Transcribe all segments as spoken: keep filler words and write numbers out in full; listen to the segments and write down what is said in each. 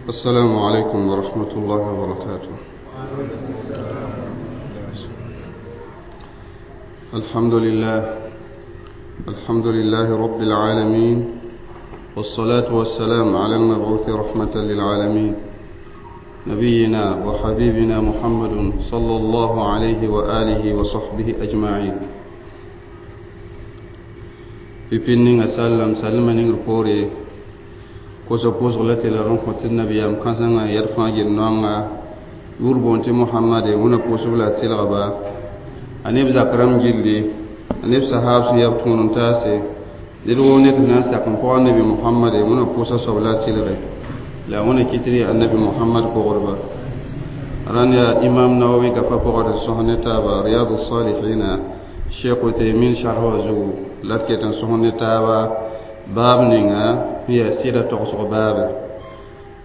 السلام عليكم ورحمة الله وبركاته. الحمد لله، الحمد لله رب العالمين، والصلاة والسلام على المبعوث رحمة للعالمين، نبينا وحبيبنا محمد صلى الله عليه وآله وصحبه أجمعين. Pipin sallam salma ning pore koso pʋsg la tɩ la rẽ kõ tɩ nabiyaam kãsengã yɛd fãa gel noanga yʋʋr boond tɩ mohamade wẽna pʋʋsb la a tɩlgba a neb zak rãmb gilli a neb sahaab sẽn yaa b tõod n taase ned woo ned sẽn na n sak n pʋga nabi mohamade wẽna pʋʋsa soab la a tɩlge la wẽna kɩtr yaa annabi mohamad pʋgdba rãnd yaa imam nawawi gafa pʋgd n sõs ne taaba riyadu salihina cheikh uthaymin sharh wã zugu la d ket n sõs ne taaba baab ninga sẽn yaa sɩda togsg baabe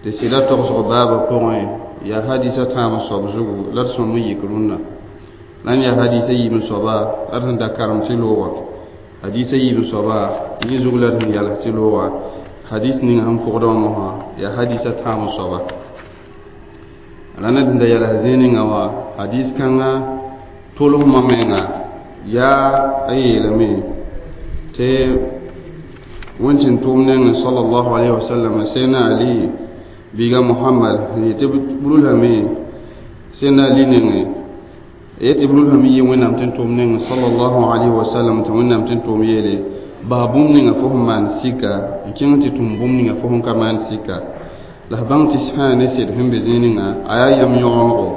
tɩ sɩda togsg baabã pʋgẽ yaa hadisa tãab soab zugu la d sõm n yik rũnnã la n yaa hadisa yiib n soaba la d sẽn da karem tɩ loogã hadisa yiib n soaba yẽ zug la d sẽn yals tɩ loogã hadis ning sẽn pʋgdã wã mosã yaa hadisa tãab soaba rãnd d sẽn da yals zĩig ninga wã hadis kãngã tolsmã menga yaa a yeelame tɩ wẽn tʋʋm nengẽ sallallahu alayhi wa sallam sẽna ali biiga muhammad yetɩ b rulame sẽna ali nengẽ yetɩ b rulame yɩ wẽnnaam tɩ n tʋʋm nengẽ sallallahu alayhi wa sallam tɩ wẽnnaam tɩ n tʋʋm yeele bas bũmb ninga fo sẽn maan sika n kẽng tɩ tũm bũmb ninga fo sẽn ka maan sika la f bãng tɩ sã ne sed sẽn be zĩig ninga a yaa yam yõgemgo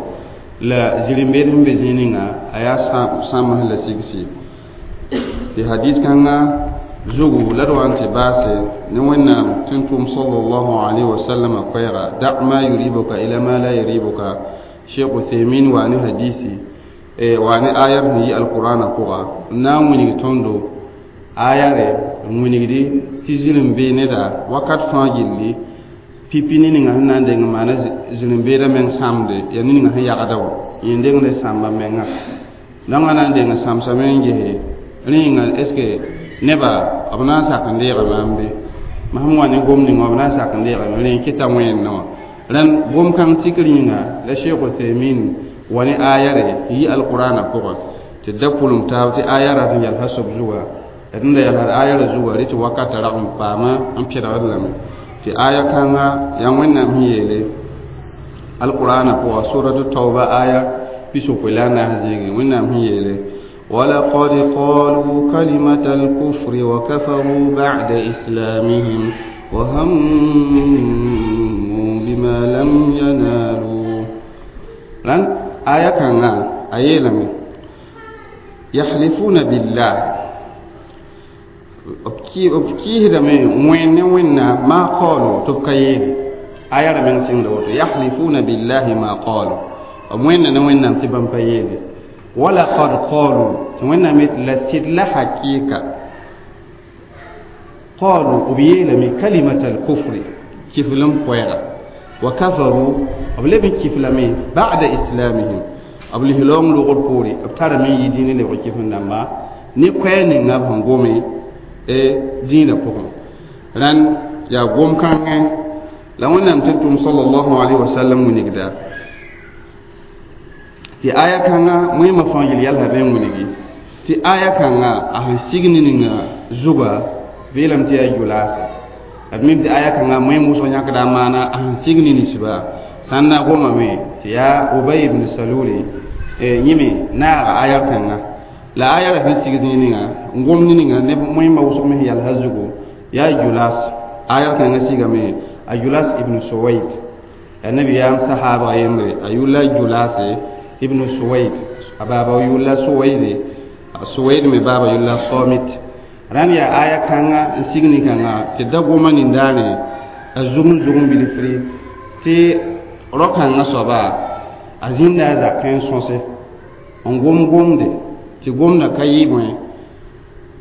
la zĩr-n-beed sẽn be zĩig ninga a yaa sãmbs la sigsi tɩ hadis kãngã zugu la d wa n tɩ baase ne wẽnnaam tɩ n tʋʋm sallallahu alayhi wa sallam koɛɛga da ma yuribuka ila ma la yuribuka cheikh uthaymin waa ne hadisi waa ne ayar sẽn yi alqur'ana pʋga n na n wilg tõndo ayare n wilgdi tɩ zĩr-n-bee neda wakat fãa gilli pipi ne ninga sẽn na n deng n maana zĩr-n-beedã meng sãmde yaa ne ninga sẽn yagda wã yẽ dengd sãmba menga dãngã na n deng sãmsame n gese rẽ yĩnga est ce que neba b na n sak n deega maam be masem wa ne gom ninga b na n sak n deegame rẽ n kɩta wẽnna wã rãnd gom-kãng tikr yĩnga la cheikh uthaymin wa ne ayare tɩ yi alqur'ana pʋgã tɩ da pʋlem taab tɩ aya rat n yalsa soab zuga d n da yalsd ayara zuga rẽ tɩ wakata rag n paama n pẽdgd lame tɩ aya kãnga yaa wẽnnaam sẽn yeele alqur'ana pʋga suratu tauba aya pisopoe la a naas zĩigẽ wẽnnaam sẽn yeele ولقد قالوا كلمة الكفر وكفروا بعد إسلامهم وهموا بما لم ينالوا لن آية كان آية يحلفون بالله أبكيه وين وين ما قالوا تبكيه آية من سنة يحلفون بالله ما قالوا وين وين تبن بيده ولقد قالوا وين لسد لحقيقة قالوا أبيلم كلمة الكفر كيف لم قيرا وكفروا أبلم كيف لم بعد إسلامهم أبله لهم لغل بوري أبتار من يدين لغل كيف نما نقوين نبهم قومي دين بقوم لأن يا قوم كان لو أن أمتنتم صلى الله عليه وسلم ونقدر tɩ aya kãngã wẽema fãa yel yalsa bɩ n wilgi tɩ aya kãngã a sẽn sig ne ninga zuga beelame tɩ yaa yʋlaasa d mim tɩ aya kãngã wẽem wʋsg yãkda a maana a sẽn sig ne ninsba sã n na gomame tɩ yaa ubay ibn saluli yẽ me naaga aya kãngã la aya ra sẽn sig zĩig ninga n gom ne ninga neb wẽema wʋsg me sẽn yalsa zugu yaa yulas aya kãngã sigame a yulas ibn suwaid annabiyaam sahaba yembre a yʋlla yulase ibn suwaid a baaba yʋlla suwaide suwaid me baaba yʋlla samit rãnd yaa aya kãnga n sig nin-kãngã tɩ da goma nindaane a zugum zugum bilfri tɩ rao-kãngã soaba a zĩnda a zakẽ n sõse n gom gomde tɩ gomdã ka yɩ bõe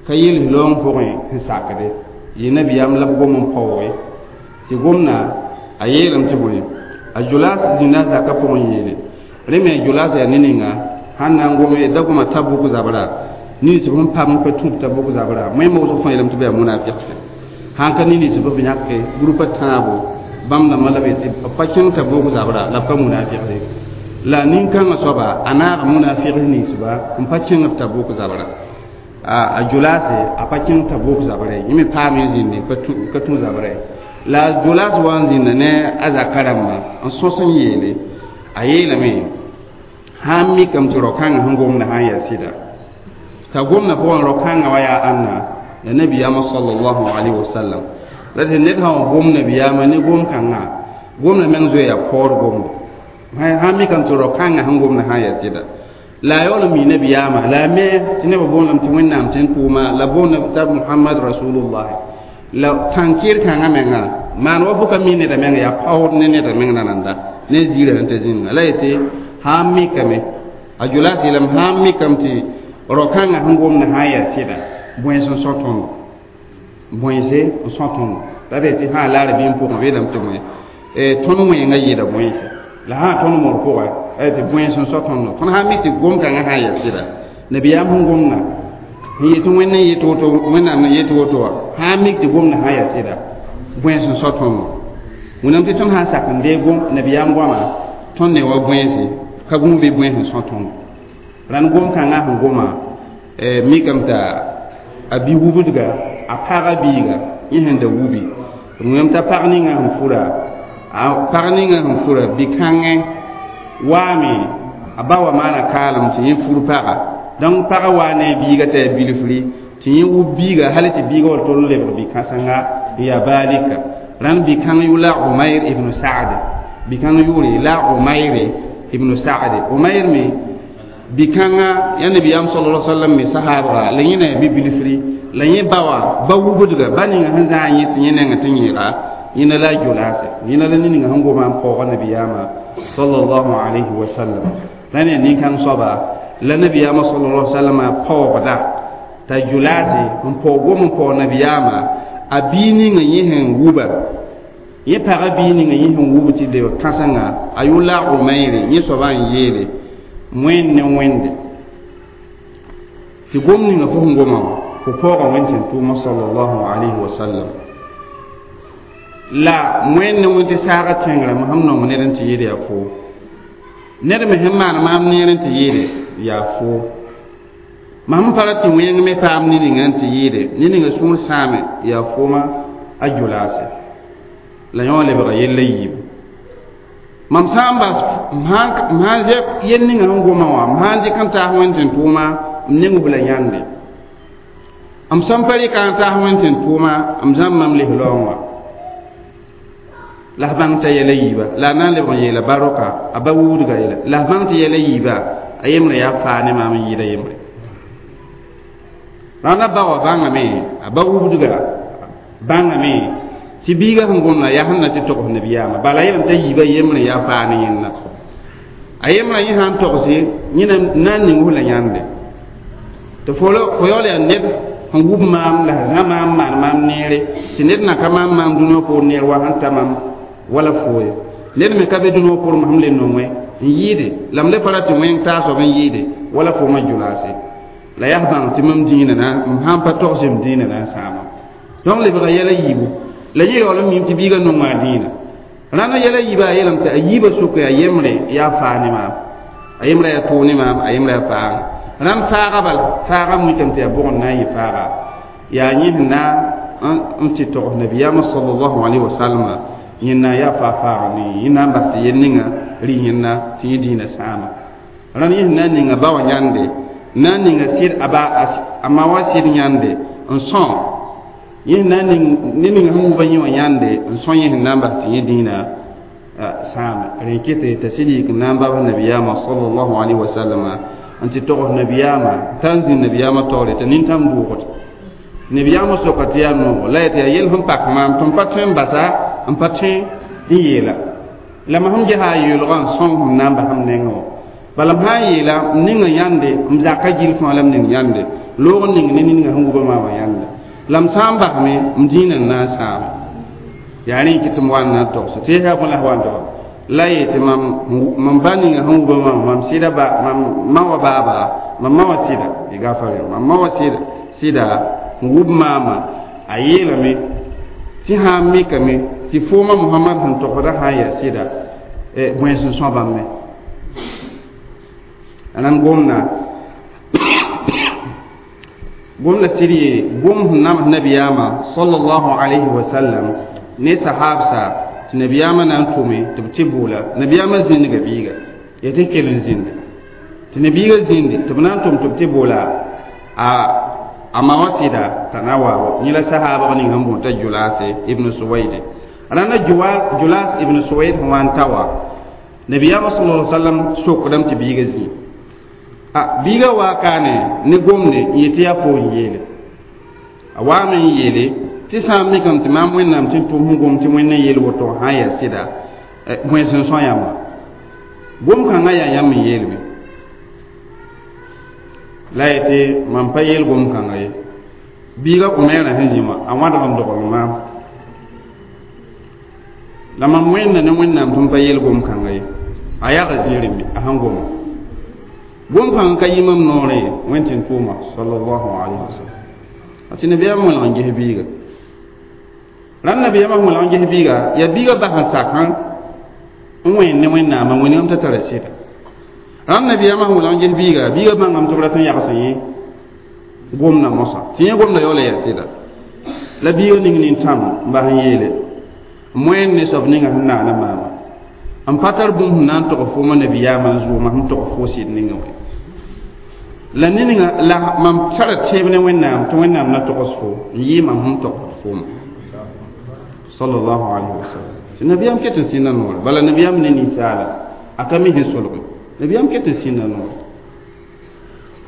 ka yels loong pʋgẽ sẽn sakde yɩ nabiyaam la b gom n paooge tɩ gomdã a yeelame tɩ bõe a julas zĩnda a zakã pʋgẽ yeele rẽ me julas yaa ne ninga sãn na n gome da goma tabuk zabra nins b sẽn pam pa tũub tabuk zabra wẽnnaam wʋsg fãa yeelame tɩ b yaa munafiqse sãn ka ne nins b b yãke grupa tãabo bãmb dãmbã la b yetɩ b pa kẽng Tabuk zabra la b ka munafiqde la nin-kãngã soaba a naaga munafiqs ninsba n pa kẽng b Tabuk zabra a Julase a pa kẽng Tabuk zabrɛ yẽ me paame n zĩnde ka tũ zabrɛ la Julas wa n zĩnda ne a zaka rãmba n sõs n yeele a yeelame sãn mikame tɩ rao-kãngã sẽn gomda sã n yaa sɩda t'a gomda pʋgẽ rao-kãngã wa yaa ãnna la nabiyaamã sallallahu alaihi wasallam la tɩ ned sã n gom nabiyaamã ne gom-kãngã gomda meng zoe yaa paoor gomda sãn mikame tɩ rao-kãngã sẽn gomda sã n yaa sɩda la a yaool n mi nabiyaamã la a me tɩ nebã boondame tɩ wẽnnaam tɩ n tʋʋma la boonda t'a Muhammad rasulullah la tãn-kɩr kãngã menga maan wa fo ka mi neda menga yaa paood ne neda meng nananda ne ziirã sẽn ta zĩnga la yetɩ sãn mikame a Julas yeelame sãn mikame tɩ rao-kãngã sẽn gomda sã n yaa sɩda bões n sõ tõndo bõese n sõ tõndo la d yetɩ sã laar bɩ n pʋgẽ beelame tɩ bõe tõnd wẽengã yɩɩda bõese la sã tõnd mor pʋgã tɩ bões n sõ tõndo tõnd sã n mi tɩ gom-kãngã sã n yaa sɩda nabiyaam sẽn gomda n yetɩ wẽnd n yet woto wẽnnaam n yet woto wã sã n mik tɩ gomda sã n yaa sɩda bões n sõ tõndo wẽnnaam tɩ tõnd sã n sak n deeg gom nabiyaam goama tõnd ne wa bõese ka gũu bɩ bões n sõ tõndo rãnd gom-kãngã sẽn goma mikame t'a a bi wubdga a paga biiga yẽ sẽn da wubi wẽnnaam t'a pag ninga sẽn fura a pag ninga sẽn fura bi-kãngẽ waame a ba wa maana kaalem tɩ yẽ fur paga donc paga waa ne a biiga t'a yaa bilfri tɩ yẽ wub biiga hal tɩ biiga wa tol n lebg bi-kãsenga n yaa baalika rãnd bi-kãng yʋ la Umayr ibn Saad bi-kãng yʋʋre la Umayr ibn Saad Umayr me bi-kãngã yaa nabiyaam sallallahu alaihi wasallam me sahaabga la yẽ na yaa bi-bilfri la yẽ ba wã ba wubdga ba ninga sẽn zãag yẽ tɩ yẽ nengã tɩ yẽega yẽna la a Julase yẽna la ninga sẽn goma n paooga nabiyaamã sallallahu alayhi wa sallam la ne nin-kãng soaba la nabiyaamã sallallahu alaihi wa sallam paoogda t'a Julase n paoog gom n paoog nabiyaamã a bii ninga yẽ sẽn wuba yẽ pagã bii ninga yẽ sẽn wub tɩ lebg kãsenga a yʋ la Umayre yẽ soabã n yeele wẽnd ne wẽnde tɩ gom ninga fo sẽn goma wã fo paooga wẽnd tɩ n tʋʋma sallallahu alayhi wa sallam la wẽnd ne wẽnd tɩ saaga tẽngrã sẽm nong ned n tɩ yɩɩd yaa foo ned me sẽn maan maam neer n tɩ yɩɩde yaa foo mam pa ra tɩ wẽng me paam ne ninga n tɩ yɩɩde ne ninga sũur sãame yaa fooma a Julase la yõ lebga yella yiibu mam sã n bas m sãn zɛb yel ninga sẽn goma wã m sã n dɩk n taas wẽnd tɩ n tʋʋma m neng la yãnde m sẽn pa rɩka n taas wẽnd tɩ n tʋʋma m zãmb mam lis-laoong wã la f bãng t'a yɛla yiiba la a na n lebg n yeela baroka a ba wudga yɛla la f bãng tɩ yɛla yiiba a yembre yaa faa ne maam n yɩɩda yembre rãnda ba wã bãngame a ba wubdga bãngame tɩ biiga sẽn gomda yaa sẽn na tɩ togs nabiyaamã bala yeelame t'a yiiba yembre yaa faa ne yẽnda a yembrã yẽ sã n togse yẽ na n ning la yãnde tɩ fo yaool yaa ned sẽn wub maam la sẽn zã maam maan maam neere tɩ ned na ka maam maam dũniyã poor neer wa sẽn ta maam wala fooye ned me ka be dũniyã poor sẽm le nongẽ n yɩɩde la m le pa ra tɩ wẽng taasb n yɩɩde wala foomã Julase la yaa bãng tɩ mam dĩinã na m sãn pa togs m dĩinã na n sãama donc lebga yɛla yiibu la yẽ yaool n mim tɩ biiga nonga a dĩinã rãndã yɛla yiiba a yeelame tɩ a yiibã sʋka yaa yembre yaa faa ne maam a yembrã yaa tʋʋg ne maam a yembrã yaa faaga rãnd faaga bal faaga mikame tɩ yaa bʋgd na n yɩ faaga yaa yẽ sẽn na n tɩ togs nabiyaamã sallallahu alaihi wasallam yẽnna yaa faa faaga ne yẽ na n bas tɩ yel ninga rɩ yẽnna tɩ yẽ dĩinã sãama rãnd yẽ sẽn na n ninga ba wã yãnde na n ninga sɩd a ba a ma wã sɩd yãnde n sõ yẽ na n ning ne ninga sẽn wubã yẽ wã yãnde n sõ yẽ sẽn na n bas tɩ yẽ dĩinã sãame rẽ kete t'a sɩd yik n na n babs nabiyaamã sallallahu alaihi wasallam n tɩ togs nabiyaamã t'a n zĩnd nabiyaamã taoore t'a nintãm dʋʋgd nabiyaamã soka tɩ yaa noogo la yetɩ yaa yel sẽn pak maam tɩ m pa tõe n basa n pa tõe n yeela la mam sẽn gesa a yoolgã n sõng sẽm na n bas m nengẽ wã bala m sã n yeela m ninga yãnde m zaka gill fãa la m ning yãnde loog n ning ne ninga sẽn wubã maamã yãnde la m sã n basme m dĩinã n na n sãame yaa rẽ kɩ tɩ m wa n na n togse tɩ yaa bõe la f wa n tog la yetɩ mam mam ba ninga sẽn wubã maamã mam sɩda ba mam ma wa baaba mam ma wa sɩda y gafar mam ma wa sɩda sɩda n wub maamã a yeelame tɩ sã n mikame Tɩ fooma Mohamad sẽn togsda sã n yaa sɩda bõe sẽn são bãmb me rãnd gomda gomda sɩd yee gom sẽn nams nabiyaamã sallallahu alayhi wa sallam ne sahabsa tɩ nabiyaamã na n tʋme tɩ b tɩ boola nabiyaamã zĩndga biiga yaa tɩ kell n zĩnde tɩ nabiiga zĩnde tɩ b na n tʋm tɩ b tɩ boola a a ma wã sɩda t'a na wa yẽ la sahaabg ning sẽn boond t'a Julase ibn Suwaide rãnda Julas ibn Suwaid sẽn wa n ta wa nabiyaamã sallallahu alayhi wa sallam sokdame tɩ biiga zĩ a biiga waa kaane ne gomde n yetɩ yaa fo n yeele a waame n yeele tɩ sã n mikame tɩ maam Wẽnnaam tɩ n tʋm sẽn gom tɩ Wẽnd n yeel woto sã n yaa sɩda bõe sẽn são yãmba gom kãngã yaa yãmb n yeelme la yetɩ mam pa yeel gom kãnga ye biiga Umairã sẽn zĩ wã a wãdg n dogl maam la mam wẽnda ne Wẽnnaam tɩ m pa yeel gom kãnga ye a yaga zĩirime a sẽn goma gom kãngã ka yɩ mam noorẽ ye Wẽnd tɩ n tʋʋma sallallahu alayhi wa sallam a tɩ nabiyaamã wẽlg n ges biiga rãnd nabiyaamã sẽn wẽlg n ges biiga yaa biiga bas n sak n wẽnd ne Wẽnnaamã wẽnegame t'a tara sɩda rãnd nabiyaamã sẽn wẽlg n ges biiga biiga bãngame tɩ b rat n yags yẽ gomda mosã tɩ yẽ gomda yaoola yaa sɩda la biiga ning nin-tãm n bas n yeele moyen ne soab ninga sẽn naana maama n pa tar bũmb sẽn na n tog fooma nabiyaamã n zʋʋma sẽn tog fo sɩd ninga wã la ninga la mam tara tẽeb ne Wẽnnaam tɩ Wẽnnaam na togs fo n yɩ mam sẽn tog fooma sallallahu alayhi wa sallam tɩ nabiyaam ket n sẽnda noore bala nabiyaam ne ninsaala a ka mi sẽn solge nabiyaam ket n sẽnda noore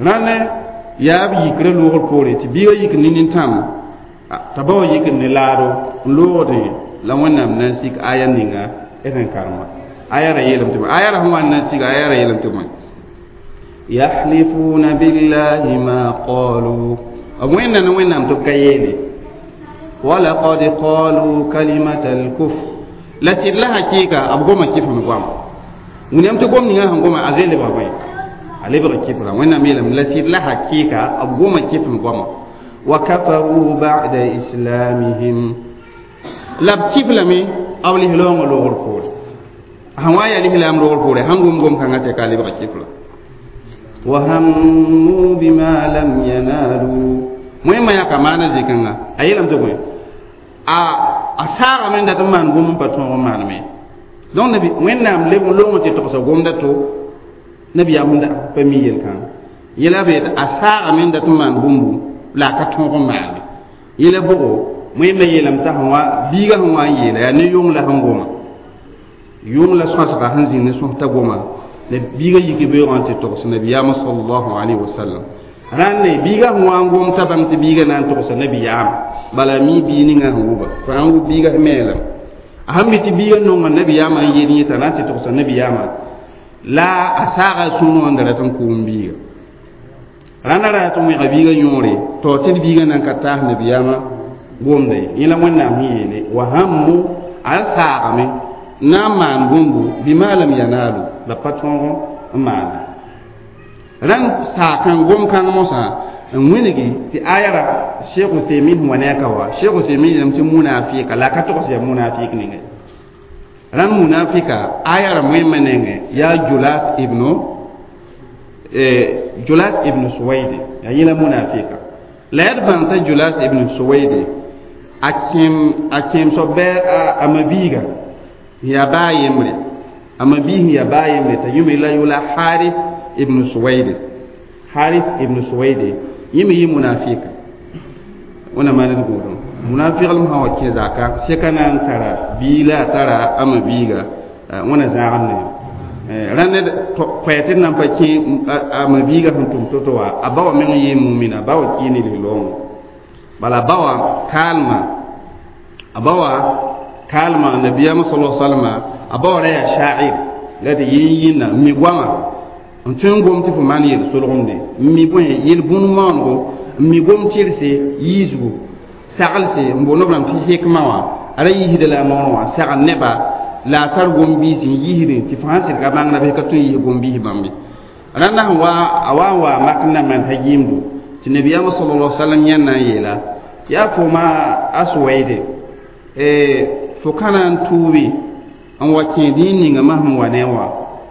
rãnd yaa b yikrã loogr poore tɩ biiga yik ne nin-tãm t'a ba wa yikd ne laado n loogdẽ la Wẽnnaam na n sik aya ninga d sẽn karema aya ra yeelame tɩ aya ra sẽn wa n na n siga aya ra yeelame tɩ bõe yahlifuna billahi ma qalu b wẽnda ne Wẽnnaam tɩ b ka yeele walaqad qalu kalimata alkufr la sɩd la hakɩɩka b goma kɩfem goama wĩnam tɩ gom ninga sẽn goma a zoe lebga bõe a lebg kɩfra Wẽnnaam yeelame la sɩd la hakɩɩka b goma kɩfem goama wa kafaru ba'da islamihim la b kɩf lame b lislaoongã loogr poore sẽn wa n yaa lislaam loogr poore sãn gom gom kãngã tɩ ka lebg kɩfra wa hammu bima lam yanalu wẽmã yãka maana zĩ-kãnga a yeelame tɩ bõe a a saagame n dat n maan gom n pa tõog n maaneme donc nabi Wẽnnaam leb n loong tɩ togsa gomda to nabiyaam sẽn da pa mi yel-kãnga yẽla be a saagame n dat n maan bũmbu la a ka tõog n maane yẽla bʋgo wẽnnaam yeelame t'a sẽn wa biiga sẽn wa n yeela yaa ne yʋng la sẽn goma yʋng la sõsga sẽn zĩnd ne sõs t'a goma la biiga yik beoogã tɩ togs nabiyaamã sallallahu alayhi wa sallam rãnd biiga sẽn wa n gom t'a bãmb tɩ biiga na n togsa nabiyaamã bala mi bii ninga sẽn wʋba fo sãn wʋb biiga sẽn meelame a sãn mi tɩ biiga nonga nabiyaamã n yel yẽ t'a na n tɩ togsa nabiyaamã la a saaga sũurẽ wã n da rat n kʋʋm biiga rãnda ra rat n wẽga biiga yõore to tɩ d biiga na n ka taas nabiyaamã gomda ye yẽ la Wẽnnaam sẽn yeele wa hammu a saagame n na n maan bũmbu bima lam yanalu la pa tõog n maane rãnd saakã gom-kãng mosã n wĩngi tɩ aya ra Cheikh Uthaymin sẽn wa ne a ka wa Cheikh Uthaymin yeelame tɩ munafika la a ka togs yaa munafik ninga rãnd munafika aya ra wẽmã nengẽ yaa Julas ibnu Julas ibn Suwaide yaa yẽ la munafika la yaa d bãng t'a Julas ibn Suwaide a kẽem a kẽem soab bɩ a mabiiga yaa baa yembre a mabiis yaa baa yembre t'a yũme la yʋla Harith ibn Suwaide Harith ibn Suwaide yẽ me yɩ munafika wẽna maan d gũudum munafiglem sã wa kẽ zaka sɛka na n tara bii la a tara a mabiiga wẽna zãag n ne rãnd koɛɛ tɩ d na n pa kẽ a mabiiga sẽn tʋm to-to wa a ba wã meng yɩ mumina ba wa kɩ ne lislaoongã bala ba wã kaalmã a ba wã kaalmã nabiyaamã sala salama a ba wã ra yaa sha'ir la tɩ yĩn yĩnna n mi goama n tõe n gom tɩ fo maan yel-solgemde n mi bõe yel-bũn maonego n mi gom tɩrse yiisgu saglse n boond b rãmb tɩ hikma wã a ra yiisda la a noorẽ wã sagl neba la a tar gom-biis n yiisdẽ tɩ fo sãn sɩd ka bãngda bɩ ka tõe n yiis gom-biis bãmbe rãnda sẽn wa a wa n wa mak n na n maan ha-yɩɩmdo tɩ nabiyaamã sallallahu alaihi wasallam yãnd na n yeela yaa fooma a Suwaide fo ka na n tuubi n wa kẽ dĩin ninga mam sẽn wa ne wã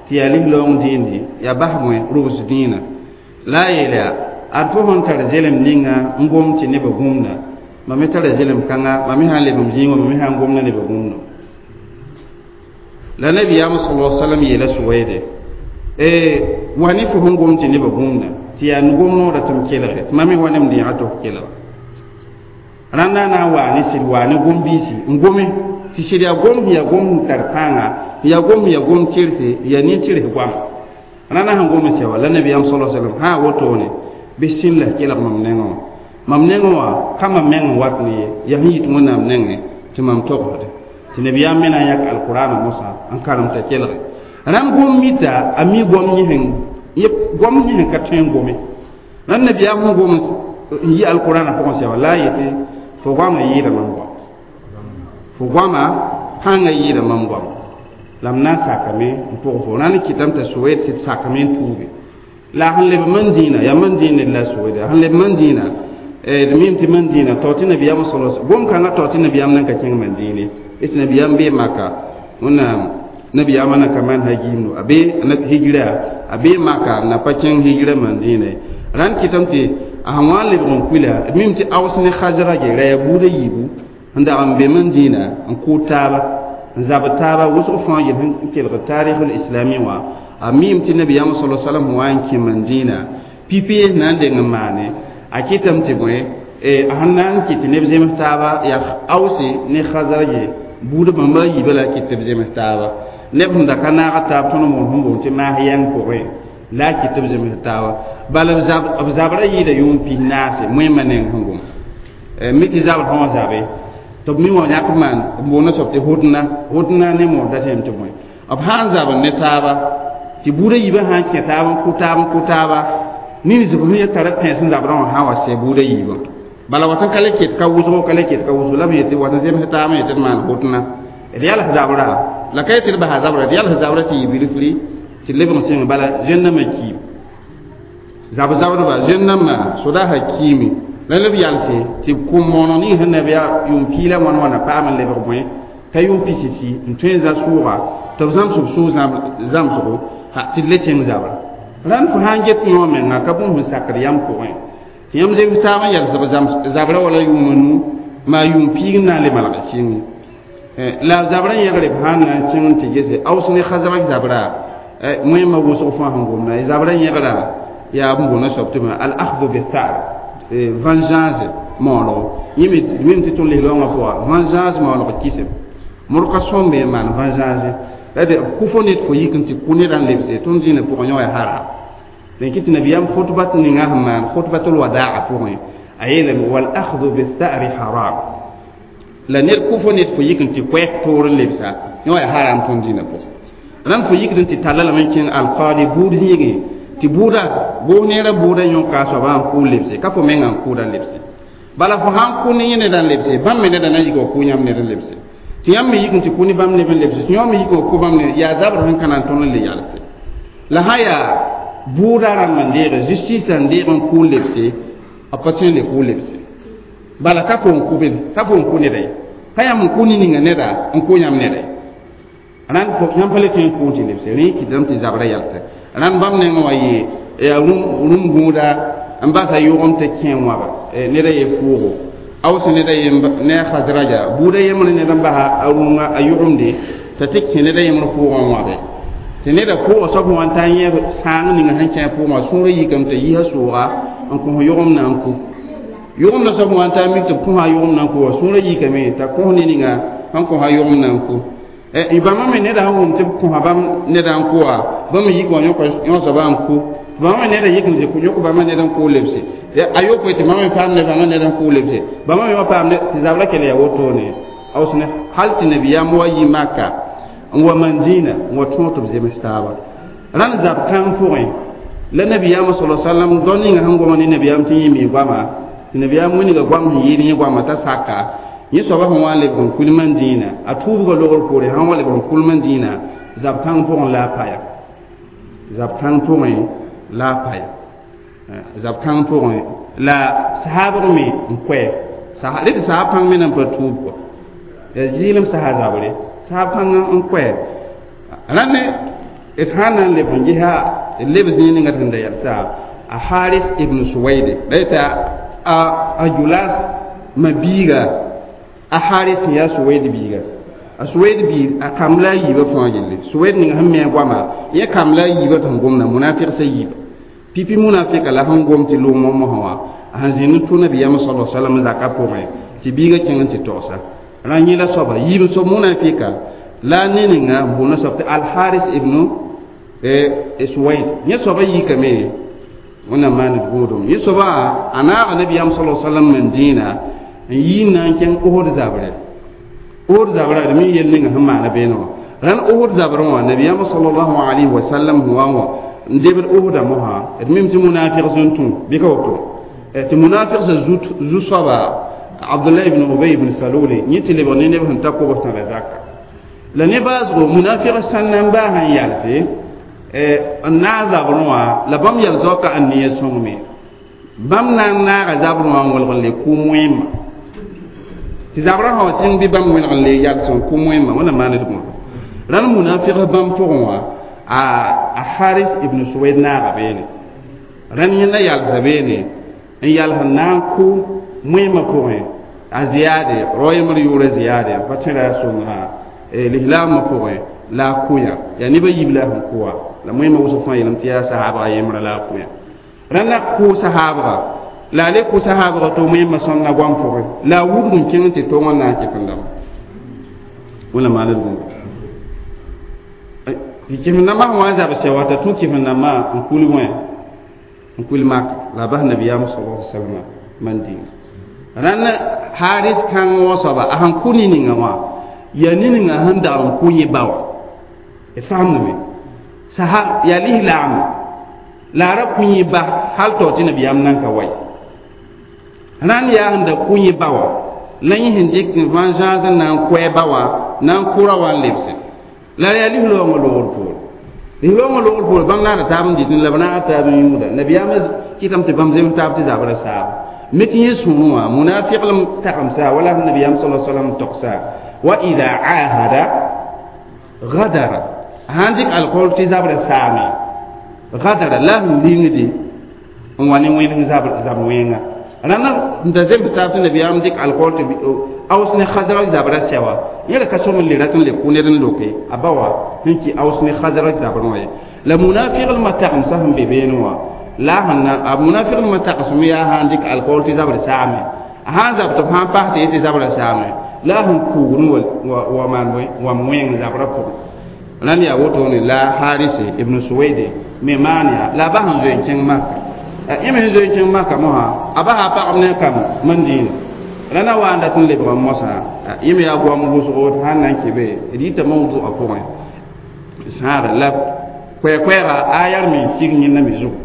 tɩ yaa lis-loong dĩinde yaa bas bõe rʋbs dĩinã la a yeel yaa ad fo sẽn tar zelem ninga n gom tɩ nebã gũmda mam me tara zelem kãnga mam me sã n leb m zĩig wã mam me sã n gomda nebã gũmdo la nabiyaam sala sallam yeela suweede wa ne fo sẽn gom tɩ nebã gũmda tɩ yaa gom noorã tɩ m kelge tɩ mam me wa ne m dẽega tɩ f kelg rãnda na n waa ne sɩd waa ne gom-biisi n gome tɩ sɩd yaa gom sẽn yaa gom sẽn tar pãnga yaa gom sẽn yaa gom tɩrse yaa nin-tɩrs goama rãnda sẽn gom n sɛ wa la nabiyaam sala sallam sã wotone bɩ sĩn la kelg mam nengẽ wã mam nengẽ wã ka mam meng n wat ne ye yaa sẽn yit wẽnnaam nengẽ tɩ mam togsde tɩ nabiyaam me na n yãk alqurana mosã n karem t'a kelge rãmb gom mita a mi gom yẽ gom yẽ ka tõe n gome rãnd nabiyaam sẽn gom n yi alqurana pʋgẽ sɛ wa la a yetɩ fo goamã yɩɩda mam goam fo goamã pãngã yɩɩda mam goam la m na n sakame n pʋg fo rãnd kɩtame t'a soeed sɩd sakame n tuuge la sẽn leb man dĩinã yaa man dĩin ned la soeeda sẽn leb man dĩinã d mim tɩ man dĩinã tao tɩ nabiyaam sala gom kãngã tao tɩ nabiyaam nan ka kẽng man dĩine tɩ nabiyaam bee maka wẽnnaam nabiyaamã na ka maan hagiimdo a be hijra a bee maka n na pa kẽng hijra man dĩinã ye rãnd kɩtame tɩ a sẽn wa n lebg n kuila d mim tɩ aos ne khazrage ra yaa buudã yiibu n dag n be man dĩinã n kʋʋd taaba n zabd taaba wʋsg fãa yel sẽn kelg tarikh islami wã a mim tɩ nabiyaam sala salam sẽn wa n kẽ man dĩinã pipi na n deng n maane a kɩtame tɩ bõe a sẽn na n kɩt tɩ neb zems taaba yaa aose ne khazrage buudã bãmba a yiibã la a kɩt tɩ b zems taaba neb sẽn da ka naag taab tõnd moon sẽn boond tɩ maas yɛng pʋgẽ la a kɩt tɩ b zems taaba bala b zabrã yɩɩda yʋʋm pis naase moẽmã neng sẽn gom mi tɩ zabr sã wã zabe tɩ b mi wã yãk maan b boonda soab tɩ hʋdna hʋdna ne moor da sẽm tɩ bõe b sã n zabr ne taaba tɩ buudã yiibã sã n kẽ taab n kʋ taab n kʋ taaba nin-zb sẽn ya tara pẽes n zabrã wã sã n wa sɛ buudã yiibã bala wat n ka le ket ka wʋsgo ka le ket ka wʋsgo la b yetɩ wat n zems taab n yetɩ d maan hʋtna d yals zabra la ka yetɩ d basa zabra d yals zabra tɩ yɩ bilfri tɩ lebg n sẽng bala zẽn-dãmbã kiim zab-zabdba zẽn-dãmbã sodaasã kiime la leb yalse tɩ b kʋm mooneg ning sẽn nab yaa yʋʋm pii la wãn wãna paam n lebg bõe t'a yʋʋm pisisi n tõe n za sʋʋga tɩ b zãmsg sʋʋg zãmsgo tɩ d le sẽng zabra rãnd fo sã n get yõ menga ka bũmb sẽn sakd yam pʋgẽ tɩ yãmb zems taab n yals b zabra wala yʋʋm a nu maa yʋʋm piig n na n le malg sɩnge la zabrã yẽgre b sã n na n kẽng n tɩ gese aos ne khazraj zabra moẽmã wʋsg fãa sẽn gomda zabrã yẽgra yaa b boonda soab tɩ al akhdu bithar vengeance maoolgo yẽ mim tɩ tõnd lis-loongã pʋga vengeance maoolg kisem modg ka sõmbe n maan vengeance la de b kʋ fo ned fo yik n tɩ kʋ nedã n lebse tõnd zĩnã pʋgẽ yõ yaa haram dẽn kɩ tɩ nabiyaam khutbat ninga sẽn maan khutbatul wadaa pʋgẽ a yeelame wal akhdu bithari haram la ned kʋ fo ned fo yik n tɩ koɛɛg toor n lebsa yõ yaa haram tõnd zĩnã pʋgẽ rãnd fo yikd n tɩ talla lame n kẽng alqaadi buud zĩigẽ tɩ buuda goos neerã buudã yõka a soabã n kʋʋ lebse ka fo mengã n kʋʋda lebse bala fo sãn kʋ ne yẽ neda n lebse bãmb me neda na n yik wa kʋ yãmb ned n lebse tɩ yãmb me yik n tɩ kʋ ne bãmb neb n lebse tɩ yõ me yik wa kʋ bãmb ne yaa zabr sẽn ka na n tõnd n le yalse la sã yaa buudã rãmb n deege justice n deeg n kʋ lebse b pa tõe n le kʋ lebse bala ka fo n kʋ bem ka fo n kʋ neda ye ka yãmb n kʋ ne ninga neda n kʋ yãmb neda ye rãnd yãmb pa le tõe n kʋ tɩ lebse rẽ kɩtame tɩ zabrã yalse rãnd bãmb nengẽ wa yee yaa rũm gũuda n basa yʋgem tɩ kẽ wãba neda ye fʋʋgo aws neda yemb ne a khazraja buuda yembr ned n basa a rũngã a yʋgemde t'a tɩ kẽ neda yembr pʋʋgã wãbe tɩ neda pʋʋga soab sẽn wa n ta n yẽ sãang ninga sẽn kẽ pʋʋgã sũurã yikame t'a yisa sʋʋga n kõs yʋgem na n ku yʋgemda soab sẽn wa n ta n mik tɩ b kõsa yʋgem na n ku wa sũurã yikame t'a kõs ne ninga sẽn kõsa yʋgem na n ku bãmba me neda sẽn wʋm tɩ b kõsa bãmb neda n kʋa bãmb me yik wã yõ soaba n ku bãmba me neda yik n tɩ yõk bãmba ned n kʋ lebse a yopoe tɩ bãmba me paam ne bãmba ned n kʋ lebse bãmba me wã paam tɩ zabra kell yaa wotone aos ne hal tɩ nabiyaam wa yi maka n wa mandĩinã n wa tõog tɩ b zems taaba rãnd zab kãng pʋgẽ la nabiyaam sala sallam dao ninga sẽn goma ne nabiyaam tɩ yẽ mi goama tɩ nabiyaam wilga goam sẽn yɩɩd yẽ goama t'a saka yẽ soaba sẽn wa n lebg n kul mandĩinã a tuubga logr poore sãn wa lebg n kul mandĩinã zab kãng pʋgẽ la a paya zab kãng pʋgẽ la a paya zab kãng pʋgẽ la sahabg me n koɛ rɩ tɩ sahab kãng me nan pa tuub kɔ Ya zɩɩlem sasa zabre sahab kãngã n koɛ rãnd d sã n na n leb n gesa leb zĩig ninga tɩ sẽn da yalsa a Haris ibn Suwaide la yeta a a Julas ma biiga a Haris sẽn yaa Suwaid biiga a Suwaid biig a kamb la a yiibã fãa yelle Suwaid ning sẽn me a goama yẽ kamb la a yiibã tɩ sẽn gomda munafiq sa yiiba pipi munafika la sẽn gom tɩ loomã mosã wã a sẽn zĩnd n tʋ nabiyaamã sala salam zakã pʋgẽ tɩ biigã kẽng n tɩ togsa rã yẽ la soaba yiib soab munafika la ne ninga n boonda soab tɩ Alharis ibnu Suwaid yẽ soaba yikame wẽnnaam maan d gũudum yẽ soaba a naaga nabiyaam sala salam men dĩinã n yi n na n kẽng Ohod zabrɛ Ohod zabrã d mi yel ninga sẽn maana beene wã rãnd Ohod zabrẽ wã nabiyaam sallallahu alayhi wa sallam sẽn wa n wa n debd Ohoda mosã d mim tɩ munafiq sẽn tũ bɩ ka woto tɩ munafiq sã zu-soaba Abdullah ibn Ubay ibn Salul yẽ tɩ lebg ne neb sẽn ta kobs tãga zaka la ne baasgo munafiq sãn na n baa sẽn yalse n naag zabrẽ wã la bãmb yal zaoka n ne sõngme bãmb na n naaga zabrẽ wã n wẽlg n le kʋ moẽmã tɩ zabrã sã wa sɩng bɩ bãmb wẽlg n le yals n kʋ moẽmã wẽnnaam maan d gũuda rãnd munafiq bãmb pʋgẽ wã a a Haris ibn Suwaid naaga beene rãnd yẽnda yalsa beene n yals n na n kʋ moẽmã pʋgẽ a ziyaade rao yembr yʋʋra ziyaade pa tẽra sõnga lislaamã pʋgẽ la a kʋyã yaa nebã yiib la a sẽn kʋa la moẽmã wʋsg fãa yeelame tɩ yaa sahaabga yembra la a kʋyã rãnd la kʋ sahaabga la a le kʋ sahaabga tɩ moẽmã sõnga goam pʋgẽ la a wudg n kẽng tɩ tong n na n kɩt n dama wẽnnaam maan d gũuda tɩ kɩsem-dãmbã sẽn wa n zabs wa t'a tũ kɩsem-dãmbã n kul wẽ n kul mak la a bas nabiyaam sala salama man dĩnga rãnd Haris kãng wã soaba a sẽn kʋ ne-ninga wã yaa ne-ninga sẽn dag n kʋ yẽ ba wã d faamdame saha yaa lislaam la a ra kʋ yẽ ba hal tao tɩ nabiyaam nan ka wa ye rãnd yaa sẽn da kʋ yẽ ba wã la yẽ sẽn dɩk n vãn zãas n na n koɛ ba wã na n kʋra wã n lebse la yaa lislaoongã loogr poore lislaoongã loogr poore bãmb naada taab n dɩtẽ la b naag taab n yũuda nabiyaamã kɩtame tɩ bãmb zems taab tɩ zabra saaba me tɩ yẽ sũurẽ wã munafiqlem tagemsa wala sẽn nabiyaam sala salam togsa wa ida ahada gadara sãn dɩk alkool tɩ zabra saame gadara la sẽn lingde n wa ne wẽneg zab wẽnga rãnd n da zems taab tɩ nabiyaam dɩk alkool tɩ Aws ne Khazraj zabra sɛwa yẽ ra ka sõm n le rat n le kʋ ned n loke a ba wã sẽn kɩ Aws ne Khazraj zabrẽ wã ye la munafiglmã tagemsã sẽn be beene wã la sẽn na a munafiglmã tagsem yaa sã n dɩk alkool tɩ zabr saame a sã n zab tɩ b sã n pas tɩ yetɩ zabra saame la a sẽn kuugd wa maan bõe wam wẽng zabrã pʋgẽ rãnd yaa wotone la Harise ibn Suwaide me maan yaa la a ba sẽn zoe n kẽng Maka yẽ me sẽn zoe n kẽng Maka mosã a basa a pagb ne kam mandĩinã rãnd wa n dat n lebg n mosã yẽ me yaa goam wʋsgo tɩ sãn na n kɩ be d yita mawdu a pʋgẽ sãaga la koɛɛ-koɛɛga a yaa me n sig yẽnda me zugu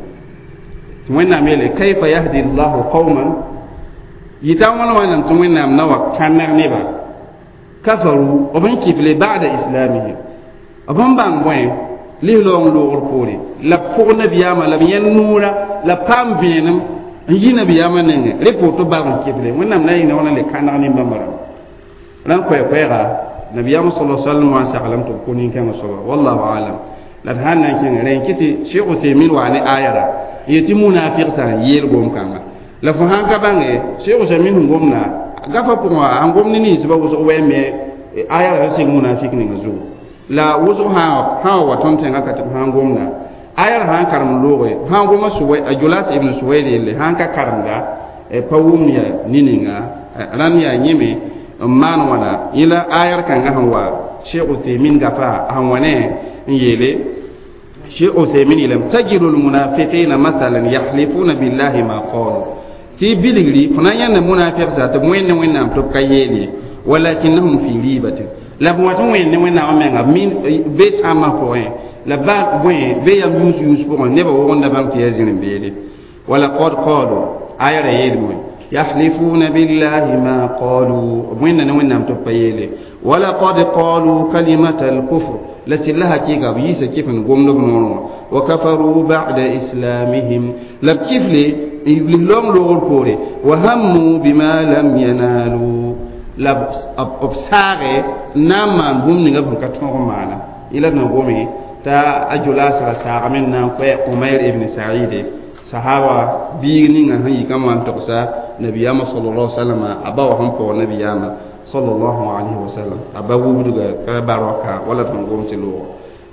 tɩ wẽnnaam yeele kayfa yahdi llahu qauman yita wãn wãnnaam tɩ wẽnnaam na wa kãneg neba kafaru b n kɩfle ba'da islamihim b n bãng bõe lislaoong loogr poore la b pʋg nabiyaamã la b yẽnd noora la paam vẽenem n yi nabiyaamã nengẽ rẽ pʋʋg tɩ balg n kɩfle wẽnnaam na yĩnga wãna le kãneg nin-bãmba rãmba rãnd koɛɛ-koɛɛga nabiyaamã sala sallam wã n saglame tɩ b kʋ nin-kãngã soaba wallahu alam la d sãn na n kẽngẽ rẽ n kɩ tɩ Cheikh Uthaymin waa ne ayara n yetɩ munafiq sã n yeel gom-kãnga la fo sãn ka bãnge Cheikh Uthaymin sẽn gomda gafa pʋgẽ wã sẽn gom ne ninsbã wʋsg wɛ me ayara sẽn sɩng munafik ninga zugu la wʋsg sã wa wa tõnd tẽngã ka tɩ b sãn gomda ayar sãn karem looge sãn goma Suwai a Julas ibn Suwaid yelle sãn ka karemda pa wʋm ya ne-ninga rãnd yaa yẽme n maan wãna yẽ la ayar kãngã sẽn wa Cheikh Uthaymin gafa sẽn wa ne n yeele Cheikh Uthaymin yeelame tajidu lmunafiqina mathalan yahlifuna billahi ma qalu tɩ bilgri fo na n yãnda munafiq sã tɩ b wẽnd ne wẽnnaam tɩ b ka yeel ye walakinnahum fi ribatin la b wa tɩ wẽnd ne wẽnnaamã menga min be sãambã pʋgẽ la ba bõe be yam yũus yũus pʋgẽ nebã wogenda bãmb tɩ yaa zĩr-n-beede walaqad qalu aya ra yeelame yahlifuna billahi ma qalu wẽnna ne wẽnnaam tɩ b pa yeele walaqad qalu kalimata alkufr la sɩlla hakɩɩka b yiisa kɩf n gomd b noorẽ wã wa kafaru ba'da islamihim la b kifle lislaoong loogr poore wa hammu bima lam yanalu La b saage n na n maan bũmb ninga b sẽn ka tõog n maana yẽla d na gome t'a a jolas ra saagame n na n koɛ Umair ibn Saide sahaba biig ninga sẽn yikã wã n togsa nabiyaamã sallallahu alaihi wasallam a ba wã sẽn paoog nabiyaamã sallallahu alaihi wasallam a ba wubdga ka baraka wala d sẽn gom tɩ loogã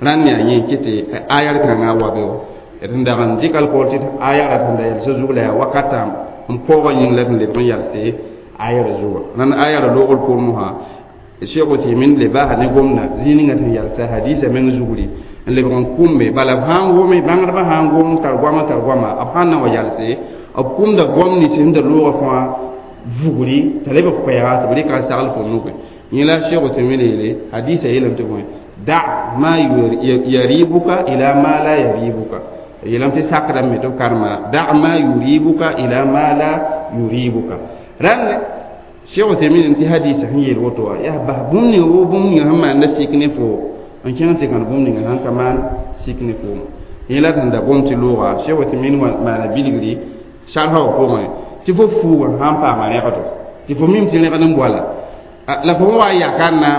rãnd yaa yẽ kɩ tɩ ayar kãngã wa be wã d sẽn dag n dɩk alkool tɩ ayara sẽn da yalsã zug la yaa wakata n paoogã yĩng la sẽn lebg n yalse ayara zuga rãnd ayara loogr pʋʋr mosã Cheikh Uthaymin le baasa ne gomda zĩig ninga sẽn yalsa hadisa meng zugri n lebg n kʋmbe bala b sã n wome bãngdbã sã n gom tar goama tar goama b sãn na wa yalse b kʋmda goam nins sẽn da loogã fãa vugri t'a lebg koɛɛga tɩ b rɩka n sagl fo nugẽ yẽ la Cheikh Uthaymin yeele hadisa yeelame tɩ bõe da ma yaribuka ila ma la yaribuka yeelame tɩ sakrame tɩ b karema da ma yuribuka ila ma la yuribuka rãnd Cheikh Uthaymin tɩ hadisa sẽn yeel woto wã yaa bas bũmb ninga woo bũmb ninga sẽn maanda sik ne fo n kẽng tɩ kãn bũmb ninga sãn ka maan sik ne foom yẽ la sẽn da gom tɩ looga Cheikh Uthaymin maana bilgri sarsa wã pʋgẽ tɩ fo fuugã sãn paama rẽgdo tɩ fo mim tɩ rẽgd n boala la fo wa n yaka n na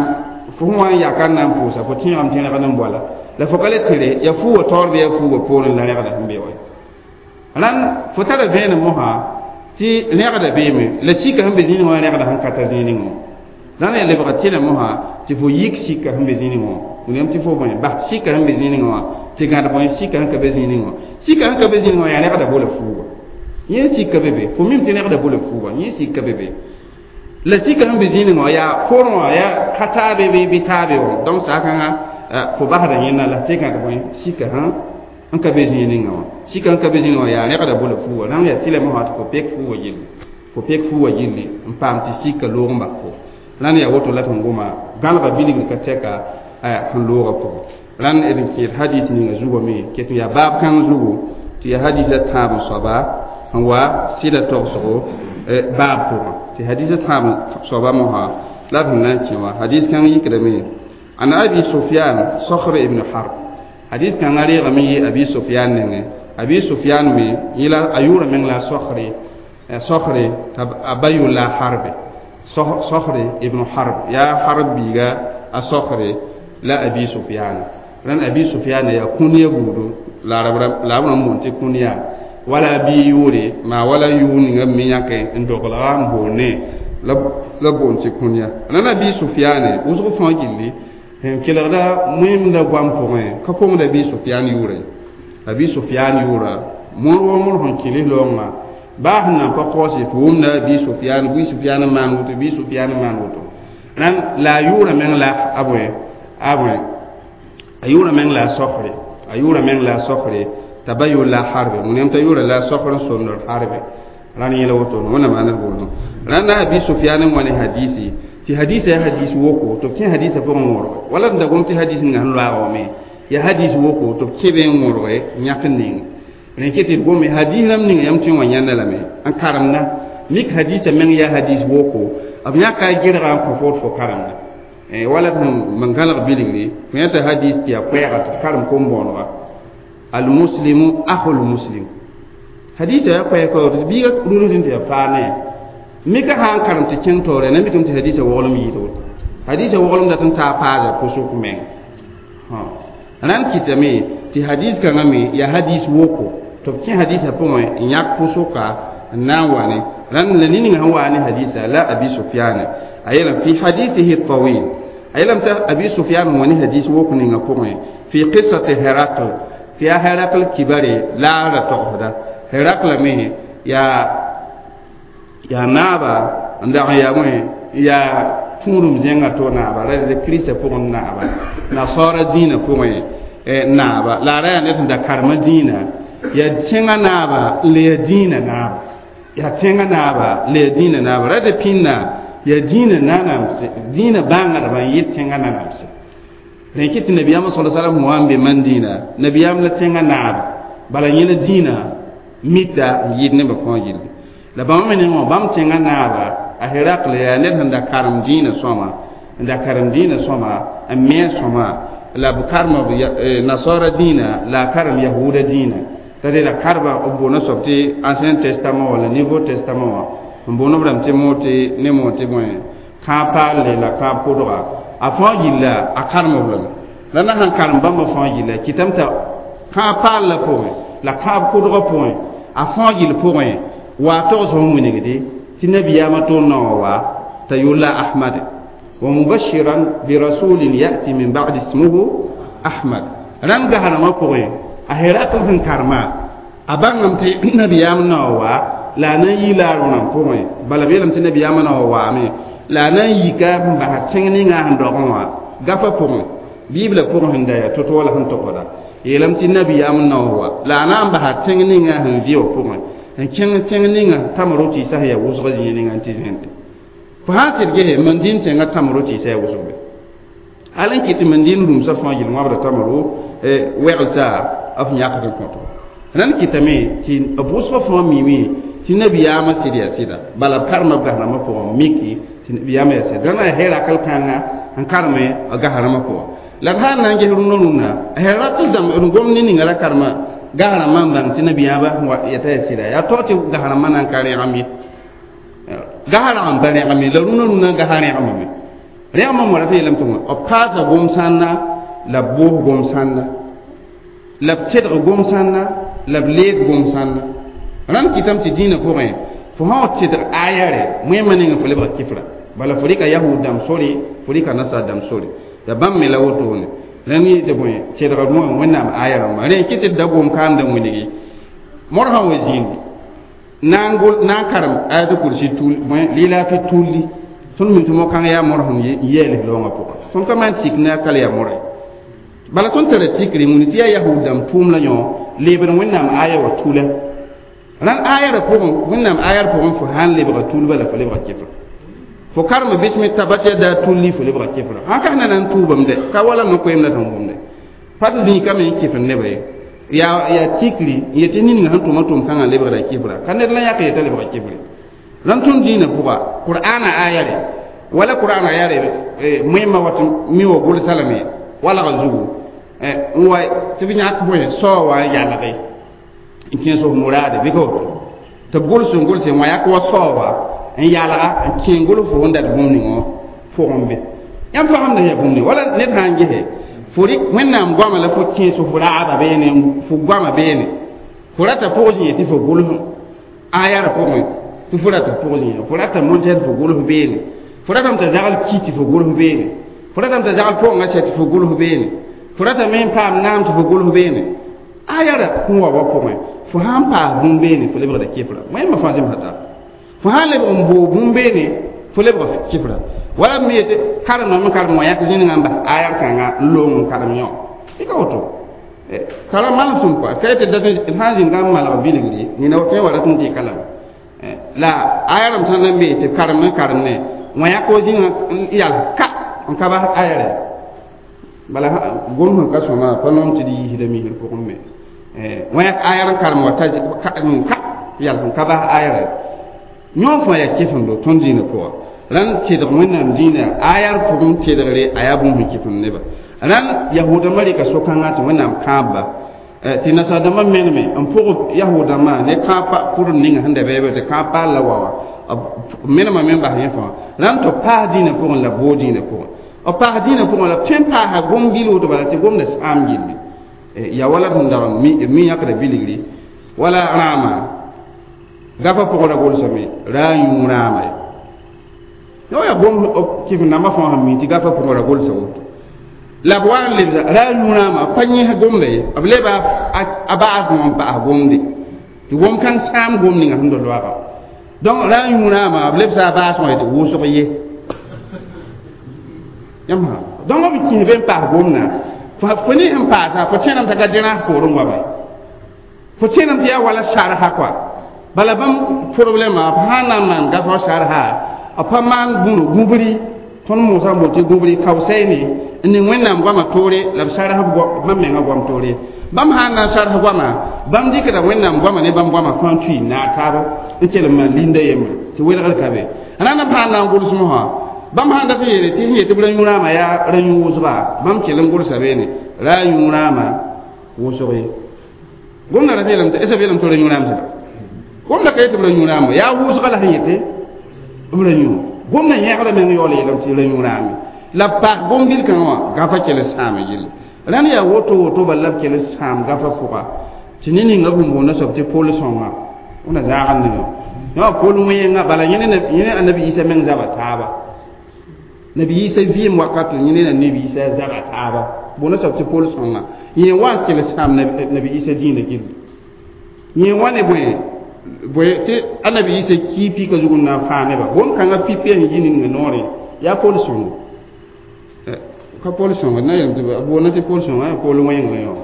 fo sẽn wa n yaka n na n pʋʋsa fo tẽegame tɩ rẽgd n boala la fo ka le tɩre yaa fuugã taoor bɩ yaa fuugã poorẽ la rẽgda sẽn be wa rãnd fo tara vẽenem mosã tɩ rẽgda beeme la sika sẽn be zĩig wã rẽgda sẽn ka ta zĩig wã rãnd yaa lebga tɩlẽ mosã tɩ fo yik sika sẽn be zĩig wã william tɩ fo bõe bas sika sẽn be zĩig wã tɩ gãd bõe sika sẽn ka be zĩig wã sika sẽn ka be zĩig wã yaa rẽgda bola fuuga yẽ sika be be fo mim tɩ rẽgda bola fuuga yẽ sika be be la sika sẽn be zĩig wã yaa porẽ wã yaa ka taabe bɩ bɩ taabe wã donc saakãngã fo basda yẽnna la tɩ gãd bõe sika sẽn n ka be zĩig ninga wã sika n ka be zĩig wã yaa rẽgda bola fuuga rãng yaa tɩlame wã tɩ fo pek fuuga gilli fo pek fuuga gilli n paam tɩ sika loog n bas fo rãnd yaa woto la sẽn goma gãlga bilgr ka tɛka sẽn loogã pʋgẽ rãnd d n kẽed hadis ninga zugame ket n yaa baab kãng zugu tɩ yaa hadisa tãab n soaba sẽn wa sɩda togsgo baab pʋgẽ tɩ hadisa tãab n soaba mosã la d sẽn na n kẽ wã hadis kãng yikdame an Abi Sufyan Sokhr ibn Harb hadis kãngã reegame yɩ Abi Sufyan nengẽ Abi Sufyan me yẽla a yʋʋra meng la Sokre Sokre t'a a ba yʋʋr la Harbe Sokre ibn Harb yaa Harb biiga a Sokre la Abi Sufyan rãnd Abi Sufyan yaa kũnia buudu la la b rãmb boond tɩ kũnia wala bi yʋʋre maa wala yʋʋr ninga me yãke n doglga n boonne la boond tɩ kũnia rãnd Abi Sufyane wʋsg fãa gilli sẽn kelgda wẽmda goam pʋgẽ ka kongda Abi Sufyan yʋʋre Abi Sufyan yʋʋra mõr wa mõr sẽn kɩls loongã baa sẽn nan pa kaoose fo wʋmda Abi Sufyan Abi Sufyan n maan woto Abi Sufyan n maan woto rãnd la a yʋʋra meng la a bõe a bõe a yʋʋra meng la a Sokre a yʋʋra meng la a Sokre t'a ba yʋʋr la a Harbe wẽnnaam t'a yʋʋra la a Sokr n somdr Harbe rãnd yẽla woto wẽnnaam maan d boolẽ rãnd Abi Sufyan n wa ne hadisi tɩ hadisa yaa hadis woko tɩ b kẽ hadisa pʋgẽ wõrge wala d da gom tɩ hadis ninga sẽn loaaga wame yaa hadis woko tɩ b kẽ be n wõrge yãk n ning rẽ kɩ tɩ d gome hadis rãmb ninga yãmb tõe n wa yãnda lame n karemda mik hadisa meng yaa hadis woko b yãka a gɩrga n kõ fo fo karemda wala sẽn man gãlg bilgri fo yãta hadis tɩ yaa koɛɛga tɩ karem kom-bõonega almuslimu ahul muslim hadisa yaa koɛɛga tɩ biiga rũrẽ tɩ yaa faane mika sã n karem tɩ kẽng taoore na mikame tɩ hadisa woglem yɩɩd woto hadisa woglem dat n taa paasa pʋsʋk meng rãnd kɩtame tɩ hadis kãngã me yaa hadis woko tɩ b kẽ hadisa pʋgẽ n yãk pʋsʋka n na n wa ne rãnd la nin-ninga sẽn waa ne hadisa la Abi Sufyane a yeelame fi hadisihi tawil a yeelame tɩ Abi Sufyan n wa ne hadis wok ninga pʋgẽ fi qissati Herakl tɩ yaa Herakl kibare la a ra togsda Herakla me yaa yaa naaba n dag n yaa bõe yaa tũudum zẽngã to naaba ra d kiristã pʋgẽ naaba nasaara dĩinã pʋgẽ naaba la a ra yaa ned sẽn da karema dĩinã yaa tẽngã naaba n le yaa dĩinã naaba yaa tẽngã naaba le yaa dĩinã naaba ra d pĩnna yaa dĩinã nanamse dĩinã bãngdbã n yɩ tẽngã nanamse rẽ kɩ tɩ nabiyaamã sala salam wa n be man dĩinã nabiyaam la tẽngã naaba bala yẽla dĩinã mita n yɩɩd nebã fãa gilli la bãmb me nengẽ wã bãmb tẽngã naaba a Herakl yaa ned sẽn da karem dĩinã sõma n da karem dĩinã sõma n me sõma la b karema nasaara dĩinã la a karem yahuda dĩinã t'a la karba b boona soab tɩ Ancien Testament walla Nouveau Testament wã n boon b rãmb tɩ moor tɩ ne moor tɩ bõe kãab paalle la kãab kodga a fãa gilla a karem b lame la na sãn karem bãmba fãa gilla kɩtame t'a kãab paallã pʋgẽ la kãab kodgã pʋgẽ a fãa gill pʋgẽ wa togs sẽn wilgde tɩ nabiyaamã tõnd naowã wa t'a yʋlla ahmad wa mubashiran birasulin yati min ba'di ismuhu ahmad rãnd gahrãmã pʋgẽ a herakl sẽn karema a bãngame tɩ nabiyaam naowã wa la a na n yi la a rõnam pʋgẽ bala b yeelame tɩ nabiyaamã naowã waame la a na n yika n basa tẽng ninga sẽn dogẽ wã gafa pʋgẽ biblã pʋgẽ sẽn da yaa to-to wala sẽn togda yeelame tɩ nabiyaam naowã wa la a na n basa tẽng ninga sẽn vɩ wã pʋgẽ n kẽng tẽng ninga tamro tɩɩsa sẽn yaa wʋsg zĩig ninga n tɩ zẽnde fo sã n sɩd gese mandĩn tẽngã tamro tɩɩsa yaa wʋsg be hal n kɩt tɩ mandĩn rũmsã fãa gill wãbda tamro wɛglsa f yãkd n kõto rãnd kɩtame tɩ b wʋsgã fãa miime tɩ nabiyaamã sɩd yaa sɩda bala b karema b gasrãmbã pʋgẽ miki tɩ nabiyaamã yaa sɩda rãnd a herakl kãnga n karme a gasrãmbã pʋgẽ la d sã n na n ges rũndã rũndã a herakl dãmb d gom ne ninga ra karema gasrãmbã n bãng tɩ nabiyaabã yeta yaa sɩda yaa tao tɩ gasrãmbã na n ka rẽgem ye gasrãgem pa rẽgem ye la rũndã rũndã gasa rẽgemame rẽgemã moa tɩ yeelame tɩ b paasa gom-sãnda la b boos gom-sãnda la b tedg gom-sãnda la b leeg gom-sãnda rãnd kɩtame tɩ dĩinã pʋgẽ fo sã wa tedg aya rɛ wẽmã nengẽ fo lebga kɩfra bala fo rɩka yahud dãmb sore fo rɩka nasaar dãmb sore ya bãmb me la wotone rãnd yɩ tɩ bõe tedga rũã wẽnnaam aya rãmba rẽ kɩ tɩ d da gom kaamda wilgi modg sã wa zĩindi na n gol na n karem ayatul kursi tul bõe lɩlaafɩ tulli tõnd mi tɩ mo-kãng yaa modg sẽn yɛɛls loongã pʋgã tõnd ka maan sik ne a kal yaa modge bala tõnd tara tikre wĩni tɩ yaa yahud dãmb tʋʋm la yõ leebd wẽnnaam aya wa tula rãnd aya ra pʋgẽ wẽnnaam aya r pʋgẽ fo sãn lebga tul bala fo lebga kɩfra fo karem bismi tabat yada tulli fo lebga kɩfra sãn ka na n tuubame dɛ ka wala no-koeemda sẽn wʋmde pa tɩ zĩikame n kɩf neba ye yaa yaa tikri n yetɩ ninga sẽn tʋma tʋm-kãngã lebgra kɩfra ka ned la yãk yeta lebga kɩfre rãnd tõnd dĩinã pʋga qur'ana aya re wala qur'ana aya re moẽmã wat mi wa gʋlsa lame walga zugu n wa tɩ b yãk bõe sao wã n yalge n kẽes f muraade bɩ ka woto tɩ b gʋls n gʋlse wã yak wa sao wã n yalga n kẽ gʋls fo sẽn dat bũmb ningã pʋgẽ be yãmb pagemda yaa bũmb ning wala ned sã n gese fo rɩk wẽnnaam goama la fo kẽes fo raaba beene fo goama beene fo rata pʋg zĩ tɩ fo gʋls aya ra pʋgẽ tɩ fo rata pʋg zĩ fo rata montɛd fo gʋls beene fo ratame t'a zagl ki tɩ fo gʋls beene fo ratame t'a zagl pʋgẽngã sɛ tɩ fo gʋls beene fo ratame n paam naam tɩ fo gʋls beene aya ra kũ wa wa pʋgẽ fo sãn paas bũmb beene fo lebgda kɩfra wẽmba fãa zemsa taaba fo sãn lebg n boo bũmb beene fo lebga kɩfra wala m yetɩ karem n karem wã yãk zĩnigã n bas aya kãnga n loong n karem yõ tɩ ka woto kara malsem kɔa ka yetɩ dat d sã n zĩnga n malg bilgri nina tõe wa rat n dɩka lame la aya rãmb sãn n be tɩ karem n karem ne wã yãk wa zĩnigã n yals ka n ka bas aya rɛ bala gom sẽn ka sõma pa noom tɩ d yiisda misr pʋgẽ me wã yãk aya n karem wa ta ka yals n ka bas aya rɛ yõ fãa yaa kɩfemdo tõnd dĩinã pʋga rãnd tedg wẽnnaam dĩinã aya r pʋgẽ tedgre a yaa bũmb sẽn kɩfem neba rãnd yahoodãmbã rɩka so-kãngã tɩ wẽnnaam kãabba tɩ nasaar-dãmbã meneme n pʋg yahoodãmbã ne kãab pʋdem ninga sẽn da bɛɛbɛ tɩ kãab paal la wa wã menema me n bas yẽ fãa rãnd tɩ b paas dĩinã pʋgẽ la boog dĩinã pʋgẽ b paas dĩinã pʋgẽ la tõe n paasa gom gil woto bala tɩ gomda sãam gilli ya wala sẽn dag mi yãkda bilgri wala rãama gafa pʋgẽ ra gʋlsame ra a yũ rãama ye yõ yaa gom kɩf nambã fãa sẽn mi tɩ gafa pʋgẽ ra gʋlsa woto la b wa n lebsa ra a yũ rãama pa yẽs gomda ye b leba a baasmã n paas gomde tɩ gom kãng sãam gom ninga sẽn da loaga donc ra a yũ rãama b lebsa a baasmã tɩ wʋsg ye yãmb donc b kĩs be n paas gomdã fo ne sẽn paasa fo tẽename t'a ka dẽrãs poorẽ wa fo tẽename tɩ yaa wala sarsa kɔa bala bãmb problɛmã b sã n na n maan gafa sarsa b pa maan bũno gũbri tõnd moosã n bool tɩ gũbri kaosaine n ning wẽnnaam goamã toore la b sars bãmb menga goam toore bãmb sã n na n sars goamã bãmb dɩkda wẽnnaam goamã ne bãmb goamã fãa tui naag taaba n kell n maan linda yembre tɩ welgr ka be rãnd b sã n na n gʋlsem wã bãmb sã n dat n yeele tɩ sẽn yetɩ b ra yũ rãamã yaa ra yũ wʋsga bãmb kell n gʋlsa beene ra a yũ rãamã wʋsg ye gomda ra yeelame tɩ b yeelame tɩ ra yũ rãam sẽda gomda ka yetɩ b ra yũ rãamba yaa wʋsga la sẽn yetɩ b ra yũ Gomna yẽgda meng yaool yeelame tɩ ra yũ raame la b paak gom-bil kãngã wã gafã kell n sãama yelle rãnd yaa woto woto bala la b kell n sãam gafã pʋga tɩ ne ninga b sẽn boonda soab tɩ pol sõnga wẽna zaagd ninga yã pol wẽenga bala yẽ annabi Isa meng zaba taaba nabi Isa vɩɩm wakat yẽ ne nabi Isa zaba taaba boonda soab tɩ pol sõnga yẽ wa n kell n sãam nabi Isa dĩinã gilli yẽ wa ne bõe bõe tɩ annabi Isa kii pika zug n na n faa neba bõn-kãngã pipi sẽn yi ninga noorẽ yaa pol sõngo ka pol sõnga na yeelame tɩ b boonda tɩ pol sõnga yaa pol wẽnga yõ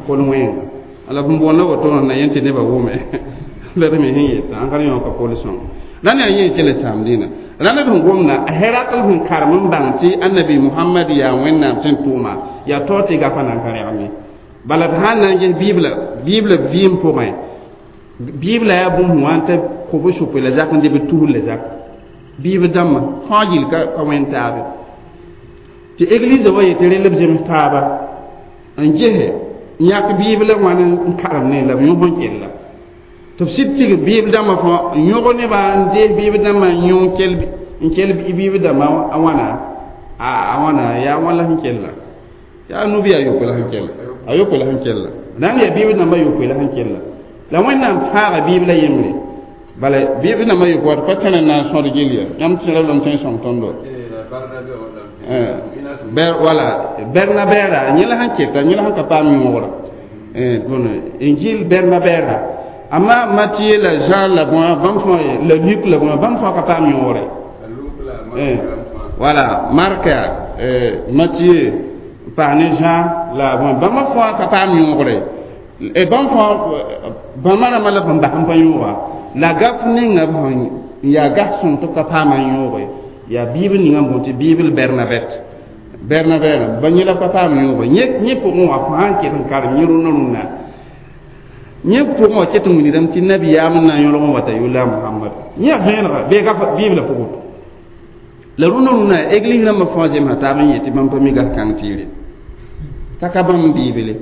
pol wẽnga la b boonda woto na yẽ tɩ nebã wʋme la d me sẽn yetã ãn ka yõ ka pol sõnga rãnd yaa yẽ kell n sãam dĩnã rãnd d sẽn gomda a Herakl sẽn karem n bãng tɩ annabi Muhammad yaa Wẽnnaam sẽn tʋʋma yaa taoor tɩ gafa na n ka rẽgem bala d sãn na n ges bibla bibla vɩɩm pʋgẽ bibla yaa bũmb sẽn wa n ta kob sʋpɩ la zak n dɩ b tusr la zak bibl dãmbã fãa gill ka ka wẽnd taabe tɩ église wa yetɩ rel b zems taaba n gese n yãk bibla wãn n karem ne la b yõs n kella tɩ b sɩd tig bibl dãmbã fãa n yõg nebã n dees bibl dãmbã n yõ n kell bibl dãmbã a wãna a wãna yaa wãn la sẽn kella yaa nubi a yopoe la sẽn kella a yopoe la sẽn kella rãnd yaa bibl dãmbã yopoe la sẽn kella la Wẽnnaam fãaga bibla yembre bala bibl dãmbã yopoe wat pa tẽn n na n sõd gill ya yãmb tẽra lame tõe n sõng tõndo ber wala Bernabɛra yẽ la sẽn keta yẽ la sẽn ka paam yõogra bõn Injil Bernabɛra amma Matthieu la Jean la bõa bãmb fãa la Luc la bõa bãmb fãa ka paam yõogre wala Mark, Matthieu paas ne Jean la bõa bãmb fãa ka paam yõogre bãmb fãa bãmba rãmbã la b bas n pa yõoga la gaf ninga b sẽn yaa gas sõng tɩ b ka paama yõoge yaa bibl ninga n boond tɩ bibl Bernabɛt Bernabɛra ba yẽ la b ka paam yõoge yẽ pʋgẽ wã fãa n ket n karem yẽ rũnã rũnna yẽ pʋgẽ wã ket n wilgdame tɩ nabiyaam n na n yõlg n wata yʋla Muhammad yẽ vẽenega bee gaf bibla pʋgẽ la rũnã rũnã église rãmbã fãa zemsa taab n yetɩ bãmb pa mi gas kãng tɩɩre t'a ka bãmb bible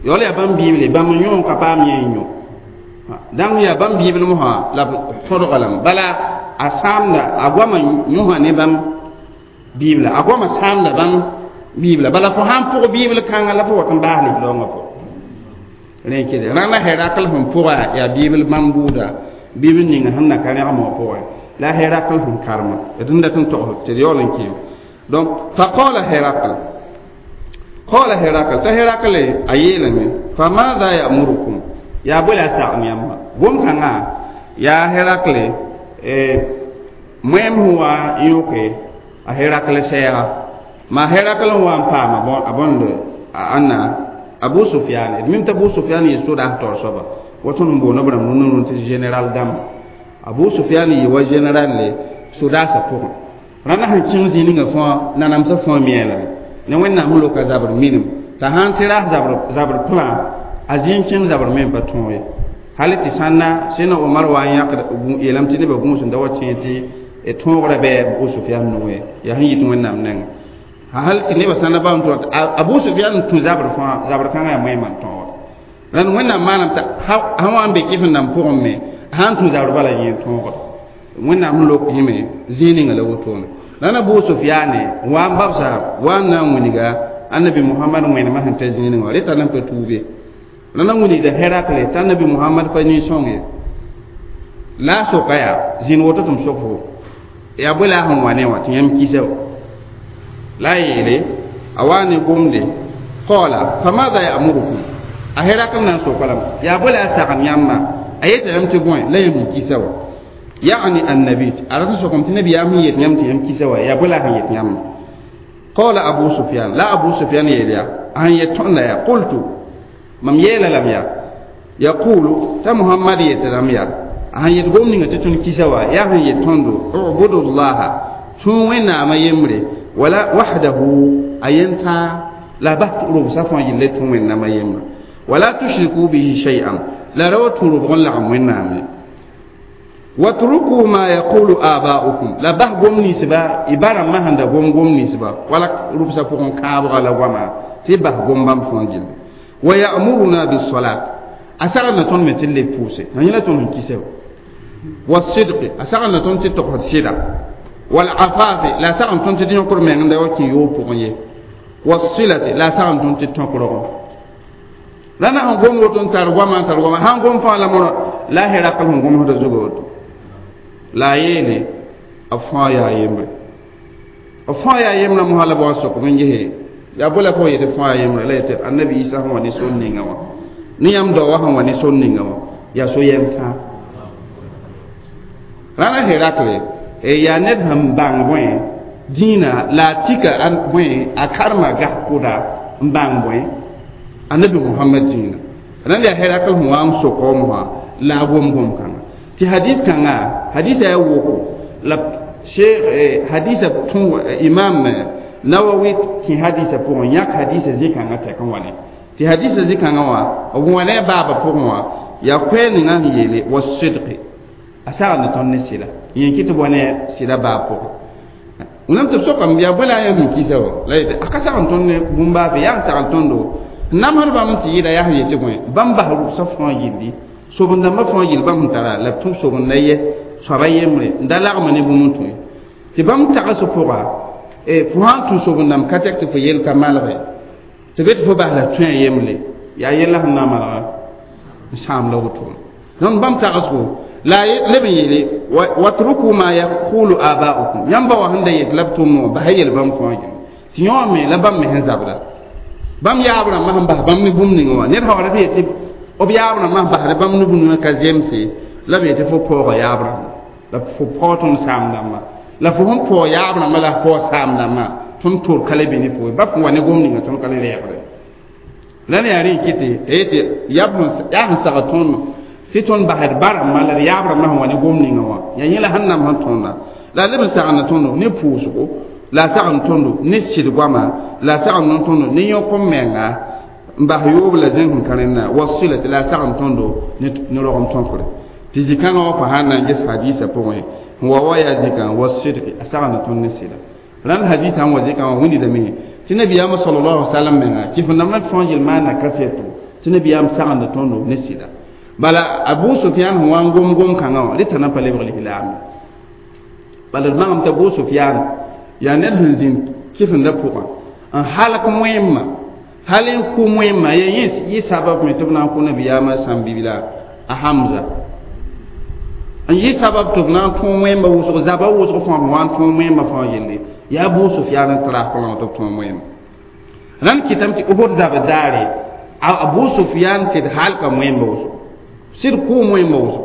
yaool yaa bãmb bible bãmb n yõ ka paam yẽ n yõ dãng yaa bãmb bibl mosã la b tõdga lame bala a sãamda a goamã yõsa ne bãmb bibla a goamã sãamda bãmb bibla bala fo sãn pʋg bibl kãngã la fo wat n baas lislaoongã pʋgẽ rẽ kele rãnda Herakl sẽn pʋga yaa bibl bãmb buuda bibl ninga sẽn na ka rẽgem wã pʋgẽ la Herakl sẽn karema d n dat n togs tɩ d yaool n kẽem donc فقال هرقل قال هرقل t'a Herakl a yeelame فماذا يأمركم yaa bõe la a sagem yãmba gom-kãngã yaa Herakl moẽm sẽn wa n yõke a Herakl sɛɛga ma Herakl n wa n paam a bõnd ãnna Abu Sufyan d mim t'a Abu Sufyan yɩ sodaas taoor soaba wa tõnd n boonda b rãmb rũnã rũn tɩ général dãmba Abu Sufyan yɩ wa général le sodaasã pʋgẽ rãndã sẽn kẽng zĩ ninga fãa nanamsã fãa miã lame ne Wẽnnaam sẽn loka zabr minim t'a sãn tɩ ras zabr zabr plan a zĩ n kẽng zabr me n pa tõog ye hal tɩ sãnna sẽna Omar wa n yãkd yeelame tɩ nebã gũus n da wa tẽ tɩ tõogra bɩ Abu Sufyan nongẽ yaa sẽn yit Wẽnnaam nengẽ hal tɩ nebã sãnna bam tɩ Abu Sufyan n tũ zabr fãa zabr kãngã yaa moẽmã n tõogd rãnd Wẽnnaam maanam t'a sã wa n be kɩf n nan pʋgẽ me sã n tũ zabr bala yẽ n tõogd Wẽnnaam sẽn lok yẽme zĩig ninga la wotone rãnd Abu Sufyane wa n babsa wa n na n wilga annabi Muhammad wẽnemã sẽn ta zĩig ninga wã reta nan pa tuube rãnd n wilgda Herakle t'a annabi Muhammad pa nin-sõng ye la a soka yaa zĩnd woto tɩ m sok fo yaa bõe la a sẽn wa ne wã tɩ yãmb kisa la a yeele a wa ne gomde قال فماذا يأمركم a Herakl na n soka lame yaa bõe la a sagem yãmba a yeta yãmb tɩ bõe la yãmb kisa wa يعني النبي a rat n sokame tɩ nabiyaam sẽn yet yãmb tɩ yãmb kisa wa yaa bõe la a sẽn yet yãmba قال أبو سفيان la Abu Sufyan yeel yaa a sẽn yet tõndã yaa قلت mam yeela lame yaa يقول t'a Muhammad yetame yaa a sẽn yet gom ninga tɩ tõnd kisa wa yaa sẽn yet tõndo اعبدوا الله tũ Wẽnnaamã yembre ولا وحده a yentã la bas robsã fãa yelle tũ Wẽnnaamã yembre ولا تشركوا به شيئا la ra wa tũ robg n lagem Wẽnnaam ye واتركوا ما يقول آباؤكم la bas gom ninsba y ba rãmbã sẽn da gom gom ninsba wala rʋbsã pʋgẽ kãabga la goama tɩ y bas gom bãmb fãa gilli ويأمرنا بالصلاة a sagd na tõnd me tɩ d leb pʋʋse yẽ la tõnd sẽn kisa والصدق أسغن تون تتقد سيدا والعفاف لا سغن تون تتنكر من عند وكي يوبغي والصلة لا سغن تون تتنكر لنا هم قوم وتون ترغما ترغما هم قوم فعل مر لا هرقل هم قوم هذا زغوت لا يلي أفايا يمر أفايا يمر مهلا بواسق من جهه يا بولا فو يدفع يمر لا يتر النبي عيسى هو نسون نينغوا نيام دوا هو نسون نينغوا يا سو يمكا رانا هرقل يا نب هم بان بوين دينا لا تيكا أن بوين أكرما غحكودا بان بوين النبي محمد دينا رانا يا هرقل هو أم سقومها لا بوم بوم كان تي حديث كان حديث يا وكو لا شيخ حديث تون إمام نووي كي حديث بون ياك حديث زي كان تكون ولي تي حديث زي كان وا ولا بابا بون يا كوين نان يلي والصدق أسأل نتون نسيلا ينكي تبونه سيلا بابا ونم تسوق يا بولا يا مكيسو لا يت أكسر نتون بومبا في يان ترانتون دو نمر بام تيجي يا هي تبونه بام بحر صفوان يلي sobon dãmbã fãa yel bãmb sẽn tara la b tũ sobend la ye soaba yembre n da lagma ne bũmb n tõe tɩ bãmb tags pʋga fo sã n tũ sobend dãmb ka tɛk tɩ fo yel ka malge tɩ be tɩ fo bas la tõe a yembre yaa yella sẽn na n malga n sãam la woto donc bãmb tagsgo la leb n yeele watruku ma yaqulu aba'ukum yãmb ba wa sẽn da yet la b tʋmd wã bas yel bãmb fãa yem tɩ yõ me la bãmb me sẽn zabda bãmb yaab rãmbã sẽn bas bãmb ne bũmb ninga wã ned sã wa rat yetɩ b yaab rãmbã sẽn basd bãmb ne bũmb ka zemse la b yetɩ fo paooga yaab rãmba la fo paoog tõnd saam dãmba la fo sẽn paoog yaab rãmba la paoog saam dãmbã tõnd tor ka le be ne fo ba fo wa ne gom ninga tõnd ka le reegre la ne yaa rẽ n kɩtɩ yetɩ yaa sẽn sagd tõnd tɩ tõnd basd ba rãmbã la d yaab rãmbã sẽn wa ne gom ninga wã yaa yẽ la sẽn nam sẽn tõnda la leb n sagna tõndo ne pʋʋsgo la sagn tõndo ne sɩd goama la sagn tõndo ne yõk-m-menga n bas yoob la zẽng sẽn ka rẽnna wasilati la sagn tõndo ne rogem tõkre tɩ zĩ-kãngã wã fo sã n na n ges hadiisã pʋgẽ n wa wa yaa zĩkã wasidki a sagna tõnd ne sɩda rãnd hadiisã n wa zĩkã wã wĩndame tɩ nabiyaamã sallallahu alaihi wasallam menga kɩf n dãmbã fãa yel maana kaseto tɩ nabiyaam sagenda tõndo ne sɩda bala Abu Sufyan sẽn wa n gom gom kãngã wã reta na pa lebg lislaam bala d magam t'a Abu Sufyan yaa ned sẽn zĩnd kɩfenda pʋgã n halk wẽmma hal n kʋ wẽmma ya yẽ sabab me tɩ b na n kʋ nabiyaamã sãn-bibla a Hamza n yɩ sabab tɩ b na n tõog wẽmba wʋsg zaba wʋsg fãa b wa n tõog wẽmba fãa yelle yaa Abu Sufyan n tɩ rasg tɩ b tõog wẽmba rãnd kɩtame tɩ Uhud zabd daare Abu Sufyan sɩd halka wẽmba wʋsg sɩd kʋʋm wẽmba wʋsg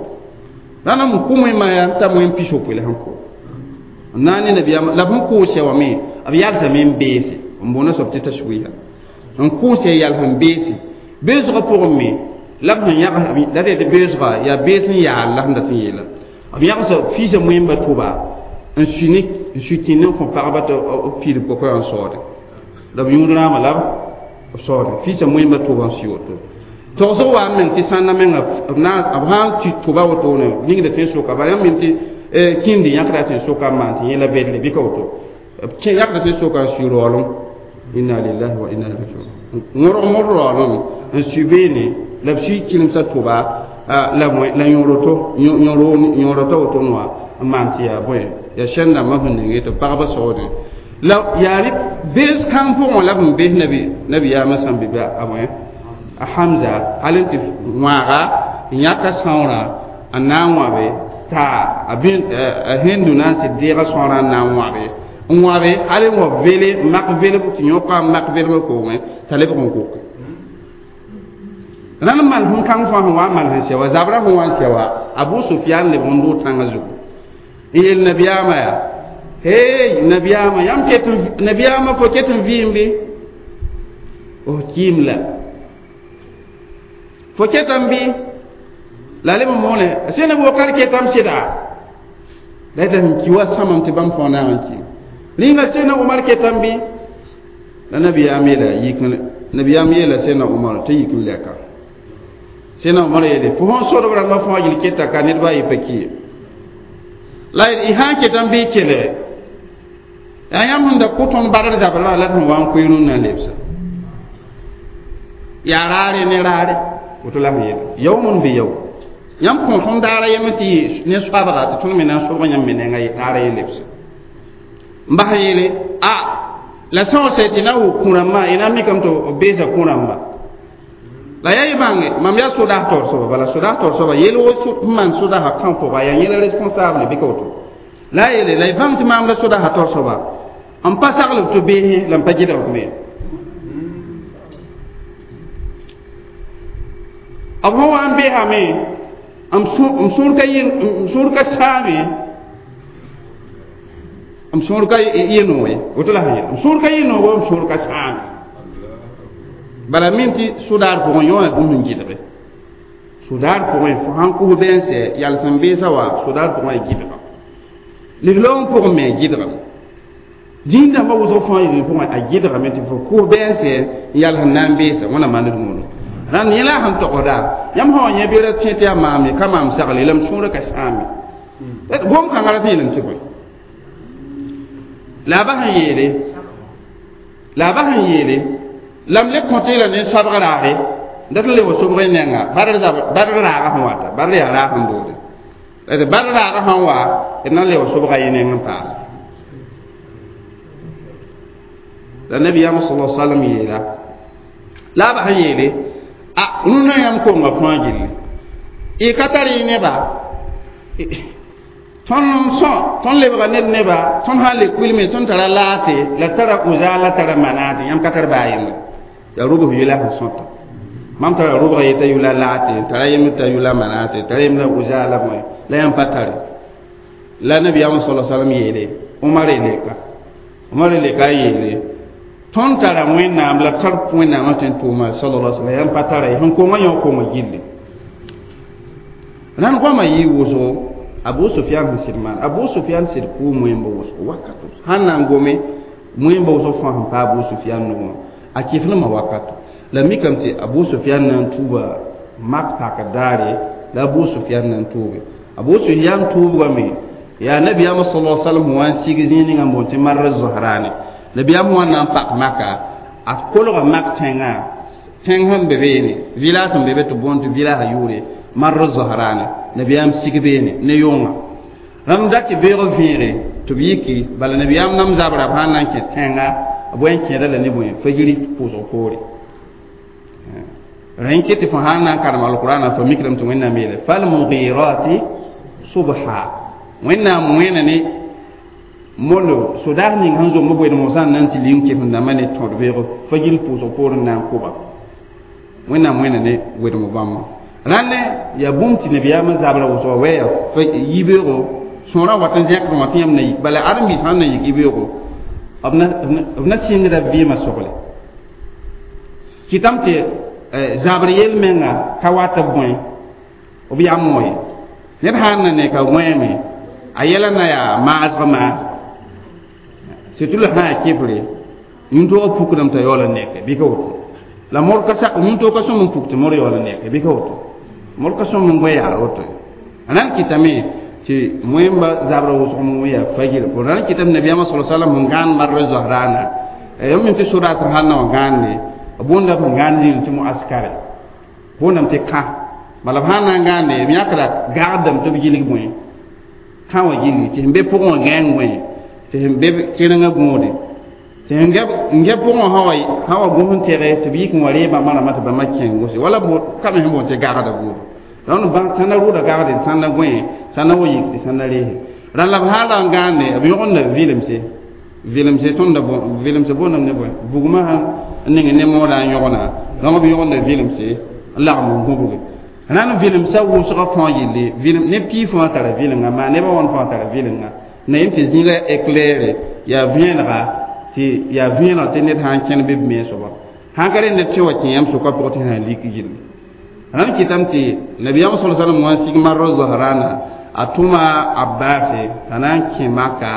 rãnd n kʋ wẽmba yaa n ta wẽm pisopoe la sẽn kʋ n na n ne nabiyaamã la b sẽn kʋʋsɛ wã me b yalsame n beese n boona soab tɩ tashwiha n kʋʋsɛ yals n beese beesgã pʋgẽ me la b sẽn yãgs la d yetɩ beesga yaa bees n yaal la sẽn dat n yeela b yãgsa fiisã wẽmba tʋba n sui ne n sui tĩnd n kõ pagba tɩ b piidb kokoya n saoode la b yũud rãamã la b saoode fiisã wẽmba tʋba n sui woto togsg wa n meng tɩ sãnda menga b sã n tɩ tʋba wotone ningda tẽn-soka bala yãmb mem tɩ kĩndi yãkda tẽn-soka n maan tɩ yẽ la bedre bɩ ka woto b yãkda tẽn-soka n sui raoolem inna lillahi wa inna ilayhi rajiun wõrg mor raoolem n sui beene la b sui kɩlemsã tʋba la la yõroto yõroto woto wã n maan tɩ yaa bõe yaa sẽn dãmbã sẽn ning tɩ pagba saoodẽ la yaa rɩ bees kãng pʋgẽ la b sẽn bees nabiyaamã sãn be a bõe a Hamza hal n tɩ wãaga n yãka sãoorã n na n wãbe t'a a Hindu na n sɩd deega sãoorã n na n wãbe n wãbe hal n wa vele mak velg tɩ yõka n mak velgã koongẽ t'a lebg n koke rãnd mal sẽn kãng fãa sẽn wa n mal sẽn sɛ wa zabrã sẽn wa n sɛ wa Abu Sufyan lebg n doog tãngã zugu n yel nabiyaamã yaa hey nabiyaamã yãmb ket nabiyaamã fo ket n vɩɩm bɩ f kɩɩm la fo ketame bɩ la leb n moone sẽn b wakat ketame sɩda la yeta sẽn ki wa sãmam tɩ bãmb fãa naag n ki rĩnga sẽna Umar ketame bɩ la nabiyaam yeela yik nabiyaam yeela sẽna Umar tɩ yik n lɛka sẽna Umar yeele fo sẽn sodb rãmbã fãa yel keta ka nedba a yɩ pa ki ye la y sã n ketame bɩ y kelge yaa yãmb sẽn da kʋ tõnd badr zabr la la d sẽn wa n koe rũnnã lebsa yaa raare ne raare woto la sẽn yeela yawmun bi yawm yãmb kõ tõnd daara yem tɩ yɩ ne soabga tɩ tõnd me na n sobg yãmb me nengã daara ye lebse n bas yeele a la sã n tɩ na wʋk kũ-rãmbã y na n mikame tɩ b beesa kũ-rãmba la yaa y bãnge mam yaa sodaas taoor soaba bala sodaas taoor soaba yel wo n maan sodaasã kã pʋga yaa yẽla responsable bɩ ka woto la a yeele la y bãng tɩ maam la sodaasã taoor soaba n pa saglb tɩ beesẽ la n pa gɩdg me b sẽn wa n beesame m sũur ka m sũur ka sãame m sũur ka yɩ nooye woto la sẽn yel m sũur ka yɩ noogo m sũur ka sãame bala min tɩ sʋdaar pʋgẽ yõona bũmb n gɩdge sʋdaar pʋgẽ fo sãn kʋs bɛɛnsɛ yals n beesa wa sʋdaar pʋgẽ a gɩdga lislaoom pʋgẽ me a gɩdgame zĩig-dãmbã wʋsg fãa yel pʋgẽ a gɩdgame tɩ fo kʋs bɛɛnsɛ n yals n na n beesa wẽna maand rũuno rãnd yẽ la sẽn togsda yãmb sã wa yẽ bɩ ra tẽ tɩ yaa maam ye ka maam sagle la m sũurã ka sãame gom kãngã ra tɩ yeelame tɩ bõe la a bas n yeele la a bas n yeele la m le kõ tɩ la ne soabg raare dat n le wa sobg y nenga badr raaga sẽn wata badr yaa raag sẽn boode d badr raaga sãn wa d na n le wa sobga y neng n paase la nabiyaamã sala salam yeela la a bas n yeele a rũnã yãmb konga fãa gilli y ka tar y neba tõnd n sõ tõnd lebga ned neba tõnd sã n le kuilme tõnd tara laate la tara uza la tara manaate yãmb ka tar baa yembre yaa rʋbs yʋla sẽn sõta mam tara rʋbga yeta yʋla laate tara yemb t'a yʋla manaate tara yemb la uza la bõe la yãmb pa tare la nabiyaamã sala salam yeele Omar leka Omar leka n yeele tõnd tara wẽnnaam la tar wẽnnaamã tõe n tʋʋma sallallahu alaihi wasallam yãmb pa tara ye sẽn konga yõ konga gilli rãnd goamã yɩ wʋsgo Abu Sufyan sẽn sɩd maan Abu Sufyan sɩd kʋʋ moẽmba wʋsgo wakato sãn na n gome moẽmba wʋsg fãa sẽn pa Abu Sufyan nugẽ a kɩflmã wakato la mikame tɩ Abu Sufyan na n tuuba mak pakr daare la Abu Sufyan na n tuuge Abu Sufyan tuubgame yaa nabiyaamã sallallahu alaihi wasallam wa n sig zĩig ninga n boond tɩ Marr Zohrane nabiyaam wã na n pak maka a kolga mak tẽngã tẽng sẽn be beene village sẽn be be tɩ boond tɩ village yʋʋre Marr Zohrane nabiyaam sig beene ne yʋnga rãmb da tɩ beoog vẽege tɩ b yiki bala nabiyaam nam zabra b sãn na n kẽ tẽnga b wa n kẽeda la ne bõe fajiri pʋʋsg poore rẽ n ket tɩ fo sãn na n karem alqurana fo mikrame tɩ wẽnnaam yeele falmughirati subha wẽnnaam wẽna ne molo sodaas ning sẽn zomb boeed mosã n na n tɩ ling kɩf n dãmbã ne tõd beoog fajiri pʋʋsg poor n na n kʋba wẽnnaam wẽna ne wedem bãmba rãnd yaa bũmb tɩ nabiyaamã zabra wʋsga wɛya yibeoogo sõorã wat n zẽkd wã tɩ yãmb na yik bala ãdem-biis sãn na yik yibeoogo b na sɩngda vɩɩmã sogle kɩtame tɩ zabr yel-menga ka wat b bõe b yam wã ye ned sãn na ne ka wẽeme a yɛla na yaa maasg maasg surtout la sã yaa kɩfre yĩn-toogã pukdame t'a yaool n neke bɩ ka woto la mor ka sak yĩn-toog ka sõm n puk tɩ mor yaool n neke bɩ ka woto mor ka sõm n goe yaar woto a na n kɩtame tɩ wẽmba zabra wʋsg n yaa fajir pʋ na n kɩtame nabiyaamã sala salam n gãan marr zohrana yãmb tɩ sodaas sãn na wã gãande boondame sẽn gãand zĩig tɩ muaskare boondame tɩ kã bala b sãn na n gãande b yãkra gagdame tɩ b gilg bõe kã wã gilgi tɩ sẽn be pʋgẽ wã gãeng bõe tɩ sẽn be kẽrengã gõode tɩ sẽn gɛ pʋgẽ wã sã wa gõs n tɛge tɩ b yik n wa ree bãmba rãmbã tɩ bãmba kẽng gose wala ka me sẽn boond tɩ gagda buudu rãnd bãng sãn na rʋʋda gagde sãn na gõe sãn na wa yik tɩ sãn na reese rãnd la b sãn ra n gãande b yõgenda vɩlemse vɩlemse tõnda vɩlemse boondame ne bõe bugmã sãn n ning ne moodã n yõgna donc b yõgenda vɩlemse n lagem n gũbge rãnd vɩlemsã wʋsgã fãa yelle vɩlem ne pii fãa tara vɩlenga maa nebã wãn fãa tara vɩlenga na yem tɩ zĩiga éclaire yaa vẽenega tɩ yaa vẽeneg tɩ ned sã n kẽn be b me soaba sãn ka rẽ ned tɩ wa kẽ yãmb sʋka pʋgẽ tɩ sã n lik gilli rãnd kɩtame tɩ nabiyaam sala salam wã n sig Marr Zohrana a tʋma Abbase t'a na n kẽ maka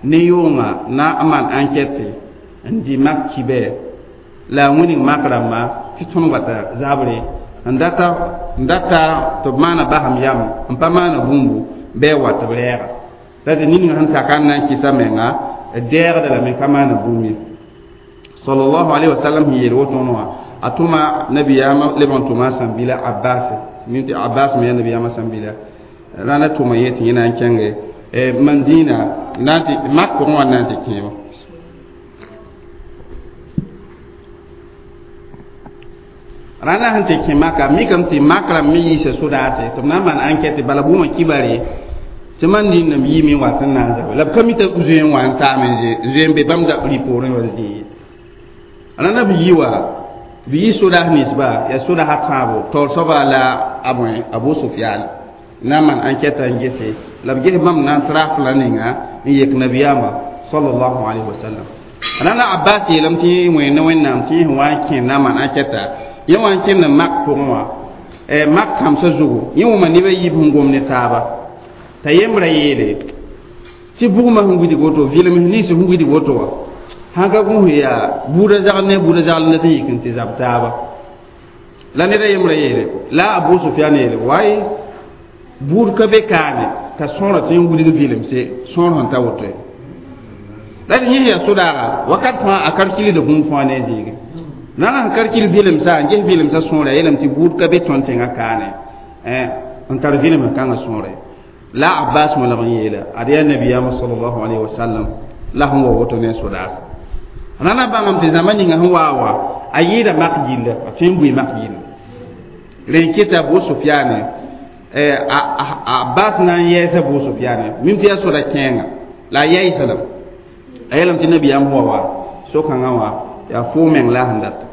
ne yʋʋngã na n maan enquête n dɩ mak kibɛ la a wĩnig mak rãmba tɩ tõnd wata zabre n data n data tɩ b maana basem yam n pa maana bũmbu bɩ a wa tɩ b rɛɛga la tɩ ning sẽn saka n na n kɩsa menga d dɛɛgda lame ka maana bũmb ye sallallahu alaihi wasallam sẽn yeel woto wã a tʋma nabiyaamã leb n tʋma a sãn-bila Abbas Min tɩ Abbas me yaa nabiyaamã sẽn bila rãnda tʋma yẽ tɩ yẽ na n kẽnge Madina na n tɩ mak pʋgẽ wã na n tɩ kẽebo rãnda sẽn tɩ kẽ maka mikame tɩ mak rãmb me yiisa sodaase tɩ b na n maan ankɛte bala bʋʋmã kibare tɩ mandĩndame yiime n wat n na n zabe la b ka mi t'a zoe n wa n taame zoe n be bãmb rɩ poorẽ wa zĩig ye rãnda b yi wa b yi sodaas ninsba yaa sodaasã tãabo taoor soaba la a bõe Abu Sufyan na n maan ankɛta n gese la b ges bãmb na n trafla ninga n yek nabiyaamã sallallahu alayhi wa sallam rãnda Abbas yeelame tɩ yẽ wẽnd Wẽnnaam tɩ yẽ sẽn wa n kẽ na n maan ankɛta yẽ wa n kẽnd mak pʋgẽ wã mak kãmsã zugu yẽ wʋma neb a yiib sẽn gom ne taaba t'a yembra yeele tɩ bugmã sẽn wilg woto vɩlem nins sẽn wilg woto wã sãn ka gũus yaa buudã zagl ne buudã zagl ne tɩ yik n tɩ zab taaba la ned a yembra yeele la Abu Sufyan yeele waye buud ka be kaane t'a sõora tɩ n wilg vɩlemse sõor sẽn ta woto ye la tɩ yẽ yaa sodaaga wakat fãa a kalkilda bũmb fãa ne a zĩige na n kalkil vɩlemsã n ges vɩlemsã sõora yeelame tɩ buud ka be tõnd tẽngã kaane n tar vɩlem kãngã sõora la Abbas mo lag n yeela ad yaa nabiyaamã sallallahu alayhi wa sallam la sẽn wa woto ne sodaasa rãna bãngame tɩ zãma ninga sẽn waa wa a yɩɩda mak gilla a tõe n bʋɩ mak gilla rẽ n keta Abu Sufyane Abbas na n yɛɛsa Abu Sufyane mim tɩ yaa soda kẽenga la a yaɩsa lame a yeelame tɩ nabiyaam wa wa so-kãngã wã yaa foo meng la a sẽn data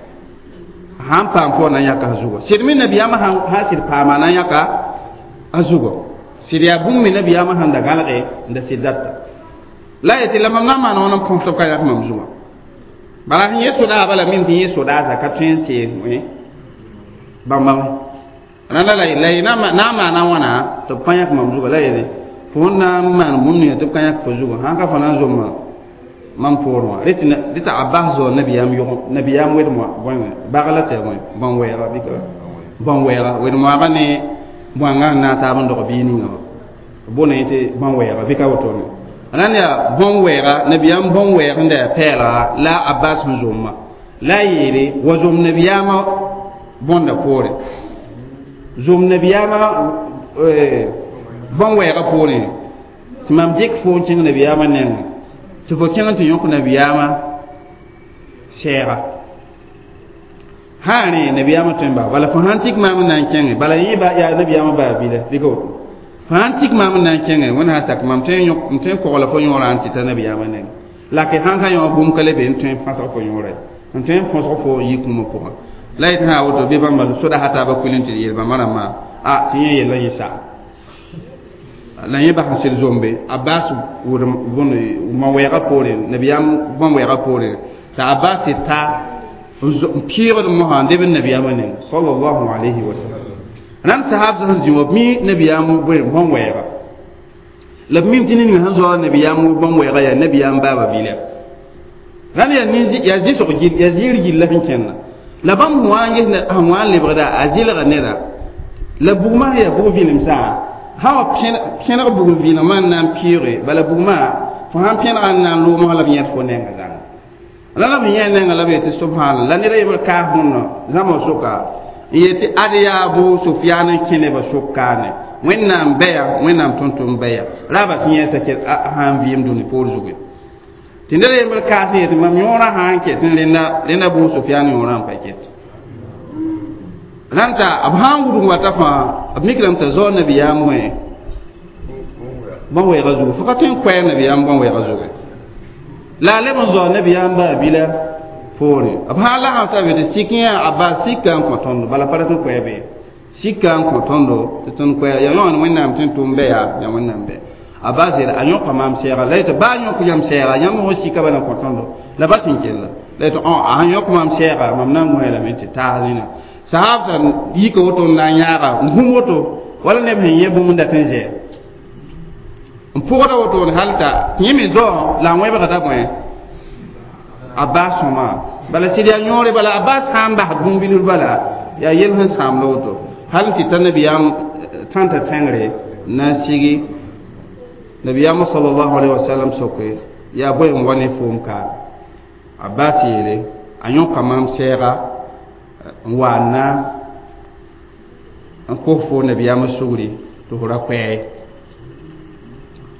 sãn paam fo na n yãka a zugɔ sɩd me nabiyaamã sã sɩd paama na n yãka a zugɔ sɩd yaa bũmb me nabiyaamã sẽn da gãlge n da sɩd data la yetɩ la mam na n maan wãn n põs tɩ b ka yãk mam zugã bala sẽn yẽ sodaasã bala mim tɩ yẽ sodaasã ka tõe n tee bãmba rãnda la la na n maana wãna tɩ b pa yãk mam zugã la yeele fo na n maan bũmb ninga tɩ b ka yãk fo zugã sãn ka fo na n zomma mam poorẽ wã rẽ tɩ Abbas zao nabiyaam yʋg nabiyaam wed-moa bagla tɩ yaa bõn-wɛɛga bɩ bõn-wɛɛga wed-moaagã ne bõangã n na n taab n dog biig ninga wã bõne tɩ bõn-wɛɛga bɩ ka wotone rãnd yaa bõn-wɛɛga nabiyaam bõn-wɛɛg n da yaa pɛɛlga la Abbas sẽn zomma la a yeele wa zom nabiyaamã bõnda poore zom nabiyaamã bõn-wɛɛga poorẽ tɩ mam dɩk fo n kẽng nabiyaamã nengẽ tɩ fo kẽng tɩ yõk nabiyaamã sɛɛga sã rẽ nabiyaamã tõe n bas bala fo sãn tik maam n na n kẽnge bala yẽ yaa nabiyaamã baa bila bɩ ka woto fo sãn tik maam n na n kẽnge wẽnd sã sak mam tõe n tõe n kogla fo yõorã n tɩ ta nabiyaamã nengẽ la ke sãn ka yõ bũmb ka le be n tõe n fãsg fo yõora ye n tõe n põsg fo yik-kũumã pʋgã la yetɩ sã woto bɩ bãmba sodaasã taabã kuil n tɩ yeel bãmba rãmbã a tɩ yẽ yellã yẽ sa la yẽ bas n sɩd zombe Abbas wʋdem bõn ma-wɛɛgã poorẽ nabiyaam bõn-wɛɛgã poorẽ t'a Abbas ta n pɩɩgd mosã n deb n nabiyaamã neng sallallahu alayhi wa sallam rãnd sahab sẽn zĩ wã b mi nabiyaam bõn-wɛɛga la b mim tɩ ned ninga sẽn zao nabiyaam bõn-wɛɛga yaa nabiyaam baaba bila rãnd yaa yaa zɩsg gill yaa zɩɩr gilla sẽn kẽnna la bãmb sẽn wa n ges sẽn wa n lebgda a zɩlga neda la bugmã yaa bug vɩlemsã sã wa pẽneg bugum vɩɩlemã n na n pɩɩge bala bugmã fo sãn pẽnega n na n loomsã la b yẽd fo nenga zãnga la la b yẽ nenga la b yetɩ subhanallah la ned a yembr kaas bõndã zãma soka n yetɩ ad yaa Abu Sufyan n kẽ nebã sok kaane Wẽnnaam bɛya Wẽnnaam tʋm-tʋm bɛya raaba sẽn yẽ t'a sã n vɩɩm dũni poor zugu tɩ ned a yembr kaas n yetɩ mam yõorã sã n ket n rẽnda Abu Sufyan yõorã n pa ket rãnd t'a b sã n wudg wata fãa b mikrame t'a zao nabiyaam wẽ bõn-wɛɛga zugu fo ka tõe n koɛɛ nabiyaam bõn-wɛɛga zugu la a leb n zao nabiyaam baa bila poore b sã n lasem t'a be tɩ sik yã Abbas sika n kõ tõndo bala pa rat n koɛɛ be sika n kõ tõndo tɩ tõnd koɛɛ yaa yõan Wẽnnaam tɩ n tʋm bɛya yaa Wẽnnaam bɛ Abbas yeela a yõka maam sɛɛga la yetɩ baa yõk yãmb sɛɛga yãmb fo sika bala n kõ tõndo la ba sẽn kella la yetɩ a sãn yõk maam sɛɛga mam na n gõe lame tɩ taas zĩna sahab sã yika woto n na n yãaga n gũm woto wala neb sẽn yẽ bũmb n dat n zɛɛ n pʋgda woto hal t'a yẽ me zao la a wẽbgda bõe Abbas sõma bala sɩd yaa yõore bala Abbas sã n bas bũmb-bilf bala yaa yel sẽn sãamda woto hal n tɩ ta nabiyaam tãnta tẽngre na n sigi nabiyaamã sallallahu alayhi wa sallam soke yaa bõe n wa ne foom kaam Abbas yeele a yõka maam sɛɛga n wa n na n kos fo nabiyaamã sugri tɩ f ra koɛɛ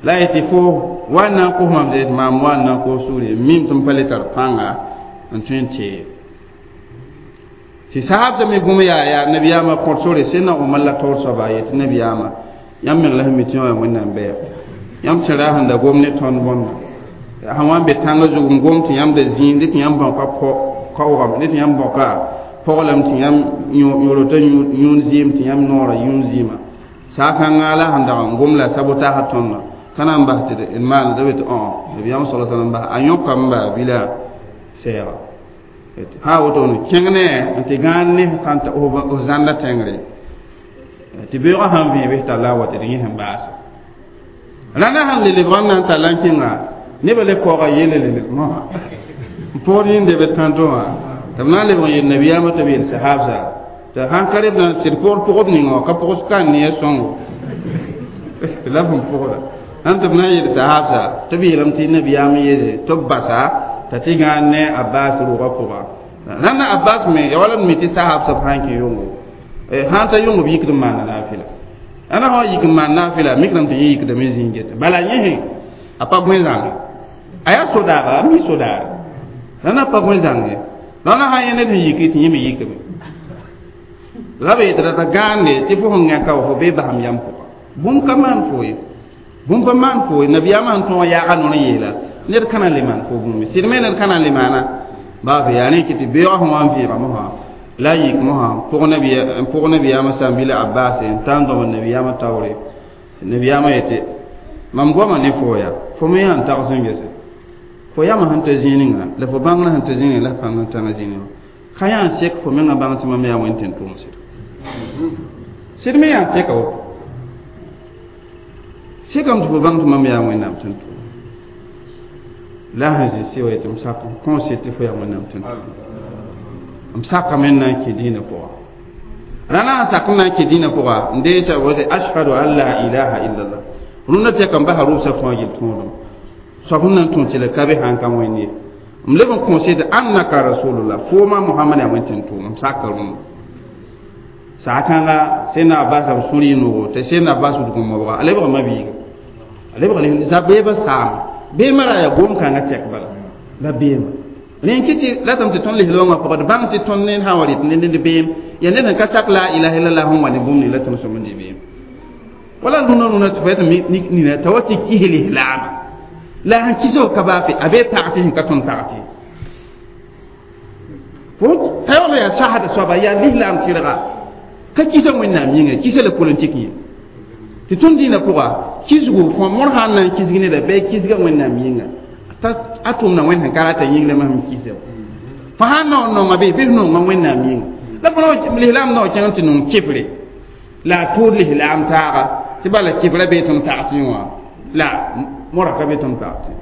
la y tɩ fo wa n na n kos mam de maam wa n na n kos sugri mim tɩ m pa le tar pãnga n tõe n tee tɩ sahabda me gũm yaa yaa nabiyaamã kõt sore sẽn na Omar la taoor soaba yetɩ nabiyaamã yãmb meng la sẽn mi tɩ yã Wẽnnaam bɛɛ yãmb tẽra sẽn da gom ne tõnd bõnda sẽn wa n be tãngã zug n gom tɩ yãmb da zĩig dɩ tɩ yãmb bãoka kaoogame dɩ tɩ yãmb bãoka poglame tɩ yãmb yõrota yũun zɩɩm tɩ yãmb noorã yũun zɩɩmã saakãngã la sẽn dag n gom la sabotaasã tõndã ka na n bas tɩ d maan da be tɩ õ nabiyaam sala sallam bas a yõkame baa bila sɛɛga sã woto ne kẽng ne n tɩ gãan ne sãn ta f zãnda tẽngre tɩ beoogã sãn vẽe bɩ talla wa tɩ d yẽ sẽn baase rãndã sẽn le lebg n na n talla n kẽnga nebã le kaooga yelle le mosã n poor yĩnde be tãntõ wã tɩ b na n lebg n yel nabiyaamã tɩ b yel sahabsa tɩ sãn ka reb tɩ d pʋgd pʋgb ninga wã ka pʋgs ka n ne a sõngo la b sẽn pʋgda sãn tɩ b na n yel sahabsa tɩ b yeelame tɩ nabiyaam yeele tɩ b basa t'a tɩ gãan ne Abbas rʋʋgã pʋga rãnda Abbas me ya wala b mi tɩ sahabsã b sãn kẽ yʋngo sãn ta yʋng b yikd n maanda naafɩla ãna sã wa yik n maan naafɩla mikrame tɩ yẽ yikdame zĩig gete bala yẽ a pa bõe zãnge a yaa sodaaga a mi sodaare rãnda pa bõe zãnge rãnda sã yẽ ned sẽn yiki tɩ yẽ me yikame la b yetɩ rata gãande tɩ fo sẽn gãka wa fo bee basam yam pʋga bũmb ka maan fo ye bũmb pa maan fo ye nabiyaamã sẽn tõog yaaga nor n yeela ned ka na n le maan fo bũmb sɩd me ned ka na n le maana baa yaa rẽ kɩ tɩ beoogã sẽn wa n vẽega mosã la yik mosã n pʋg nabiyaamã sãn-bila Abbas n ta n dõmd nabiyaamã taoore nabiyaamã yetɩ mam goama ne fo yaa fo me yaa n tags n gese fo yamã sẽn ta zĩig la fo bãngrã sẽn ta zĩig la pãng n tãngã zĩig wã ka yaa n sek fo mengã bãng tɩ mam yaa wẽn tɩ n tʋʋm sɩd sɩd me yaa n seka woto sekame tɩ fo bãng tɩ mam yaa Wẽnnaam tɩ n tʋʋm la sẽn zĩ sɩ wa yetɩ m sak n kõose tɩ fo yaa Wẽnnaam tɩ n tʋʋm m sakame n na n kẽ dĩinã pʋga rãna sẽn sak n na n kẽ dĩinã pʋga n deesa wote ashhadu an la ilaha illallah rũndã tɛka n basa rʋbsã fãa yel tõodem soab sẽn na n tõe tɩ la ka be sãn ka wẽnd ye m leb n kõose tɩ annaka rasulullah fooma Mohamad yaa wẽn tɩ n tʋʋm m saka rũndã saakãnga sẽn Abbas b sũur yɩ noogo tɩ sẽn Abbas wudg n mobga a lebga mabiiga a lebga zabeebã saame beemã ra yaa gom-kãngã tɛk bala la beema rẽ kɩ tɩ ratame tɩ tõnd lislaoongã pʋgã d bãng tɩ tõnd ned sã wa rɩt ned ned beem yaa ned sẽn ka sak la ilaha illallah sẽn wa ne bũmb ning la tõnd sõm n dɩ beem wala rũnã rũnã tɩ fo tɩ nina t'a wa tɩ kis lislaama la sẽn kisg ka baa fe a bee pag tɩ sẽn ka tõnd pag tɩ fo ta yaool yaa sasda soaba yaa lislaam tɩrga ka kisa Wẽnnaam yĩnga kisa la politik yẽ tɩ tõnd dĩinã pʋga kisgo fõ mor sã n na n kisg neda bɩ kisga Wẽnnaam yĩnga a tʋmda Wẽnd sẽn ka rata yĩng la masem kisa fo sãn naoor nonga bɩ bɩ f nonga Wẽnnaam yĩnga la fo lislaam nao kẽng tɩ nong kɩfre la a tʋʋd lislaam taaga tɩ bala kɩfra bee tõnd pag tɩ wã la mora ka be tõnd pag tɩ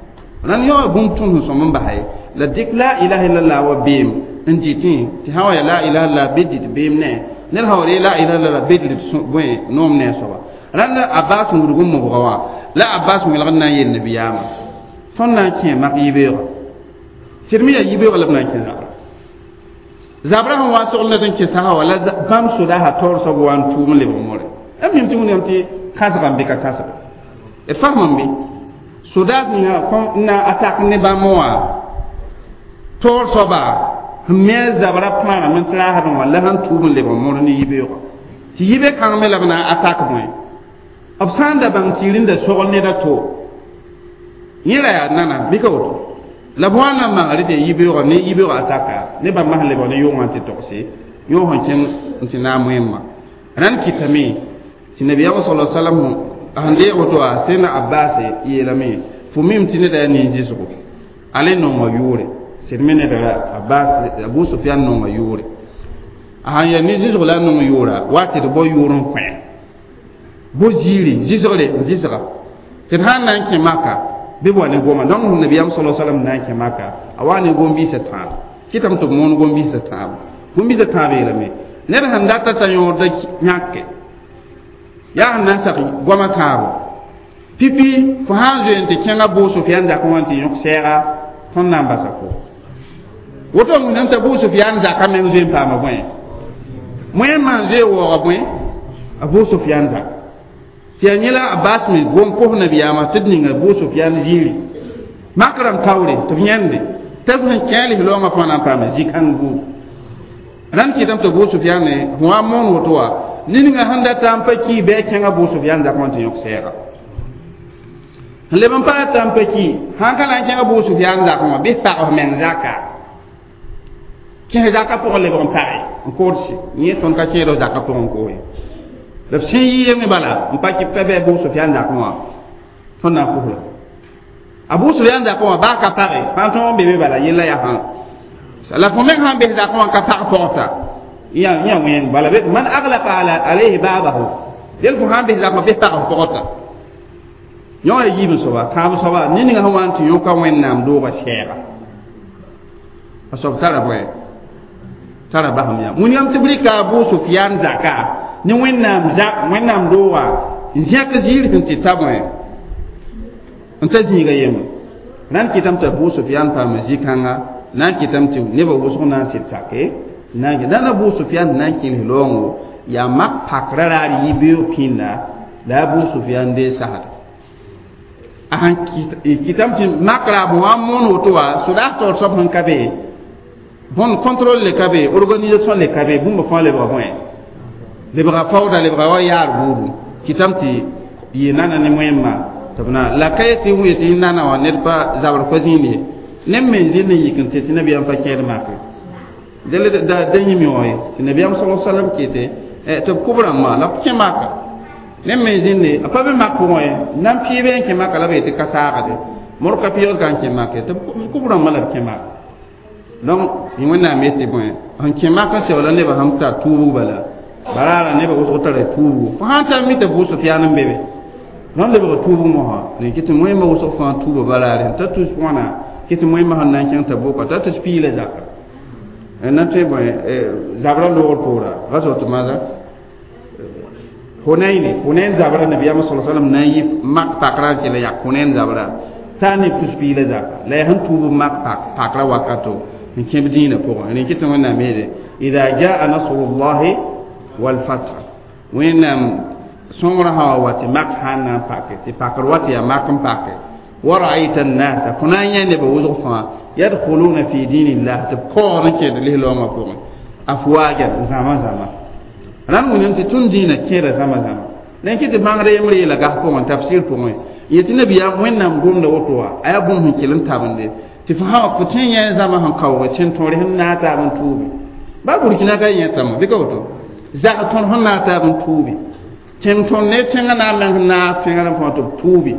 rãnd yao bũmb tõnd sẽn sõm n basa ye la dɩk la ilaha illallah wa beem n dɩtẽ tɩ sã wa yaa la ilaha illallah bɩ dɩt beem ne ned sã wa ree la ilaha illallah bɩ dɩt bõe noom ne a soaba rãnd Abbas wudg n mobga wã la Abbas wẽlgd na n yel nabiyaamã tõnd na n kẽ mak yibeoogã sɩd me yaa yibeoogã la b na n kẽ zabra zabra sẽn wa sogl ned n kẽ sasa wa la bãmb sodaasã taoor soab wa n tʋʋm n lebg more m mim tɩ wẽnnaam tɩ kãsga n be ka kãsga d fasmame bɩ sodaas ninga n na a tak ne bãmb wã taoor soaba sẽn me a zabra pãagame n tɩ raasdẽ wã la sẽn tʋʋm n lebg mor ne yibeoogã tɩ yibe kãng me la b na a tak bõe b sã n da bãng tɩ rẽnda sogl ned a to yẽ ra yaa nana bɩ ka woto la b wa n na n maga rɩ tɩ yibeoogã ne yibeoogã ataka ne bãmb sẽn lebg ne yʋngã tɩ togse yõog sẽn kẽng n tɩ naam wẽmma rãnd kɩtame tɩ nabiyaamã sala salam sẽn deeg woto wa sẽn Abbas yeelame fo mim tɩ neda yaa nin-zɩsgo a le nonga yʋʋre sɩd me neda ra Abbas Abu Sofian nonga yʋʋre a sãn yaa nin-zɩsg la a nong yʋʋra wa tɩ d bao yʋʋr n kõ bo ziiri zɩsgre n zɩsga tɩ d sãn na n kẽ maka bɩ b wa ne goma donc nabiyaam sala salam na n kẽ maka a wa ne gom-biisã tãab kɩtame tɩ b moon gom-biisã tãab gom-biisã tãab yeelame ned sẽn data t'a yõorda yãke yaa sẽn na n sak goamã tãabo pipi fo sã n zoe n tɩ kẽnga Abu Sofian zakã wã n tɩ yõk sɛɛga tõnd na n basa fo woto wẽnnaam t'a Abu Sofian zakã meng zoe n paama bõe moẽ maan zoe waooga bõe Abu Sufyan zak tɩ yaa yẽla Abbas me gom kos nabiyaamã tɩ d ninga Abu Sufyan ziiri mak rãmb taoore tɩ b yãende tɩ b sẽn kẽ lislaoongã fãa na n paam zĩ-kãng buud rãnd kɩtame tɩ Abu Sufyan ne fõ wa n moon woto wa ninga sẽn data n pa ki bɩ a kẽng Abu Sufyan zakã wã tɩ yõk sɛɛga n leb n pa rata n pa ki sãn ka na n kẽng Abu Sufyan zakã wã bɩ pag f meng zaka kẽs zakã pʋgẽ lebg n page n koodse yẽ tõnd ka kẽed f zakã pʋgẽ n koos ye la b sẽn yɩɩme bala n pa kɩ pa bɩ Abu Sufyan zakã wã tõnd na n kos la Abu Sufyan zakã wã baa ka page fãa tõog n be be bala yella yaa sãn la fo meng sãn bes zakã wã ka pag pɔgta yã yã wẽng bala be man aglaqa ala alayhi babahu del fo sãn bes zakã wã bes pag f pɔgta yõ ya yiib n soaba tãab soaba ne ninga sẽn wa n tɩ yõka wẽnnaam doogã sɛɛga a soab tara bõe tara basem yã wĩnigame tɩ b rɩka Abu Sufyan zaka ne wẽnnaam zak wẽnnaam doogã n zẽk ziir sẽn tɩ ta bõe n ta zĩiga yembre na n kɩtame tɩ Abu Sufyan paama zĩ-kãnga na n kɩtame tɩ nebã wʋsg na n sɩd sake na n dãn Abu Sufyan na n kẽls loongo yaa mak pakra raar yi-beoog pĩnda la Abu Sufyan dee sasda a sãn kɩtame tɩ mak raab wã n moon woto wã sodaas taoor soab sẽn ka be bõn contrôle le ka be organisation le ka be bũmb fãa lebga bõe lebga fawda lebga wa yaar buudu kɩtame tɩ yɩ nana ne wẽmma tɩ b na la ka yetɩ wẽ tɩ nana wã ned pa zabr pa zĩnd ye neb me n zĩnd n yik n tɩ tɩ nabiyaam pa kẽed make da da yĩm wã ye tɩ nabiyaam sa salam kɩte tɩ b kʋb rãmbã la b kẽ maka neb me n zĩnde a pa be mak pʋgẽ ye nan pɩɩbe n kẽ maka la b yetɩ ka saagde mor ka pɩɩgd ka n kẽ make tɩ b kʋb rãmbã la b kẽ maka donc wẽnnaam yetɩ bõe sẽn kẽ mak n segla nebã sẽn tar tuubg bala baraara nebã wʋsg tara tuubgo fo sãn tar mi tɩ Abu Sufyan n be be rãnd lebg tuubg mosã rẽ kɩ tɩ wẽmba wʋsg fãa tuuba baraare sẽn ta tus wãna kɩ tɩ wẽmba sẽn na n kẽng t'a boka t'a tus piila zaka na tõe bõe zabra loogr poora ghazwat maza Hunayn Hunayn zabra nabiyaam sa sallam na n yɩ mak pakra n kell yak Hunayn zabra t'a ne tus piila zaka la yaa sẽn tuub mak pakra wakato n kẽb dĩinã pʋgẽ rẽ kɩ tɩ wẽnnaam yeele ida jaa nasrullahi walfath wẽnnaam sõngrã sã wa wa tɩ mak sãn na n pake tɩ pakr wa tɩ yaa mak n pake wa ra'ayta an-nasa fo na n yã nebã wʋsg fãa yadkhuluna fi dinillah tɩ b kaood n kẽed lislaoongã pʋgẽ afwajan zãma zãma rãnd wĩnam tɩ tõnd dĩinã kẽeda zãma zãma la kɩ tɩ bãngd yembre yeela gas pʋgẽ tafsir pʋgẽ yetɩ nabiyaam wẽnnaam gomda woto wã a yaa bũmb sẽn kell n tabende tɩ fo sã fo tõe n yã zãma sẽn kaooge tẽn tõore sẽn naag taab n tuubi ba burkina ka yẽtame bɩ ka woto zag tõr sẽn naag taab n tuubi tẽn tõnd ne tẽngã na n meng naag tẽngã rãmb fãa tɩ b tuubi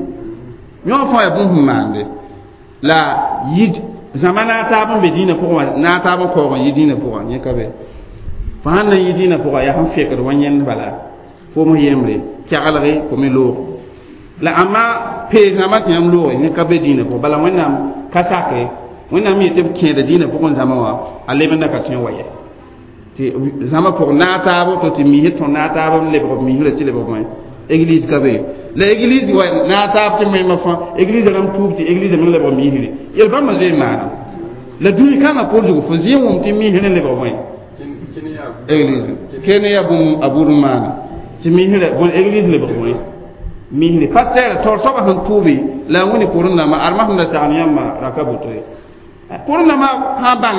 yõ fãa yaa bũmb sẽn maande la yid zãma naag taab n be dĩinã pʋgẽ wã naag taab n kaoog n yɩ dĩinã pʋgã yẽ ka be fo sãn na n yɩ dĩinã pʋgã yaa sẽn fekd wa yẽnd bala fo yembre kɛglge fo me loog la ãmba pees rãmbã tɩ yãmb looge yẽ ka be dĩinã pʋgẽ bala wẽnnaam ka sake wẽnnaam yetɩ b kẽeda dĩinã pʋgẽ zãma wã a lebenda ka tõe n wa yɛ tɩ zãma pʋg naag taab to tɩ misd tõr naag taab n lebg b misrã tɩ lebg bõe église ka be la église wa naag taab tɩ wẽmba fãa église rãmb tuub tɩ église me lebg misre yel bãmba zoe n maana la dũni kãngã pʋr zugu fo zĩ n wʋm tɩ misrã lebg bõe église kene yaa bũmb a bur n maana tɩ misrã bõe église lebg bõe misre pasteur taoor soabã sẽn tuubi la a wĩni pʋrẽ nambã armã sẽn da sagn yãmba raka boto ye pʋrẽ nambã sã bãng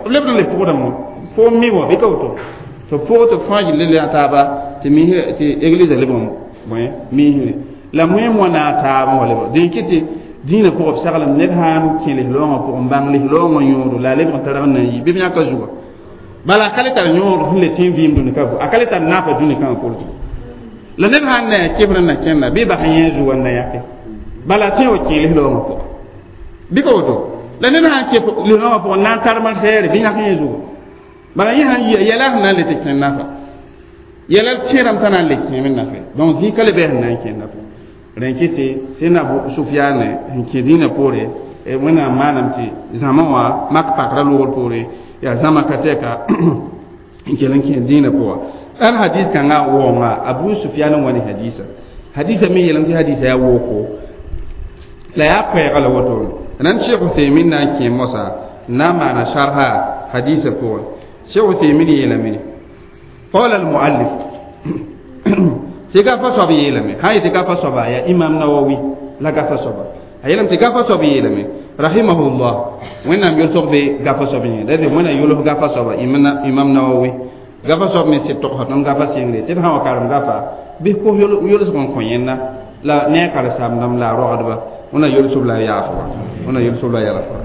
b lebd n le pʋgdame fo mi wã bɩ ka woto tɩ pʋg tɩ fãa gilli le taaba tɩ misrã tɩ église lebg bõe misre la wẽem wã naag taab n wa lebg dẽn kɩ tɩ dĩinã pʋgã b saglem ned sãn kẽ lislaoongã pʋgẽ n bãng lislaoongã yõodo la a lebg n targ n na n yi bɩ b yãka zuga bala a ka le tar yõod sẽn le tẽ vɩɩm dũni ka a ka le tar naafa dũni kãngã pʋr zugu la ned sãn na yaa kefr n na kẽnda bɩ bas yẽ zuga n na yãke bala tõe wa kẽ lislaoongã pʋgã bɩ ka woto la ned sãn kẽ lislaoongã pʋgẽ na n tar malsɛɛre bɩ yãk yẽ zuga bala yẽ sãn yia yɛla sẽn na n le tɩ kẽ nafa yɛla tẽedame t'a na n le kẽeme nafa donc zĩ ka le bɩ sẽn na n kẽ nafa rẽ kɩ tɩ sẽn Abu Sufyan sẽn kẽ dĩinã poore wẽnnaam maanam tɩ zãma wã mak pakra loogr poore yaa zãma ka tɛka n kell n kẽ dĩinã pʋga al hadis kãngã waoonga Abu Sufyan n wa ne hadisa hadisa me yeelame tɩ hadisa yaa wooko la yaa koɛɛga la wotone nan Cheikh Uthaymin na n kẽ mosa n na n maana sharha hadisa pʋgẽ Cheikh Uthaymin yeelame قال المؤلف Tɩ gafa soab yeelame sã yetɩ gafa soaba yaa Imam Nawawi la gafa soaba a yeelame tɩ gafa soab yeelame rahimahullah Wẽnnaam yʋlsg be gafa soab yẽ la Wẽnnaam yʋls gafa soaba Imam Nawawi gafa soab me sɩd togsa tõnd gafa sɩngre tɩ d sã wa karem gafa bɩ kos yʋlsg n kõ yẽnda la ne a karen-saamdãmb la a rogdba wẽnnaam yʋlsb la a yaafba wẽnnaam yʋlsb la a yalsba.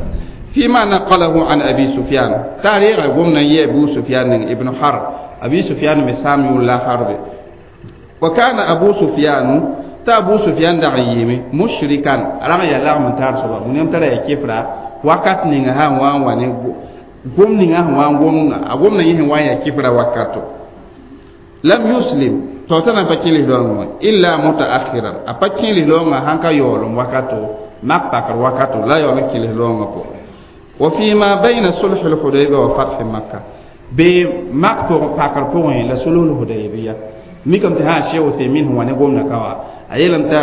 فيما نقله عن أبي سفيان تاريخ قمنا يا أبو سفيان ابن حرب أبي سفيان مسامي ولا حرب وكان أبو سفيان تا أبو سفيان دعيمي مشركا رغي يلا من تار سبا من يوم ترى كفرا وقت نينها وان وان قم نينها وان قم أقوم نينها وان يكفرا وقته لم يسلم توتنا بكيله لون إلا متأخرا أبكيله لون هانكا يولم وقته ما بكر وقته لا يولم كيله لون وفيما بين صلح الحديبية وفتح مكة بمكة بكر بوين لصلح الحديبية ميكم تها شيء وثمين هو نقوم نكوا أيلم تا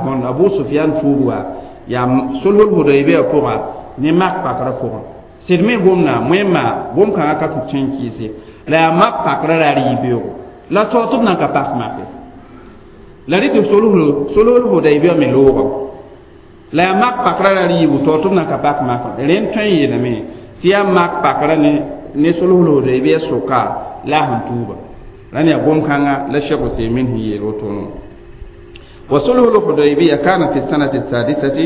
bon Abu Sufyan tuuba ya صلح الحديبية pʋga ne mak pakrã pʋgẽ sɩd me gomna wẽmma gom-kãngã ka tʋ kẽn kɩɩse la yaa mak pakrã ra rɩ-beoogo la tao tɩ b nan ka pak make la rɩ tɩ sulh Hudaybiya me loogame la yaa mak pakrã ra rɩɩbu tao tɩ b nan ka pak mak rẽnd tõe n yeelame tɩ yaa mak pakrã ne ne sulh Hudaybiya sʋka la a sẽn tuuba rãnd yaa gom-kãngã la Cheikh Uthaymin sẽn yeel wotone. وصلح الحديبية كان في السنة السادسة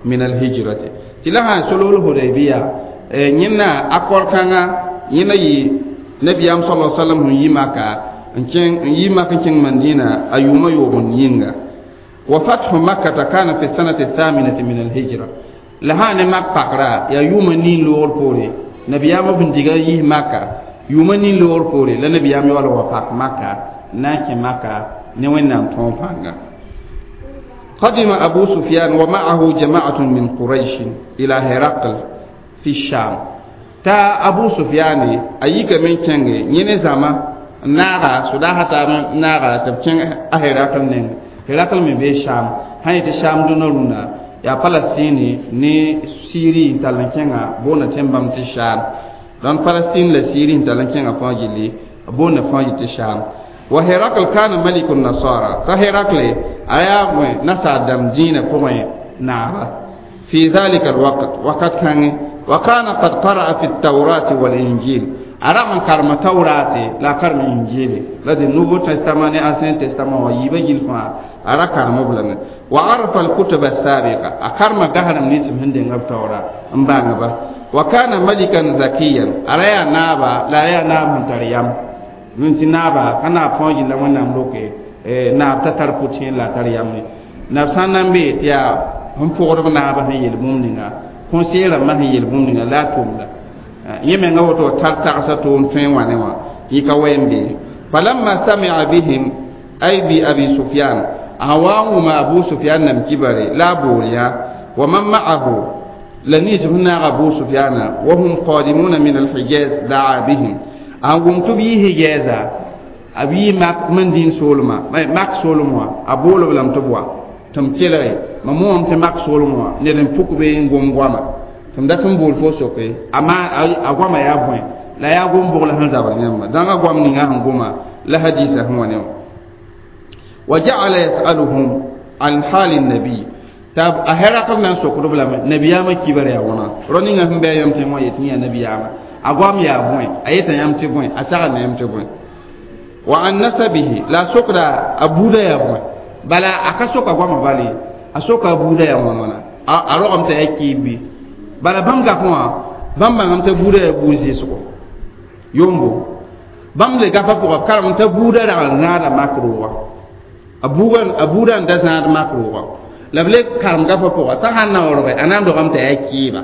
من الهجرة تلها صلح الحديبية ñẽnna akɔr kãnga yẽna yɩ nabiyaam صلى الله عليه وسلم sẽn yi Maka n kẽng n yi Mak n kẽng Mandina a yʋʋma yoog n yĩnga. وفتح مكة كان في السنة الثامنة من الهجرة la sã ne mak pakra yaa yʋʋma nin loogr poore nabiyaamã b sẽn diga yis Maka yʋʋma nin loogr poore la nabiyaam yaool wa pak Maka n na n kẽ Maka ne Wẽnnaam tõog pãnga. قدم أبو سفيان ومعه جماعة من قريش إلى هرقل في الشام تا أبو سفيان أيك من كنغي يني زما ناغا سداها تا ناغا تبچن هرقل نين هرقل من بي شام هاي تشام دونرونا يا فلسطيني ني سيري تالن كنغا بونا تنبام تي شام دون فلسطين لا سيري تالن كنغا فاجلي بونا فاجي تي شام. وهرقل كان ملك النصارى فهرقل أيام نسى دم دين قوي نعرة في ذلك الوقت وقد كان وكان قد قرأ في التوراة والإنجيل أرى من كرم توراة لا كرم إنجيل الذي Nouveau Testament Ancien Testament ويبجل فا أرى كرم بلنا وعرف الكتب السابقة أكرم جهرم نسم هندي التوراة أمبانغ وكان ملكا ذكيا أرى يا نابا لا يا نابا تريام من تنابا كان فوج لا ونام لوكي naab t'a tar pʋtẽer la a tar yam ye naab sã n na n bee tɩ yaa sẽn pʋgdb naabã sẽn yel bũmb ninga conseiller rãmbã sẽn yel bũmb ninga la a tʋmda yẽ menga woto tar tagsã tʋʋm tõe n wã ne wã yɩ ka wɛ n bee. فلما سمع بهم أي بأبي سفيان أهوان وما أبو سفيان نم كبري لا بوليا ومن معه لنيس هنا أبو سفيان وهم قادمون من الحجاز دعا بهم أهم تبيه حجازا abi mak mandin solma mak solma a boolo b lame tɩ b wa tɩ m kelge mam moom tɩ mak solem wã ned n puk be n gom goama tɩ m dat n bool fo soke a goama yaa bõe la yaa gom bogl sẽn zabr yãmba dãnga goam ninga sẽn goma la hadiisa sẽn wa ne wã. وجعل يسألهم عن حال النبي t'a a Hɛrakl na n sokd b lame nabiyaamã kibar yaa wãna rao ninga sẽn bɩ a yãmb tẽ wã yetɩ yã nabiyaamã a goam yaa bõe a yeta yãmb tɩ bõe a sagna yãmb tɩ bõe وعن نسبه لا سكرا أبودا يا بوي بلا أكسوك أقوام بالي أسوك أبودا يا وانا أروم تأكيبي بلا بام كفوا بام بام تبودا يا بوزي سكو يومبو بام le gafa pour karam ta buda da na da makruwa abugan abuda da na da makruwa la ble karam gafa pour ta hanna orbe anan do kam ta akiba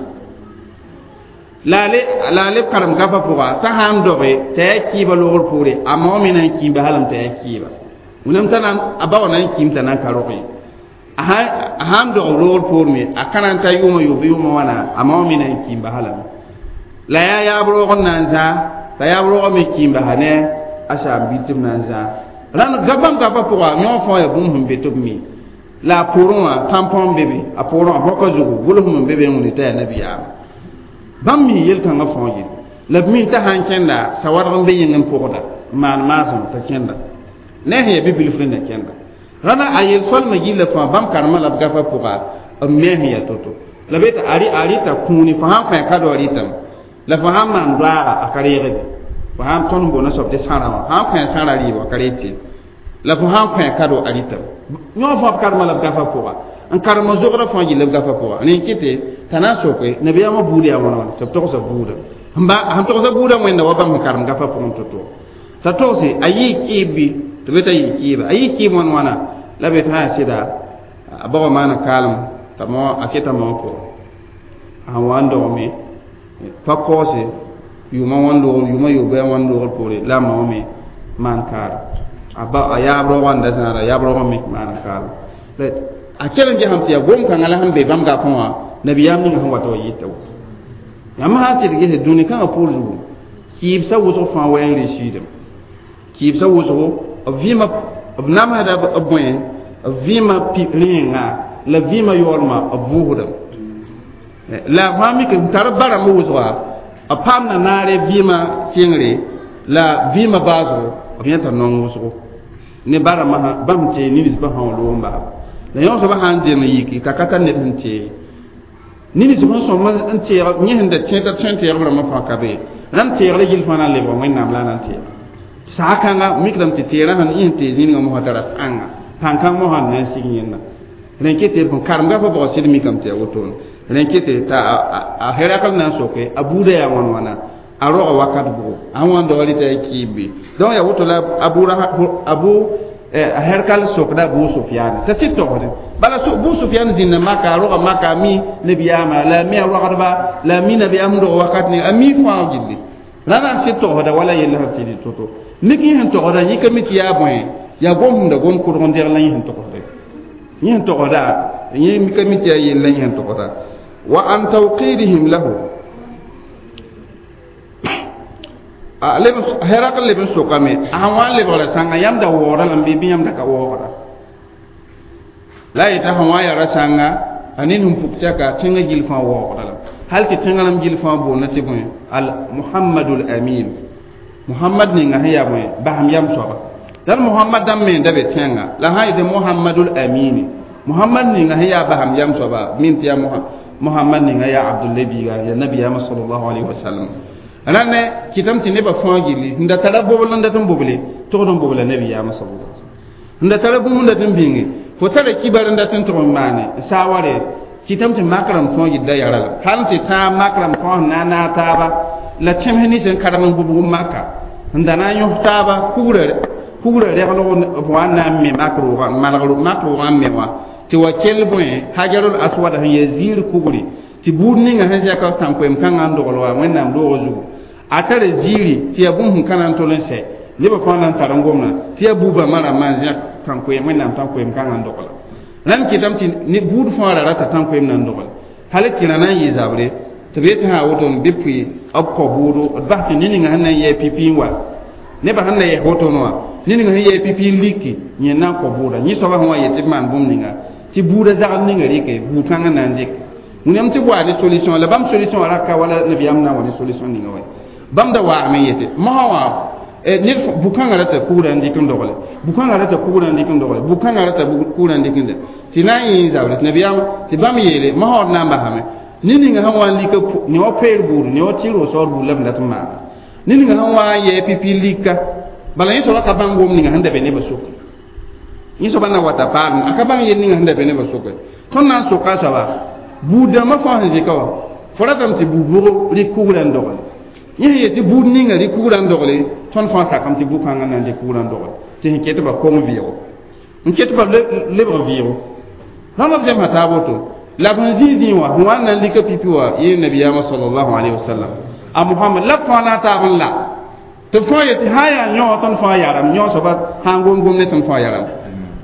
la le la le karam gafa pʋga t'a sãn doge t'a yaa kɩɩba loogr poore a mao me na n kĩimba halame t'a yaa kɩɩba wẽnnaam t'a a ba wã na n kĩim t'a na n ka roge a sãn dog loogr poor me a ka na n ta yʋʋmã yob yʋʋmã wãna a mao me na n kĩimba halame la yaa yaab roog n na n zã t'a yaab roogã me kĩimba sa ne a saam-biir tɩ b na n zã rãnd bãmb gafa pʋga yõ fãa yaa bũmb sẽn be tɩ b mi la a poorẽ wã tãmpõ n be be a poorẽ wã bõka zugu gʋlsem n be be n wẽnd t'a yaa nabiyaama bãmb mi yel-kãngã fãa yel la b mi t'a sãn kẽnda sawadg n be yĩng n pʋgda n maan maasem t'a kẽnda. Ne sẽn yaa bi-bilf rẽnda kẽnda rãna a yel-soalmã gilla fãa bãmb karemã la b gafã pʋga b me sẽn yaa to-to la b yeta a rɩta kũuni fo sãn kõ a kado a rɩtame la fo sãn maan doaaga a ka reegde fo sãn tõnd boona soab tɩ sãra wã sãn kõ a sãra rɩɩb a ka reeg tɩ la fo sãn kõ a kado a rɩtame yõ fãa b karemã la b gafã pʋga n karem zogrã fãa gilla b gafã pʋga rẽ kɩte t'a na n soke nabiyaamã buud yaa wãna wãna tɩ b togsa buuda sẽn togsa buudã wẽnda wa bãmb sẽn karem gafã pʋgẽ to-to t'a togse a yɩɩ kɩɩb bɩ tɩ b t'a yɩɩ kɩɩba a yɩɩ kɩɩb wãn wãna la b yetɩ sã yaa sɩda a baoã maana kaalem t'a mao a keta mao pʋgẽ a sẽn wa n dogme pa kaoose yʋʋmã wãn loogr yʋʋmã yoobã wãn loogr poore la a mao me maan kaara a ba a yaab raoogã n da zãada yaab raoogã me maana kaalem a kell n gesame tɩ yaa gom-kãngã la sẽn be bãmb gafẽ wã nabiyaam ninga sẽn wata wa yɩta woto yãmb sã n sɩd gese dũni kãngã pʋʋr zugu kɩɩbsã wʋsg fãa wa n reesiidame kɩɩbsã wʋsgo b vɩɩmã b namsda b bõe b vɩɩmã rẽenga la vɩɩmã yaoolmã b vʋʋsdame la fãa mik n tar barãmb wʋsga b paamda naare vɩɩmã sɩngre la vɩɩmã baasgo b yẽta nong wʋsgo ne barãmbã bãmb tee nins-bã sã wa loog n baaba la yõ soabã sã n deng yiki ka ka tar ned sẽn tee nins sẽn sõm n teeg yẽ sẽn da tẽeta tõe n teegb rãmbã fãa ka be rãmb teegre gill fãa na n lebg wẽnnaam la a na n teeg saa-kãnga mikdame tɩ teerã sẽn yẽ sẽn tee zĩnigã mosã tara pãnga pãn-kãng mosã n na n sig yẽnda rẽ kɩ tɩ karem gafã pʋgã sɩd mikame tɩ yaa wotone rẽ kɩ tɩ t'a a Herakl na n soke a buudã yaa wãn wãna a roga wakat bʋgo a sẽn wa n doga rɩta ya kɩɩb bɩ donc yaa woto la abu abu a Herkal sokda Abu Sufyan t'a sɩd togsde bala Abu Sufyan zĩnda maka a roga maka a mi nabiyaamã la a mi a rogdba la a mi nabiyaam sẽn dog wakat ning a mi fãa gilli rãna n sɩd togsda wala yell sẽn sɩd to-to mik yẽ sẽn togsda yĩka mi tɩ yaa bõe yaa gom sẽn da gom kʋdg n degl la yẽ sẽn togsde yẽ sẽn togsda yẽ mika mi tɩ yaa yell la yẽ sẽn togsda wa an tawqidihim lahu Herakl leb n sokame a sãn wa n lebgra sãnga yãmb da waoogda lame bɩ bɩ yãmb da ka waoogda la a yeta sẽn wa n yaa ra sãnga a ned sẽn puk tɛka tẽngã gill fãa waoogda lame hal tɩ tẽngã rãmb gill fãa boonda tɩ bõe al Muhammadul Amin Muhammad ninga sẽn yaa bõe basem yam soaba dal Muhammad dãmb me n da be tẽnga la sã n yetɩ Muhammadul Amini Muhammad ninga sẽn yaa basem yam soaba min tɩ yaa Muhammad ninga yaa Abdullahi biiga yaa nabiyaamã sallallahu alaihi wasallam rãnne kɩtame tɩ nebã fãa gilli sẽn da tara bobl n dat n boble togd n bobla nabiyaamã sallallahu alaihi wasallam sẽn da tara bũmb n dat n bĩnge fo tara kibar n dat n tʋg n maane n saaware kɩtame tɩ mak rãmb fãa gilda yara la hal tɩ tãag mak rãmb fãa sẽn na n naag taaba la tẽms nins n karem n bʋbg n maka n da na n yõs taaba kugrã kugrã reglg b wa n na n me mak roogã malg mak roogã n me wã tɩ wa kell bõe hajarul aswad sẽn yaa ziir kugri tɩ buud ninga sẽn zɛka tãn-koɛɛm kãngã n dogl wa wẽnnaam roogã zugu a tara ziiri tɩ yaa bũmb sẽn ka na n tol n sɛ nebã fãa na n tar n gomdã tɩ yaa buubã rãmbã n zẽk tãn-koɛɛm wẽnnaam tãn-koɛɛm kãngã n dogla rãnd kɩtame tɩ ne buud fãa ra rata tãn-koɛɛm na n dogl hal tɩ rã na n yɩ zabre tɩ b yetɩ sã woto bɩ pʋɩ b kõ bʋʋdo d bas tɩ ne-ninga sẽn na n yɛɛ pipi n wa nebã sẽn na yɛs wotono wã ne-ninga sẽn yɛɛ pipi n liki yẽ na n kõ bʋʋda yẽ soabã sẽn wa yet tɩ b maan bũmb ninga tɩ buudã zagl ninga rɩke buud kãngã na n dɩk wẽnnaam tɩ waa ne solution la bãmb solution ra ka wala nabiyaam na n wa ne solution ninga wa bãmb da waame yete mosã wã ned bu-kãngã rata kugrã n dɩk n dogle bu-kãngã rata kugrã n dɩk n dogle bu-kãngã rata kugrã n dɩk n tɩ na n yẽ zabre tɩ nabiyaam tɩ bãmb yeele mosã d na n basame ne-ninga sẽn wa n lika ne wa peer buud ne wa tɩ rosoor buud la b dat n maana ne-ninga sẽn wa n yɛɛ pipi lika bala yẽ soaba ka bãng gom ninga sẽn da be nebã soke yẽ soaba na wata paam a ka bãng yel ninga sẽn da be nebã soke tõnd na n soka a soaba buud dãmbã fãa sẽn zɩka wã fo ratame tɩ buud bʋgo rɩk kugrã n dogle yẽ sẽn yet tɩ buud ninga rɩk kugrã n dogle tõnd fãa sakame tɩ bu-kãngã na n dɩk kugrã n dogle tɩ sẽn ket ba kong vɩɩgo n ket ba lebg vɩɩgo rãmba b zemsã taab woto la b sẽn zĩig zĩig wã sẽn wa n na n lika pipi wã yẽ nabiyaamã sallallahu alaihi wasallam a Muhammad la b fãa na n taab n la tɩ fãa yetɩ sã n yaa yõ tõnd fãa yaram yõ soaba sã n gom gom ne tõnd fãa yaram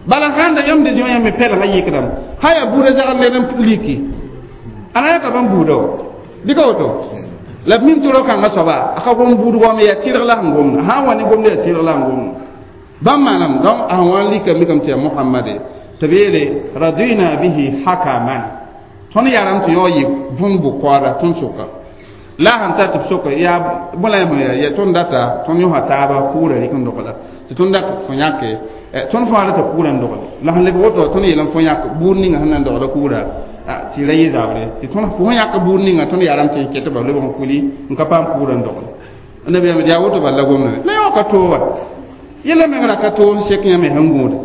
bala sãn da yãmb de zĩ wã yãmb me pɛlgã yɩkdame sã yaa buudã zagl ned n liki a na yãka bãmb buudã wa bɩ ka woto la b mim tɩ rao-kãngã soaba a ka gom buudg wame yaa tɩrg la sẽn gomda sã n wa ne gomda yaa tɩrg la sẽn gomda bãmb maanam donc a sẽn wa n lika mikame tɩ yaa Muhammade tɩ b yeele radina bihi hakaman tõnd yaram tɩ yao yɩ bũmb bʋ-koaada tõnd soka La sẽn ta tɩ b sok yaa bõe la yã ya tõnd data tõnd yõsa taaba kʋʋra rɩk n dogla tɩ tõnd dat fõ yãke tõnd fãa rata kʋʋra n dogle la sẽn leb woto tõnd yeelame fõ yãk buud ninga sẽn na n dogda kʋʋra tɩ ra yɩ zabre tɩ tõnd fo sẽn yãk buud ninga tõnd yaa rãmb tɩ n ket ba lebg n kuli n ka paam kʋʋra n dogle nabiyaam yaa woto bal la gomda la yã ka to wa yɛla meng ra ka to n sek yãme sẽn gũude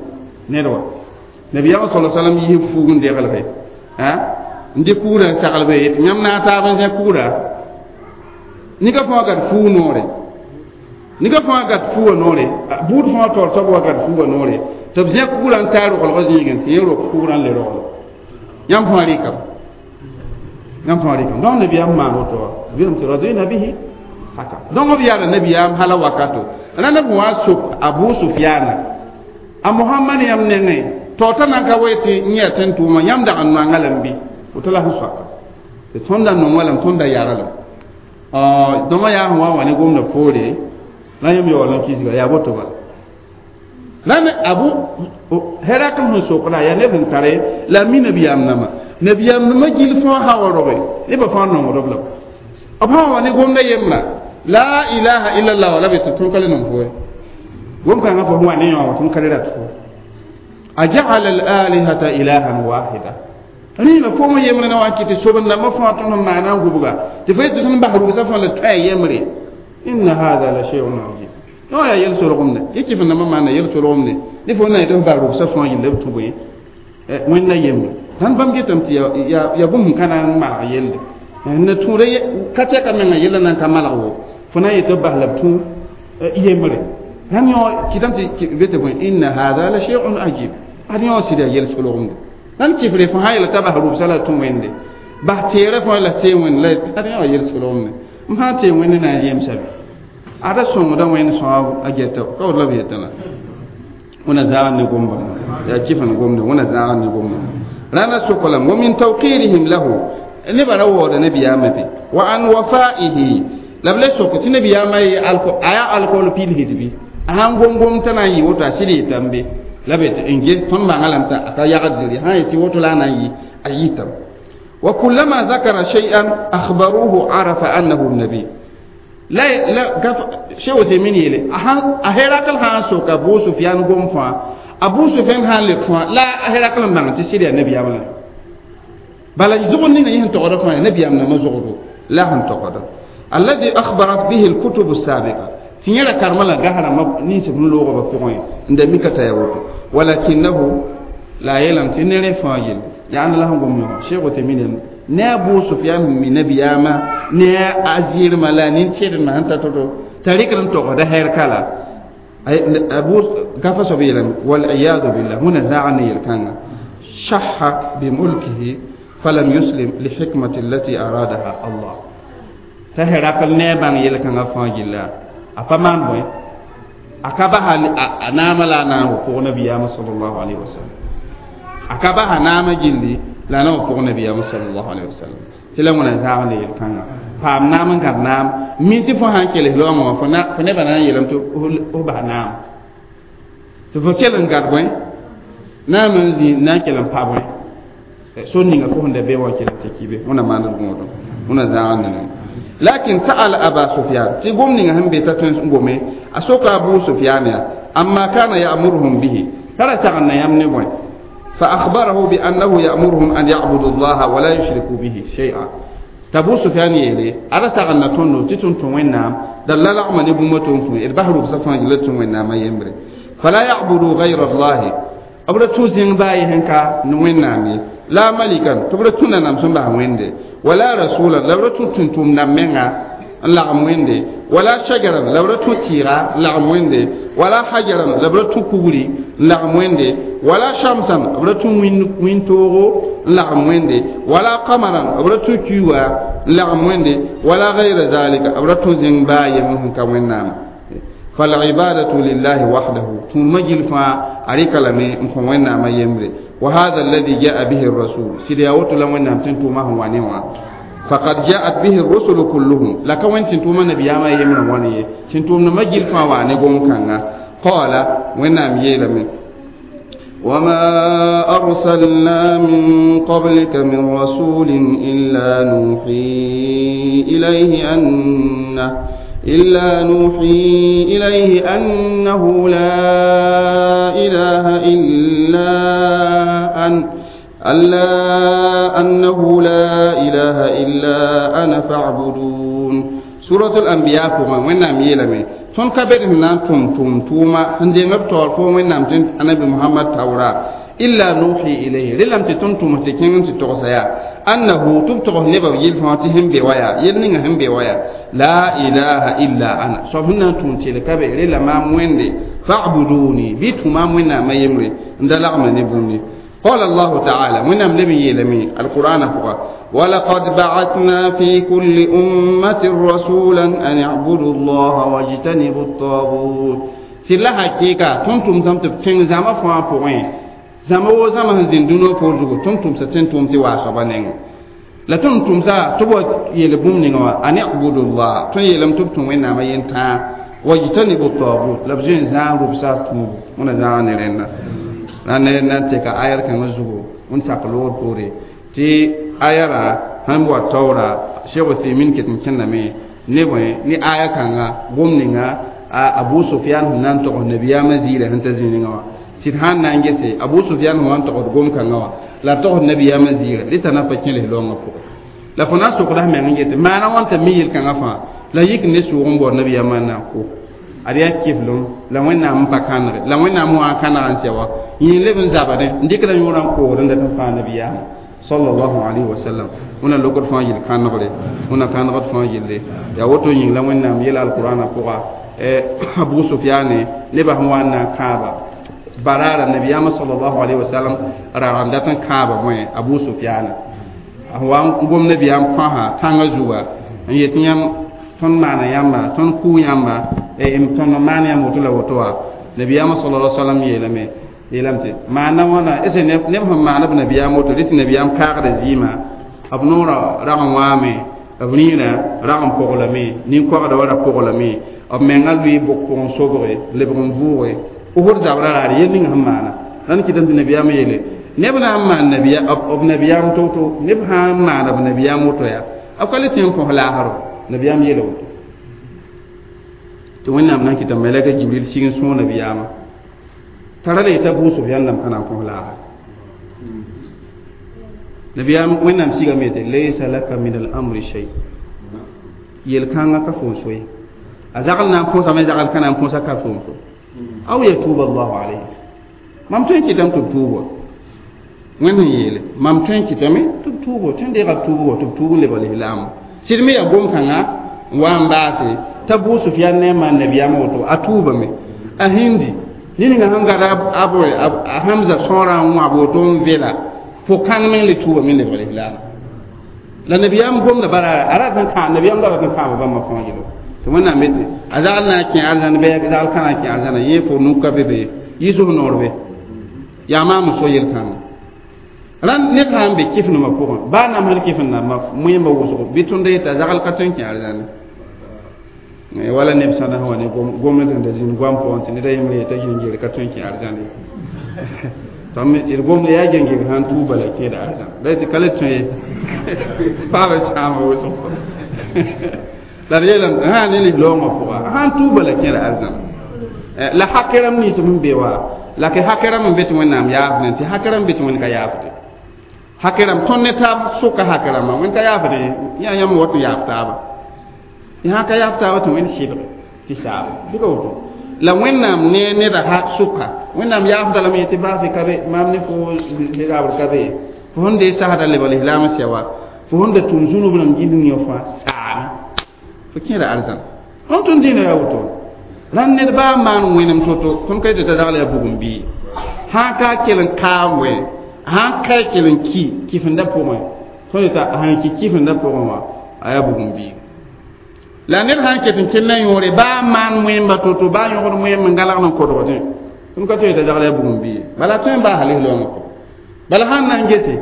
ned wa nabiyaam sala salam yis fuug n deglge n dɩ kʋʋra n saglbe yetɩ yãmb na n taab n zẽ kʋʋra nika fãa gad fuu noore nika fãa gad fuuwa noore buud fãa taoor soab wa gad fuuwa noore tɩ b zẽ kʋʋra n taa roglgã zĩigẽ tɩ yẽ rok kʋʋrã n le rogl yãmb fãa rɩkame yãmb fãa rɩkame donc nabiyaam maan woto wa b yeelame tɩ radina bihi haka donc b yaala nabiyaam hala wakato rãnd b wa sok abu sufiana a mohamad yãmb nengẽ taoor t'a nan ka we tɩ n yɛ tẽn tʋʋma yãmb dag n noanga lame bɩ woto la sẽn soaka tɩ tõnd da nonga lame tõnd da yara lame dõma yaa sẽn wa wa ne gomda poore la yãmb yaool n kisga yaa boto bala la ne abu Herakl sẽn sokda yaa neb sẽn tare la mi nabiyaam nãma nabiyaam nãma gill fãa sã wa roge nebã fãa nongdb la b sã wa ne gomda yembra la ilaha illallah wala be tɩ tõnd ka le nong fo gom kãngã fo sẽn wa ne yõ tõnd ka le rat fo aja'ala al-alihata ilahan wahida rẽna fo yembre na wa kɩ tɩ sobend dãmbã fãa tõnd sẽn maana n gubga tɩ fo yetɩ tõnd bas rugsa fãa la tõe yembre inna hada la shay'un ajib no yaa yel solgemde yẽ kɩf n dãmbã maana yel solgemde ne fo na yetɩ f bas rugsa fãa yella b tũ bõe wẽnna yembre sãn bãmb getame tɩ yaa bũmb sẽn ka na n malg yelde na tũuda ka tɛka menga yella na n ka malg wo fo na n yetɩ b bas la b tũ yembre sãn yõ kɩtame tɩ be tɩ bõe inna hada la shay'un ajib ad yõ sɩd yaa yel solgemde nan kifre fo ha yela ta bas rubsa la tũ wẽnde bas teerã fo la tee wẽnd la ad yã wa yel solgemde m sã n tee wẽnd na n yemsa be ada sõngda wẽnd sõab a geta ka wot la b yetã la wẽna zãag ne gomba yaa kɩf n gomde wẽna zãag ne gomba rãna sokolame wa min tawqirihim lahu nebã ra waooda nabiyaamã be wa an wafaihi la b le sok tɩ nabiyaamã ye a yaa alkool pilsd bɩ a sãn gom gom t'a na n yɩ woto a sɩd yetame be la be tɩ n ges tõnd bãnga lame t'a ka yagd zɩrɩ sã n yetɩ woto la a na n yɩ a yɩtame wa kullama zakara shay'an akhbaruhu arafa annahu nabi la la gaf sheikh Uthaymeen yele a Herakl sã n sok Abu Sufyan gom fãa Abu Sufyan sã n leb fãa la a Herakl n bãng tɩ sɩd yaa nabiyaam la bala zʋgd ninga yẽ sẽn togda fãa yaa nabiyaam nambã zʋgdo la sẽn togda alladhi akhbarat bihi alkutub السابقة tɩ yẽ ra karema la gas rãmbã nins b sẽn loogã ba pʋgẽ n da mika t'a yaa woto walakinahu la yeelame tɩ ne rẽ fãa yelle yaa la sẽn gom yõ Cheikh Uthaymeen yelame ne Abu Sufyan sẽn mi nabiyaamã ne a zɩɩrmã la nin-tẽedmã sẽn ta to-to t'a rɩkd n togsda hɛr-kala abu gafa soab yeelame waliyadu billah wẽna zãag ne yel-kãnga shaha bimulkihi falam yuslim lihikmati allati aradaha Allah t'a Herakl ne a bãng yel-kãngã fãa gilla a pa maan bõe a ka basa a naamã la a na n wa pʋg nabiyaamã sallallahu alayhi wa sallam a ka basa naamã gilli la na wa pʋg nabiyaamã sallallahu alayhi wa sallam tɩ la wẽna zãag ne yel-kãngã paam naam n gãd naam min tɩ fo sã n kels laoongã wã fo nebã na n yeelame tɩ f bas naam tɩ fo kell n gad bõe naam n zĩ na n kell n pa bõe sor ninga fo sẽn da be wã kell n tɩ kibe wẽna maand gõodum wẽna zãag ne lakin sa'ala aba sufyan tɩ gom ninga sẽn be t'a tõe n gome a soka abu sufyan ya amma kana ya'muruhum bihi tara sagn na yãmb ne bõe فأخبره بأنه يأمرهم أن يعبدوا الله ولا يشركوا به شيئا تابو سفيان يلي أرى سغنا تونو تتون تون دل لعم نبو متون فون البحر بصفان يلتون وينام يمري فلا يعبدوا غير الله أبدا توزين باي هنكا نوينامي لا ملكا تبدا تونا نام سنبا ويندي ولا رسولا لا بدا تون نامنغا lagm wẽnde wala shajaran la b ra tũ tɩɩga lagm wẽnde wala hajaran la b ra tũ kugri n lagm wẽnde wala shamsan b ra tũ wĩntoogo n lagm wẽnde wala qamaran b ra tũ kuiwa n lagm wẽnde wala gayra zalika b ra tũ zĩng baa yem sẽn ka wẽnnaam فالعبادة لله وحده ثم جلفا أريك لمي نكون وين ما يمري وهذا الذي جاء به الرسول سيدي أوتو لم وين تنتو ما هو وانيوا فقد جاءت به الرسل كلهم لك وين تنتو ما نبي ما يمري واني تنتو ما جلفا واني قوم كان قال وين نام يلمي وما أرسلنا من قبلك من رسول إلا نوحي إليه أنه إلا نوحي إليه أنه لا إله إلا أن ألا أنه لا إله إلا أنا فاعبدون. سورة الأنبياء كما وين نام يلمي tõnd ka bed sẽn na n tʋm tʋm tʋʋma sẽn deng b taoor fo wẽnnaam tɩ anabi mohamad taoora illa nuhi ilayhi relame tɩ tõnd tʋms tɩ kẽng n tɩ togsa yaa annahu tɩ b togs nebã yel fãa tɩ sẽn be wa yaa yel ninga sẽn be wa yaa la ilaha illa ana soab sẽn na n tũun tɩl ka be rela maam wẽnde fa'buduni bɩ tũ maam wẽnnaamã yembre n da lagmda ne bũmb ye. قال الله تعالى من أم لم يلمي القرآن فقط ولقد بعثنا في كل أمة رسولا أن اعبدوا الله واجتنبوا الطاغوت. سلا حقيقة تنتم زمت فين زما فوا فوين زما و زما زندونو فوزو تنتم ستنتم تي واسبانين لا تنتم سا تبو يلبوم نينوا أن اعبدوا الله تن يلم تبتم وين ما ينتا واجتنبوا الطاغوت لبجين زان ربسا تمو من زان رena la ne na tɩ ka ayar kãngã zugu n sak loor poore tɩ ayara sãn wa taoora Cheikh Uthaymin ket n kẽndame ne bõe ne aya kãnga gom ninga Abu Sufyan sẽn na n tog nabiyaamã ziirã sẽn ta zĩ ninga wã sɩd sãn na n gese Abu Sufyan sẽn wa n togsd gom kãngã wã la togsd nabiyaamã ziirã rɩta na pa kẽ lislaoongã pʋgẽ la fo na n sokda f meng n yetɩ maana wãnta mi yel-kãngã fãa la yik ne sʋʋg n baood nabiyaamã n na n kʋ ad yaa kiflem la wẽnnaam n pa kãnege la wẽnnaam wã kãneg n sɛ wa yẽ leb n zabdẽ n dɩk la yõorã n koogd n dat n fãa nabiyaamã sallallahu alayhi wa sallam wẽnna lokd fãa yel kãnegre wẽnna kãnegd fãa yelle yaa woto yĩng la wẽnnaam yela alqurãnã pʋga Abu Sufyane nebã sẽn wa n na n kãaba baraara nabiyaamã sallallahu alayhi wa sallam rag n dat n kãaba bõe Abu Sufyane a wa n gom nabiyaam põasa tãngã zuga n yet yãmb tõnd maana yãmba tõnd kʋʋ yãmba tõnd maan yãmb woto la woto wa nabiyaamã sallallahu alayhi wa sallam yeelame yeelame tɩ maana wãna ese neb sẽn maana b nabiyaam woto rɩ tɩ nabiyaam kaagda zɩɩmã b noorã rag n wãame b rĩirã rag n poglame nin-koagda wa ra poglame b mengã lʋɩ bʋk pʋgẽ sobge lebg n vʋʋge Uhud zabrã raar yel ning sẽn maana rãnd kɩtame tɩ nabiyaamã yeele neb na n maan b nabiyaam to-to neb sã n maana b nabiyaam woto yaa b ka le tẽ n kõs laasro nabiyaam yeela woto tɩ wẽnnaam na n kɩta malɛka Jibril sig n sõog nabiyaamã tara la yeta Abu Sufyan dãmb ka na n kõs laasr nabiyaam wẽnnaam sigame yetɩ laysa laka min al-amri shay yel-kãngã ka fo n so ye a zagl na n põsame zagl ka na n põsa ka fo n so aw yatuba allahu alayhi mam tõe n kɩtame tɩ b tuuba wẽnd sẽn yeele mam tõe n kɩtame tɩ b tuubo tõe n deega b tuubo tɩ b tuub n lebg lislaamã sɩd me yaa gom-kãngã n wa n baase t'a Abu Sufyan ne n maan nabiyaamã woto a tuubame a hindi ned ninga sẽn gad a Hamza sõorã n wãb woto n vela pʋg-kãng meng le tuubame n lebg lislaamã la nabiyaam gomda bara a rat n kã nabiyaam da rat n kãaba bãmba fãa yelo tɩ wẽnnaam yetɩ a zagl na n kẽ arzãn bɩ a zagl ka na n kẽ arzãna yẽ fo nuk ka be be yɩ noor be yaa maam so yel-kãngã rãnd ned sã n be kɩf-nembã pʋgẽ baa namsd kɩf-n-nambã moẽmbã wʋsgo bɩ tõnd yeta zagl ka tõe n kẽ arzãne wala neb sãda sẽn wa ne gomd sẽn da zĩnd goam pʋgẽ tɩ ned a yembre yeta gẽngere ka tõe n kẽ arzãne tõnd d gomd yaa gẽngeg sãn tuub bala kẽeda arzãn la tɩ ka le tõe ye paaba sãama wʋsg la d yeelame sã ne lislaoongã pʋga sãn tuub bala kẽeda arzãn la hakɛrãm nins sẽn be wa la ke hakɛrãm n be tɩ wẽnnaam yaafdẽ tɩ hakɛrãm be tɩ wẽnd ka yaafde hakɛrãm tõnd ne taab sʋka hakɛrãmã wẽnd ka yaafdẽ yaa yãmb wat n yaaf taaba tɩ sã ka yaaf taaba tɩ wẽnd sɩbge tɩ saaba bɩ ka woto la wẽnnaam ne neda ha sʋka wẽnnaam yaafda lame tɩ baasɩ ka be maam ne fo zabr ka be fo sẽn dee sasda lebg lislaam sɛ wa fo sẽn da tʋm zũnub rãmb gĩnd yõ fãa saame fo kẽeda arzãn tõnd tõnd dĩinã yaa woto rãnd ned baa maan wẽnem to-to tõnd ka yetɩ t'a zagl yaa bugum bii sã ka kell n kaam wẽ sãn ka kell n ki kɩfenda pʋgẽ tõnd yeta sãn ki kɩfenda pʋgẽ wã a yaa bugum bii la ned sãn ket n kell n yõore baa maan wẽmba to-to baa yõgd wẽm n galgd n kodgdẽ tõnd ka tõe t'a zagl yaa bugum bii bala tõe n baasa lislaoongã pʋgẽ bala sãn na n gese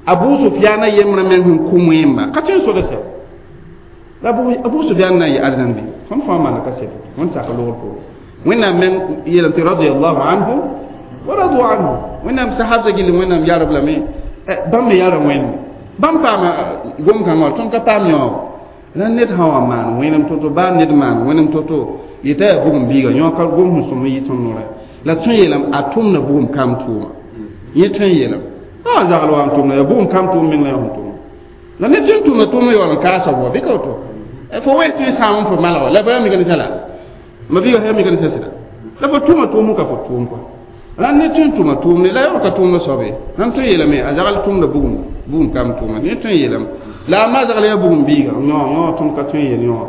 Abu Sufyana yembrã meng sẽn kʋ wẽmba ka tõe n soda sɛb la Abu Sufyan na n yɩ arzãn bɩ tõnd fãa maana ka sɛb wẽnd sak loogr poore wẽnnaam meng yeelame tɩ radiallahu anhu Wa radu anhu wẽnnaam sahabda gilli wẽnnaam yarb lame bãmb me yara wẽnde bãmb paama gom-kãngã wã tõnd ka paam yõog la ned sã wa maan wẽnem to-to baa ned maan wẽnem to-to yeta yaa bugum biiga yõ ka gom sẽn sõm n yɩ tõnd norã la tõe n yeelame a tʋmda bugum kam tʋʋma yẽ tõe n yeelame a zagl wa n tʋmda yaa bugum kam tʋʋm meng la yã sẽn tʋmda la ned sẽn tʋmda tʋʋm yaool n kaasa bʋa bɩ ka woto fo wees tɩ sãam n fo malga la ba mika ne sã la ma biiga sã mika ne sã sɩda la fo tʋma tʋʋm ka fo tʋʋm kɔa la ned sẽn tʋma tʋʋmde la yaool ka tʋʋmda soabe nan tõe n yeelame a zagl tʋmda bugum bugum kam tʋʋma yẽ tõe n yeelame la a ma zagl yaa bugum biiga yõ yõ tõnd ka tõe n yeel yõ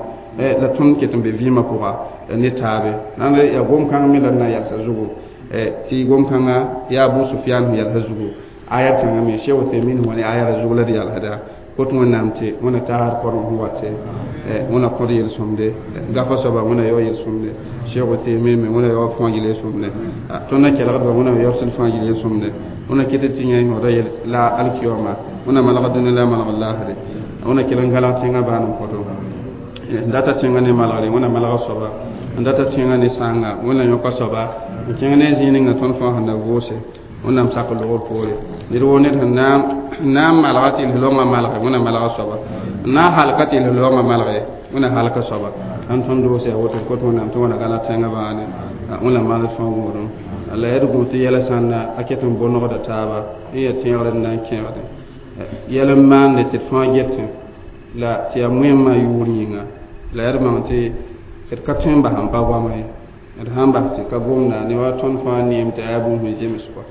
la tõnd ket n be vɩɩmã pʋga ne taabe nan yaa gom-kãng me la d na n yalsa zugu tɩ gom-kãngã yaa Abu Sufyan sẽn yalsa zugu ayat kãngã me Cheikh Uthaymin wa ne ayat zugu la d yalsda kot wẽnnaam tɩ wẽna tagsd korem sẽn wat wẽna kõd yel-sõmde gafa soaba wẽna yao yel-sõmde Cheikh Uthaymin me wẽna yao fãa gil yel-sõmde tõnd na kelgdba wẽna yaood fãa gil yel-sõmde wẽna ket tɩ yẽ yõoda yel la alkiyoma wẽna malg dũni la malg laasre wẽna kell n gãlag tẽngã baan n kõto n data tẽngã ne malgre wẽna malga soaba n data tẽngã ne sãanga wẽna yõka soaba n kẽng ne zĩig ninga tõnd fãa sẽn na vʋʋse wẽnnaam sak logr poore ned woo ned sẽn na n malga tɩ l-loongã malge wẽna malga soaba n na n halka tɩ l-loongã malge wẽna halka soaba ãn tõnd doose yaa woto kot wẽnnaam tɩ wẽna gãlag tẽngã baane wẽna maan d fãa gũudum la yaa d gũ tɩ yɛla sãnda a ket n bõnegda taaba n yaa tẽegr n na n kẽegde yɛl n maande tɩ d fãa getẽ la tɩ yaa moẽmã yʋʋr yĩnga la yaa d bãng tɩ d ka tõe n bas n pa goama ye d sãn bas tɩ ka gomda ne wa tõnd fãa neem tɩ yaa bũmb sẽn zems kɔa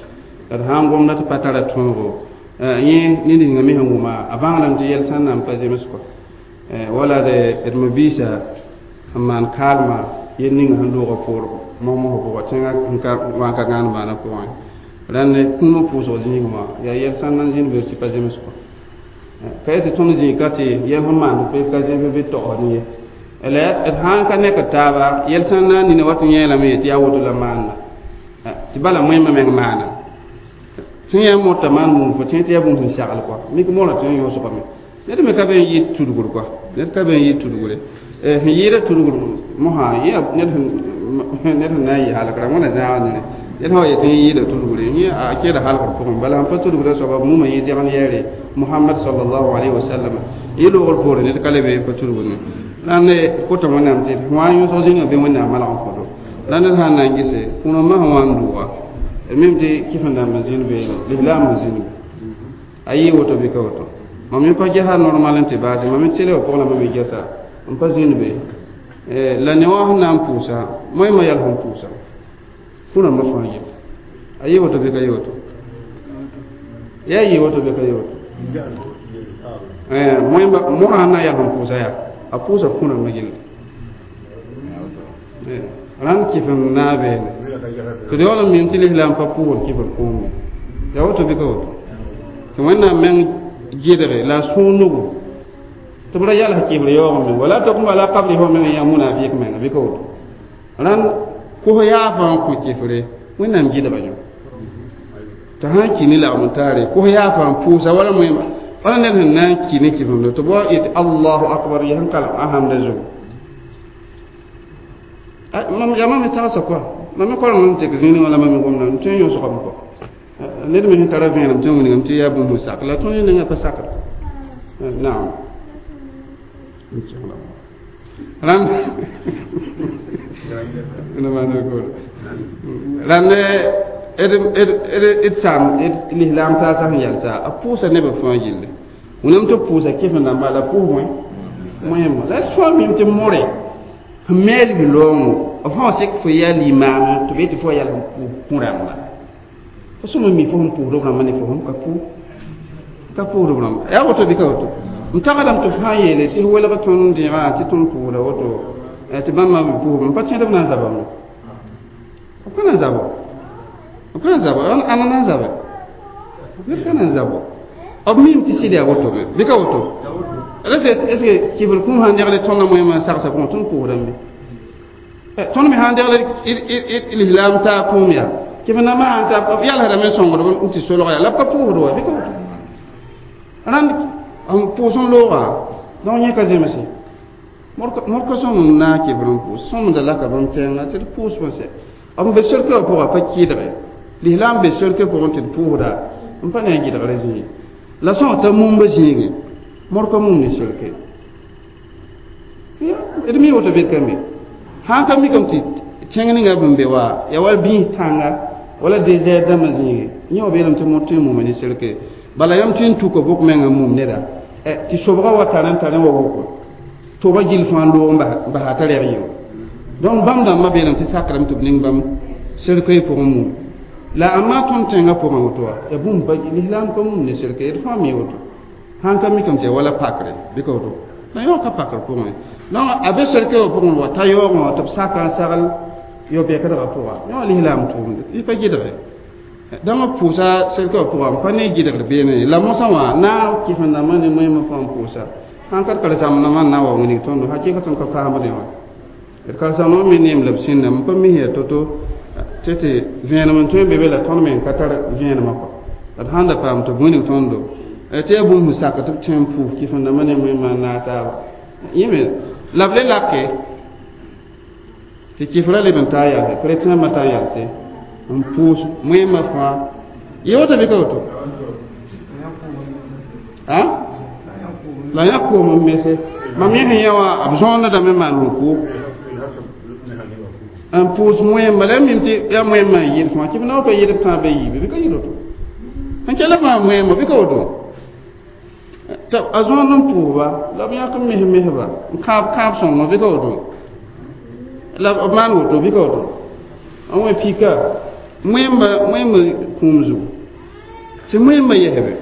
la d sãn gomda tɩ pa tara tõogo yẽ ned ninga me sẽn wʋma a bãngdame tɩ yɛl sãn na n pa zems kɔa wala d mabiisa n maan kaalma yel ninga sẽn loogã poor mosmosã pʋga tẽngã n ka wa n ka gãan maana pʋgẽ rãnd kũumã pʋʋsg zĩigẽ wã yaa yɛl sãn na n zĩnd be tɩ pa zems kɔa ka yetɩ tõnd zĩig ka tɩ yɛl sẽn maand ka zems bɩ togsd ye la d sãn ka nek taaba yɛl sãn na n nina wa tɩ yẽelame tɩ yaa woto la maanda tɩ bala moẽmã meng maana tɩ yã mota maan bũmb fo tẽ tɩ yaa bũmb sẽn sagl kɔa mik moorã tɩ n yõsgame ned me ka be n yɩ tudgr kɔa ned ka be n yɩ tudgre sẽn yɩɩda tudgr mosã ned sẽn na n yɩ halkra wẽna zãag nere ned sã wa yetɩ n yɩɩda tudgre yẽ a kẽeda halgr pʋgẽ bala sẽn pa tudgra soaba mumã yẽ dẽgen yɛɛre Muhammad sallallahu alaihi wasallam yɩ loogr poore ned ka le be pa tudgr ne la ne kota wẽnnaam tɩ wã n yõsg zĩnga bɩ wẽnnaam malg n kõto la ned sã n na n gese kũnã masã wã n dʋʋga mim tɩ kɩf-n-dãmb n zĩnd be lislaam n zĩnd be a yɩ woto bɩ ka woto mam yẽ pa gesa normal n tɩ baase mam n tele wã pʋgẽ la mam me gesa n pa zĩnd be la ne wã sẽn na n pʋʋsa moẽmã yɛl sẽn pʋʋsa kũnã fãa yẽ a yɩ woto bɩ ka yɩ woto yaa yɩ woto bɩ ka yɩ woto moẽmba mosã sẽn na n yɛl sẽn pʋʋsa yaa a pʋʋsa kũnã gilli rãnd kɩf n naag beene tɩ d yaool n mim tɩ lislaam pa pʋʋgd kɩf n kũum yaa woto bɩ ka woto tɩ wẽnnaam meng gɩdge la a sũur nugu tɩ b ra yals kɩfr yaoog me wala takum ala qabrihi wa meng yaa munafik menga bɩ ka woto rãnd kos yaafã n kõ kɩfre wẽnnaam gɩdga yõ tɩ sã n ki ne lagm n taare kos yaafã n pʋʋsa wala moẽmã wala ned sẽn na n ki ne kɩfemdo tɩ b yetɩ allahu akbar yaa sẽn kalem a hamda zugu mam yaa mam me tagsa kɔa mam me koreng n tek zĩig wã la mam me gomda n tõe n yõsgame kɔ ned me sẽn tara vẽenem tɩ n wilgame tɩ yaa bũmb sẽn sak la tõnd yẽ nengã pa sakd naam rãnd rãnd d saam lislaam taasã sẽn yalsa a pʋʋsa nebã fãa gilli wẽnnaam tɩ pʋʋsa kɩf-n-dãmba la pʋʋs wẽ moẽmã la d fãa mim tɩ more sẽn meel loongo b sã sek fo yaa limaam tɩ b yetɩ fo yɛl sẽn pʋʋs kũ-rãmba fo sõma mi fo sẽn pʋʋsd b rãmbã ne fo sẽn ka pʋʋs ka pʋʋsd b rãmba yaa woto bɩ ka woto n tagsdame tɩ fãa yeele tɩ welg tõnd dẽegã tɩ tõnd pʋʋsda woto tɩ bãmba me pʋʋsb n pa tẽdb na n zabame b ka na n zabo b ka na n zabo ãna na n zabe ned ka na n zabo b mim tɩ sɩd yaa woto me bɩ ka woto est ce que kɩfr kũum sãn degl tõndã moẽmã sagsã pʋgẽ tõnd pʋʋsdame tõnd me sãn degl lislaam taa kũum yaa kɩf nambã sãn ta b yalsdame n sõngd n tɩ solg yaa la b ka pʋʋsd wa bɩ ka woto rãnd n pʋʋs n loogã donc yẽ ka zemse mor ka sõm n naag kɩfr n pʋʋs sõmda laka bãmb tẽnga tɩ d pʋʋs n sɛ b be sorkã pʋga pa kɩɩdge Lislaam be selke pʋgẽ tɩ d pʋʋsda n pa ne a gɩdgrã zĩig la sã t'a mumba zĩige mor ka mum ne selke d mi woto bed ka me sãn ka mikame tɩ tẽng ninga bẽn be wa ya wala bĩis tãnga wala désert dãmbã zĩige yẽ wa beelame tɩ mor tõe n muma ne selke bala yãmb tõe n tuka bʋk menga mum neda tɩ sobga wa tar n tar n wa woko toba gill fãa loog n basa t'a rɛg yẽ donc bãmb dãmbã beelame tɩ sakrame tɩ b ning bãmb selke pʋgẽ mum la amma tõnd tẽngã pʋgẽ woto wa ya bũmb pa lislaam ka mum ne selke d fãa mi woto sãn ka mikame tɩ ya wala pakre bɩ ka woto la yõ ka pakr pʋgẽ donc a be selke wã pʋgẽ wa ta yaoogẽ wã tɩ b saka n sagl yo-bɛkdgã pʋga yõ lislaam tʋʋmde y pa gɩdge dãmb b pʋʋsa selke wã pʋga n pa ne gɩdgr beene la mosã wã na kɩsem-dãmbã ne moẽmã fãa n pʋʋsa sãn ka d karen-saamdãmbã n na n wa wilg tõndo hakɩka tõnd ka kaambdẽ wã d karen-saamdãmbã me neem la b sẽnda n pa mis yaa to-to tɩ tɩ vẽenem n tõe n be be la tõnd me n ka tar vẽenemã kɔ la d sãn da paam tɩ b wilg tõndo tɩ yaa bũmb sẽn sak tɩ b tõe n pʋʋs kɩsem-dãmbã ne moẽmã n naag taaba yẽ me la b le lake tɩ kɩfrã leb n taa yalse chrétien taa yalse n pʋʋs moẽmã fãa yẽ woto bɩ ka woto a la yã koom n mese mam yẽ sẽn yã wã b zõonedame maan rʋku n pʋʋs moẽmba la mim tɩ yaa moẽmã n yɩl fãa tɩ b na pa yɩl b tãab ba yiibe bɩ ka yɩl woto n kell fãa moẽmba bɩ ka woto tɩ a zõond n pʋʋsba la b yãk n mes mesba n kãab kãab sõngo bɩ ka woto la b maan woto bɩ ka woto n wẽ pika moẽmba moẽmba kũum zugu tɩ moẽmba yɛsbe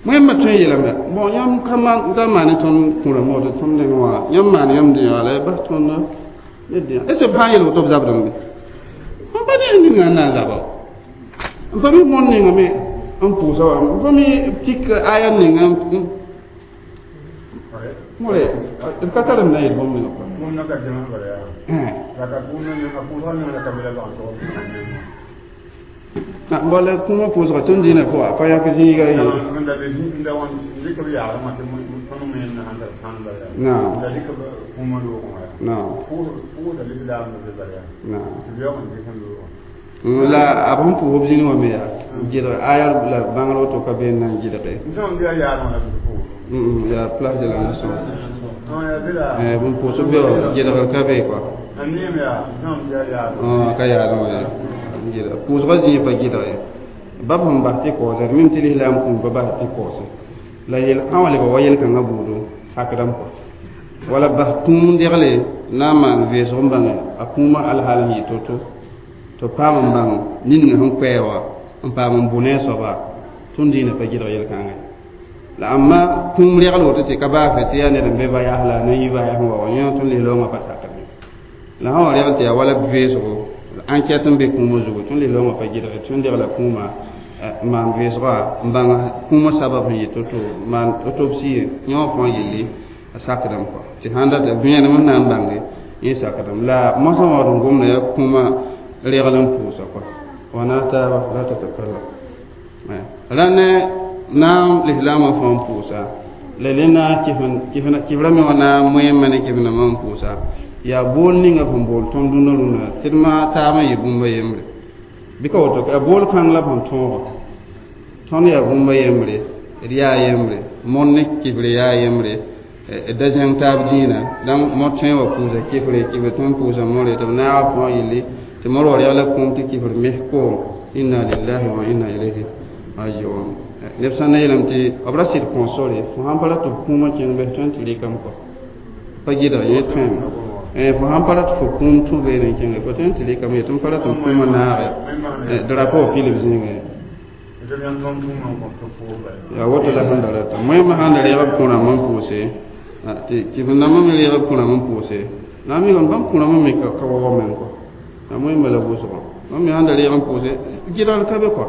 moẽmba tõe n yeelame bon yãmb ka maan ka maan tõnd kũra mood tõnd neng wã yãmb maan yãmb dẽ wã la ya bas tõnd ne dẽ est ce b sã n yel woto b zabdame n pa ne ninga n na n zaba n pa mi mõnd ninga me n pʋʋsa wa n pa mi tik aya ninga more d ka tar n na yel bũmb ninga kɔa bala kũumã pʋʋsga tõnd dĩinã pʋga pa yãk zĩiga ye naam naam la a b sẽn pʋʋs b zĩni wã me yaa gɩdg aya la bãngr woto ka been na n gɩdge yaa place de la nation bũmb pʋʋsb be wã gɩdgr ka be kɔa ka yaadẽ wã gɩdg pʋʋsgã zĩig pa gɩdge ba b sẽn bas tɩ kaoosa d mim tɩ lislaam kũum pa bas tɩ kaoose la yel ã wã lebga wa yel-kãngã buudu sakdame kɔa wala bas kũum degle na n maan vẽesg n bãnge a kũumã alhal n yɩ to-to tɩ paam n bãng nin sẽn koɛɛ wã n paam n bʋ ne a soaba tõnd dĩinã pa gɩdg yel-kãngã la ãmba kũum regl woto tɩ ka baasɛ tɩ yaa ned n be vayas la a na yi vayas n wa wa yẽ tõnd lislaoongã pa sakdme la sã wa regl tɩ yaa wala vẽesgo enquête n be kũumã zugu tõnd lislaoongã pa gɩdge tõnd degla kũumã maan vẽesga n bãng kũumã sabab sẽn yɩ to-to maan autopsie yẽ wã fãa yelle a sakdame kɔa tɩ sãn dat vẽenem n na n bãnge yẽ sakdame la mosã wã d n gomda yaa kũumã regl n pʋʋsa kɔa wa na taaba la tatakallam ra ne naam lislaamã fãa n pʋʋsa la le na kɩfrã me wã na moẽmã ne kɩf-nãmbã n pʋʋsa yaa bool ninga sẽn bool tõnd dũnã rũnã tɩ d ma taabã yɩ bũmba yembre bɩ ka woto yaa bool kãng la b sẽn tõoga tõnd yaa bũmba yembre d yaa yembre mõnd ne kɩfre yaa yembre da zẽng taab dĩinã dãmb mod tõe wa pʋʋsa kɩfre kɩfre tõe n pʋʋsa more tɩ b naaga fãa yelle tɩ mor wa regla kũum tɩ kɩfr mes koom inna lillahi wa inna ilayhi rajiun neb sã n na yeelame tɩ b ra sɩd kõo sore fo sãn pa rat tɩ b kũumã kẽng bɩ tõe n tɩ rɩkame kɔ pa gɩdg yẽ tõeme fo sãn pa rat fo kũum tũ beene n kẽnge fo tõe n tɩ rɩkame yetɩ m pa rat n kũumã naage drapeau pil b zĩigẽ yaa woto la sẽn da rata moẽmã sãn da reeg b kũ-rãmb n pʋʋse tɩ kɩf-dãmbã me reeg b kũ-rãmb n pʋʋse la n mikame bãmb kũ-rãmbã me ka wa meng kɔ la moẽmba la vʋʋsgã bãmb me sãn da reeg n pʋʋse gɩdgr ka be kɔ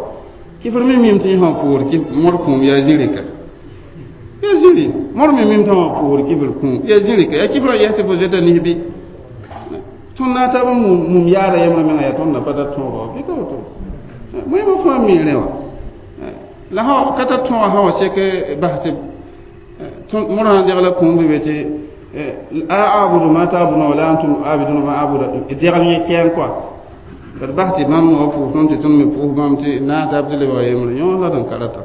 kɩfr me mim tɩ yẽ sã pʋʋsd kɩ mod kũum yaa zĩrika yaa zĩri mod me mim tɩ wã pʋʋsd kɩfr kũum yaa zĩrika yaa kɩfrã yɛs tɩ fo zoeta nisbi tõnd na taab mum yaada yembrã menga yaa tõnd na pa tar tõoga bɩ ka woto moẽmã fãa mi rẽ wã la sã ka tar tõoga sã wa sek bas tɩ mod sã n degla kũum bɩ be tɩ a abudu ma ta'buduna wala antum abiduna ma abudu degl yẽ kɛɛn kɔa La d bas tɩ bãmb wa pʋʋs tõnd tɩ tõnd me pʋʋs bãmb tɩ naas tɩ lebga yembre yõ la d n ka rata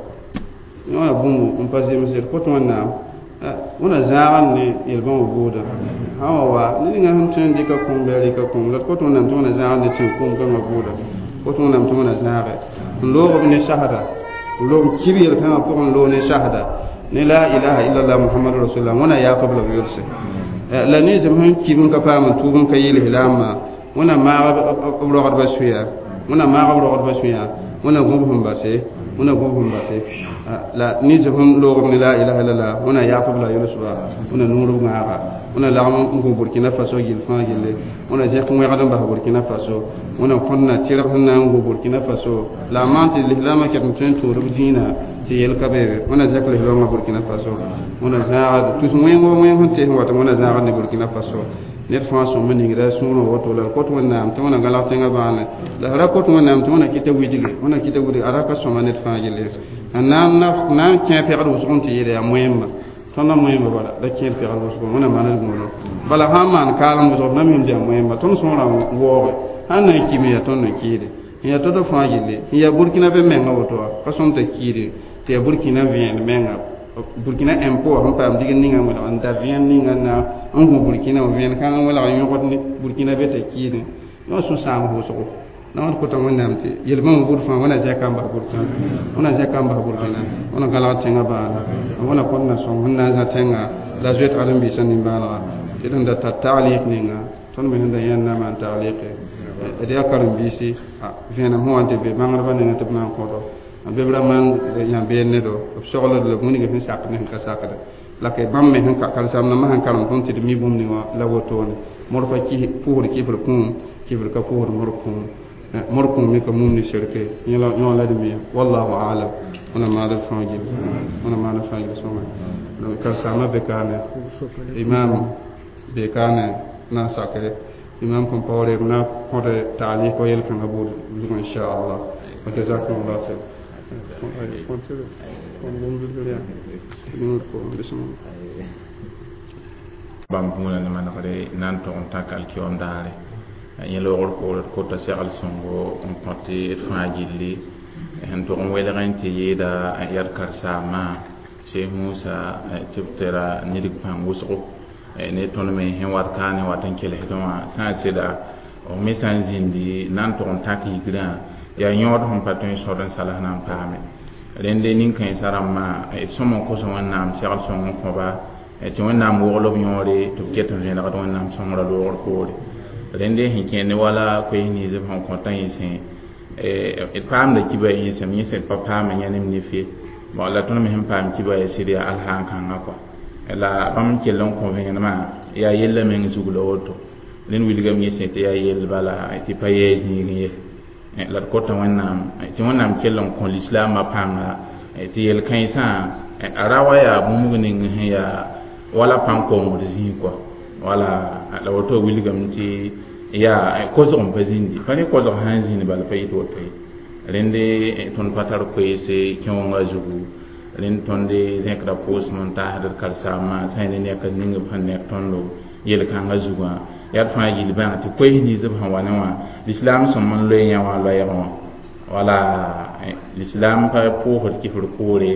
yõ yaa bũmb n pa zemsd kot wẽnnaam wẽna zãagã ne yel-bãmb buudã sã wa wa ned ninga sẽn tõe n dɩka kũum bɩ a rɩka kũum la d kot wẽnnaam tɩ wẽna zãag ne tẽn-kũum kãngã buuda kot wẽnnaam tɩ wẽna zãage n loog b ne sasda n loog kib yel-kãngã pʋgẽ n loog ne sasda ne la ilaha illallah muhammadu rasulullah wẽna yaafb la b yʋlse la nins sẽn kib n ka paam n tuub n ka yɩl lislaamã wẽna maag b rogdbã sũya wẽna maag b rogdbã sũya wẽna gũb sẽn base wẽna gũb sẽn base la nins sẽn loogb ne la ilaha illallah wẽna yaafb la yʋlsba wẽna nuur b gãaga wẽna lagm n gũ burkina faso gill fãa gille wẽna zẽk wẽgd n bas burkina faso wẽna kõnna tɩrg sẽn na n gu burkina faso la a maan tɩ lislaamã ket n tõe n tʋʋd b dĩinã tɩ yel ka beebe wẽna zẽk lislaamã burkina faso wẽna zãaga tus wẽngo wẽng sẽn tees n wat wẽna zãagd ne burkina faso ned fãa sõm n ningda sũurẽ woto la kot wẽnnaam tɩ wẽna galg tẽngã bãane la ra kot wẽnnaam tɩ wẽna kɩta widge wẽna kɩta widge a ra ka sõma ned fãa gille n na n kẽ pɛgd wʋsg n tɩ yeele yaa moẽmba tõnd moẽmba bala la kẽer pɛgd wʋsg wẽna maned gũudo bala sã n maan kaalem wʋsg b na mim tɩ yaa moẽmba tõnd sõorã waooge sãn na n kime yaa tõnd n kɩɩde n yaa to-to fãa gilli n yaa burkina be menga woto wa ka sõm t'a kiide tɩ yaa burkina vẽend menga burkina impôt sẽn paam dig ninga welg n da vẽend ninga na n gũ burkina wã vẽend kãng n welg n yõgd ne burkina be t'a kiidẽ yõ sũ-sãam wʋsgo la wãd kota wẽnnaam tɩ yel-bãmb bud fãa wẽna zẽka n bas burkina wẽna zẽka n bas burkina wẽna galg tẽngã baana wẽna kõt na sõng sẽn na n zã tẽnga la zoet ãdem-biisã nimbãanega tɩ d sẽn da tar taglɩk ninga tõnd me sẽn da yẽnd na maan taglɩke d yaa karen-biisi vẽenem sẽn wa n tɩ be bãngdbã nengã tɩ b na n kõto be b ra maan yãbeen ne do b sogld la bũmb ninga sẽn sak ne sẽn ka sakda la ka bãmb me sẽn karen-saambdãmbã sẽn karem tõnd tɩ d mi bũmb ninga la wotone mod pa pʋʋsd kɩfr kũum kɩfr ka pʋʋsd mod kũum mod kũum me ka mum ne sirke yõ la d miya wallahu alam wẽna maad d fãa gill wẽna maad d fãa gill sõnga karen-saambã be kaane imam be kaane na n sake imam Compaoré b na kõd taalɩk wa yel-kãngã buud zugã inchallah wa jazakumullah khair bãmb gũudã ne manegre na n tog n tãk alkiom daare yẽ loogr poore d kota segl sõngo n kõt d fãa gilli sẽn tog n welgẽ tɩ yeeda yaa d karen-saambã Cheikh Musa tɩ b tara nidg pãng wʋsgo ne tõnd me sẽn wat kaane wat n kelgsdẽ wã sã n sɩda b me sã n zĩndi na n tog n tãk yigrã yaa yõod sẽn pa tõe n sõd n salas na n paame rẽnde nin-kãensã rãmbã d sõm n kos wẽnnaam segl sõng n kõba tɩ wẽnnaam wogl b yõore tɩ b ket n vẽnegd wẽnnaam sõngrã loogr poore rẽnde sẽn kẽer ne wala koees nins b sẽn kõtã yẽsẽ d paamda kiba yẽsem yẽsẽ d pa paame yãnem nif ye bon la tõnd me sẽn paam kiba ya sɩd yaa alsaan kãngã kɔa la bãmb n kell n kõ vẽenemã yaa yella meng zug la woto rẽnd wilgame yẽsẽ tɩ yaa yell bala tɩ pa yɛɛ zĩigẽ ye la d kota wẽnnaam tɩ wẽnnaam kell n kõ lislaamã pãnga tɩ yel-kãensã a ra wa yaa bũmb ning sẽn yaa wala pãn-kongd zĩig kɔa wala la woto wilgame tɩ yaa kosg n pa zĩndi pa ne kosg sã n zĩnd bala pa yɩt woto ye rẽnde tõnd pa tar koeese kẽongã zugu rẽnd tõnd zẽkda pʋʋsem n taasd d karen-saambã sã n ne nek ning b sẽn nek tõndo yel-kãngã zugã yaa d fãa gill bãng tɩ koees nins b sẽn wa ne wã lislaam sõm n loe yã wã loɛɛgẽ wã wala lislaam pa pʋʋsd kɩfr koore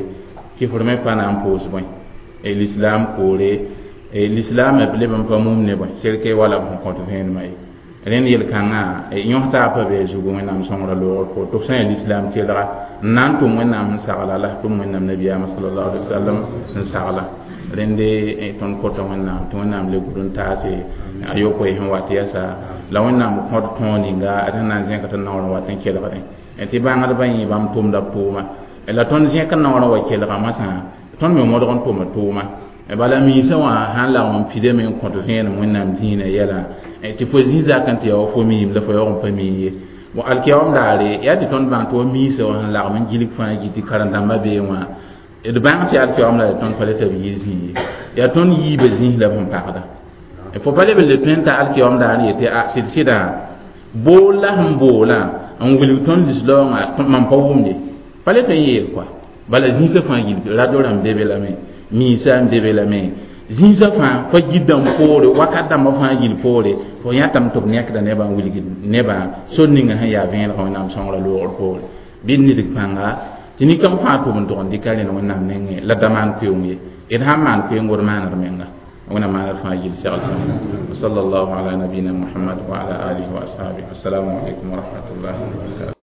kɩfr me pa na n pʋʋs bõe lislaam koore lislaam b leb n pa mum ne bõe sɛrke wala b sẽn kõt vẽenemã ye rẽnd yel-kãngã yõs-taab pa bee zugu wẽnnaam sõngrã loogr poor tɩ f sã n yaa lislaam tɩlga n na n tʋm wẽnnaam sẽn sagla la tʋm wẽnnaam nabiyaamã salallahu alaihi wasallam sẽn sagla rẽnde tõnd kota wẽnnaam tɩ wẽnnaam le gʋd n taase a yopoe sẽn wat yɛsa la wẽnnaam kõd tõog ninga d sẽn na n zẽk tɩ naoor n wat n kelgdẽ tɩ bãngdbã yẽ bãmb tʋmda b tʋʋma la tõnd zẽk n naoor n wa kelga masã tõnd me modg n tʋma tʋʋma bala miisã wã sãn lagm n pidame n kõt vẽenem wẽnnaam dĩinã yɛlã tɩ fo zĩ zak n tɩ yaa wa fo miim la fo yaoog n pa mii ye bon alkiyaoom daare yaa tɩ tõnd bãng tɩ wa miisã wã sẽn lagm n gilg fãa gɩ tɩ karen-dãmbã bee wã d bãng tɩ alkiyaoom la tõnd pa le tɩ b yɩ zĩ ye yaa tõnd yiibã zĩis la b sẽn pagda fo pa leb n le tõe n ta alkiyaoom daar n yetɩ a sɩd sɩdã bool la sẽn boolã n wilg tõnd lislaoongã mam pa wʋmde pa le tõe n yeel kɔa bala zĩisã fãa gilg radio rãmb be be lame miisã n be be lame zĩisã fãa fa gidã poore wakat dãmbã fãa gill poore fo Fo yãtame tɩ b nekda nebã n wilgd nebã sor ninga sẽn yaa vẽenegã Wẽnnaam sõngrã loogr poore. Bɩ d nidg pãnga tɩ nin-kãng fãa tʋm n tog n dɩka rẽnd Wẽnnaam nengẽ la da maan koeoong ye. D sãn maan koeoongo d maana d menga. Wẽnnaam maana d fãa gill segl sõngo. Sallallahu ala nabina Muhammad wa ala alihi wa ashabihi. Assalamu alaikum wa rahmatullahi wa barakatuh.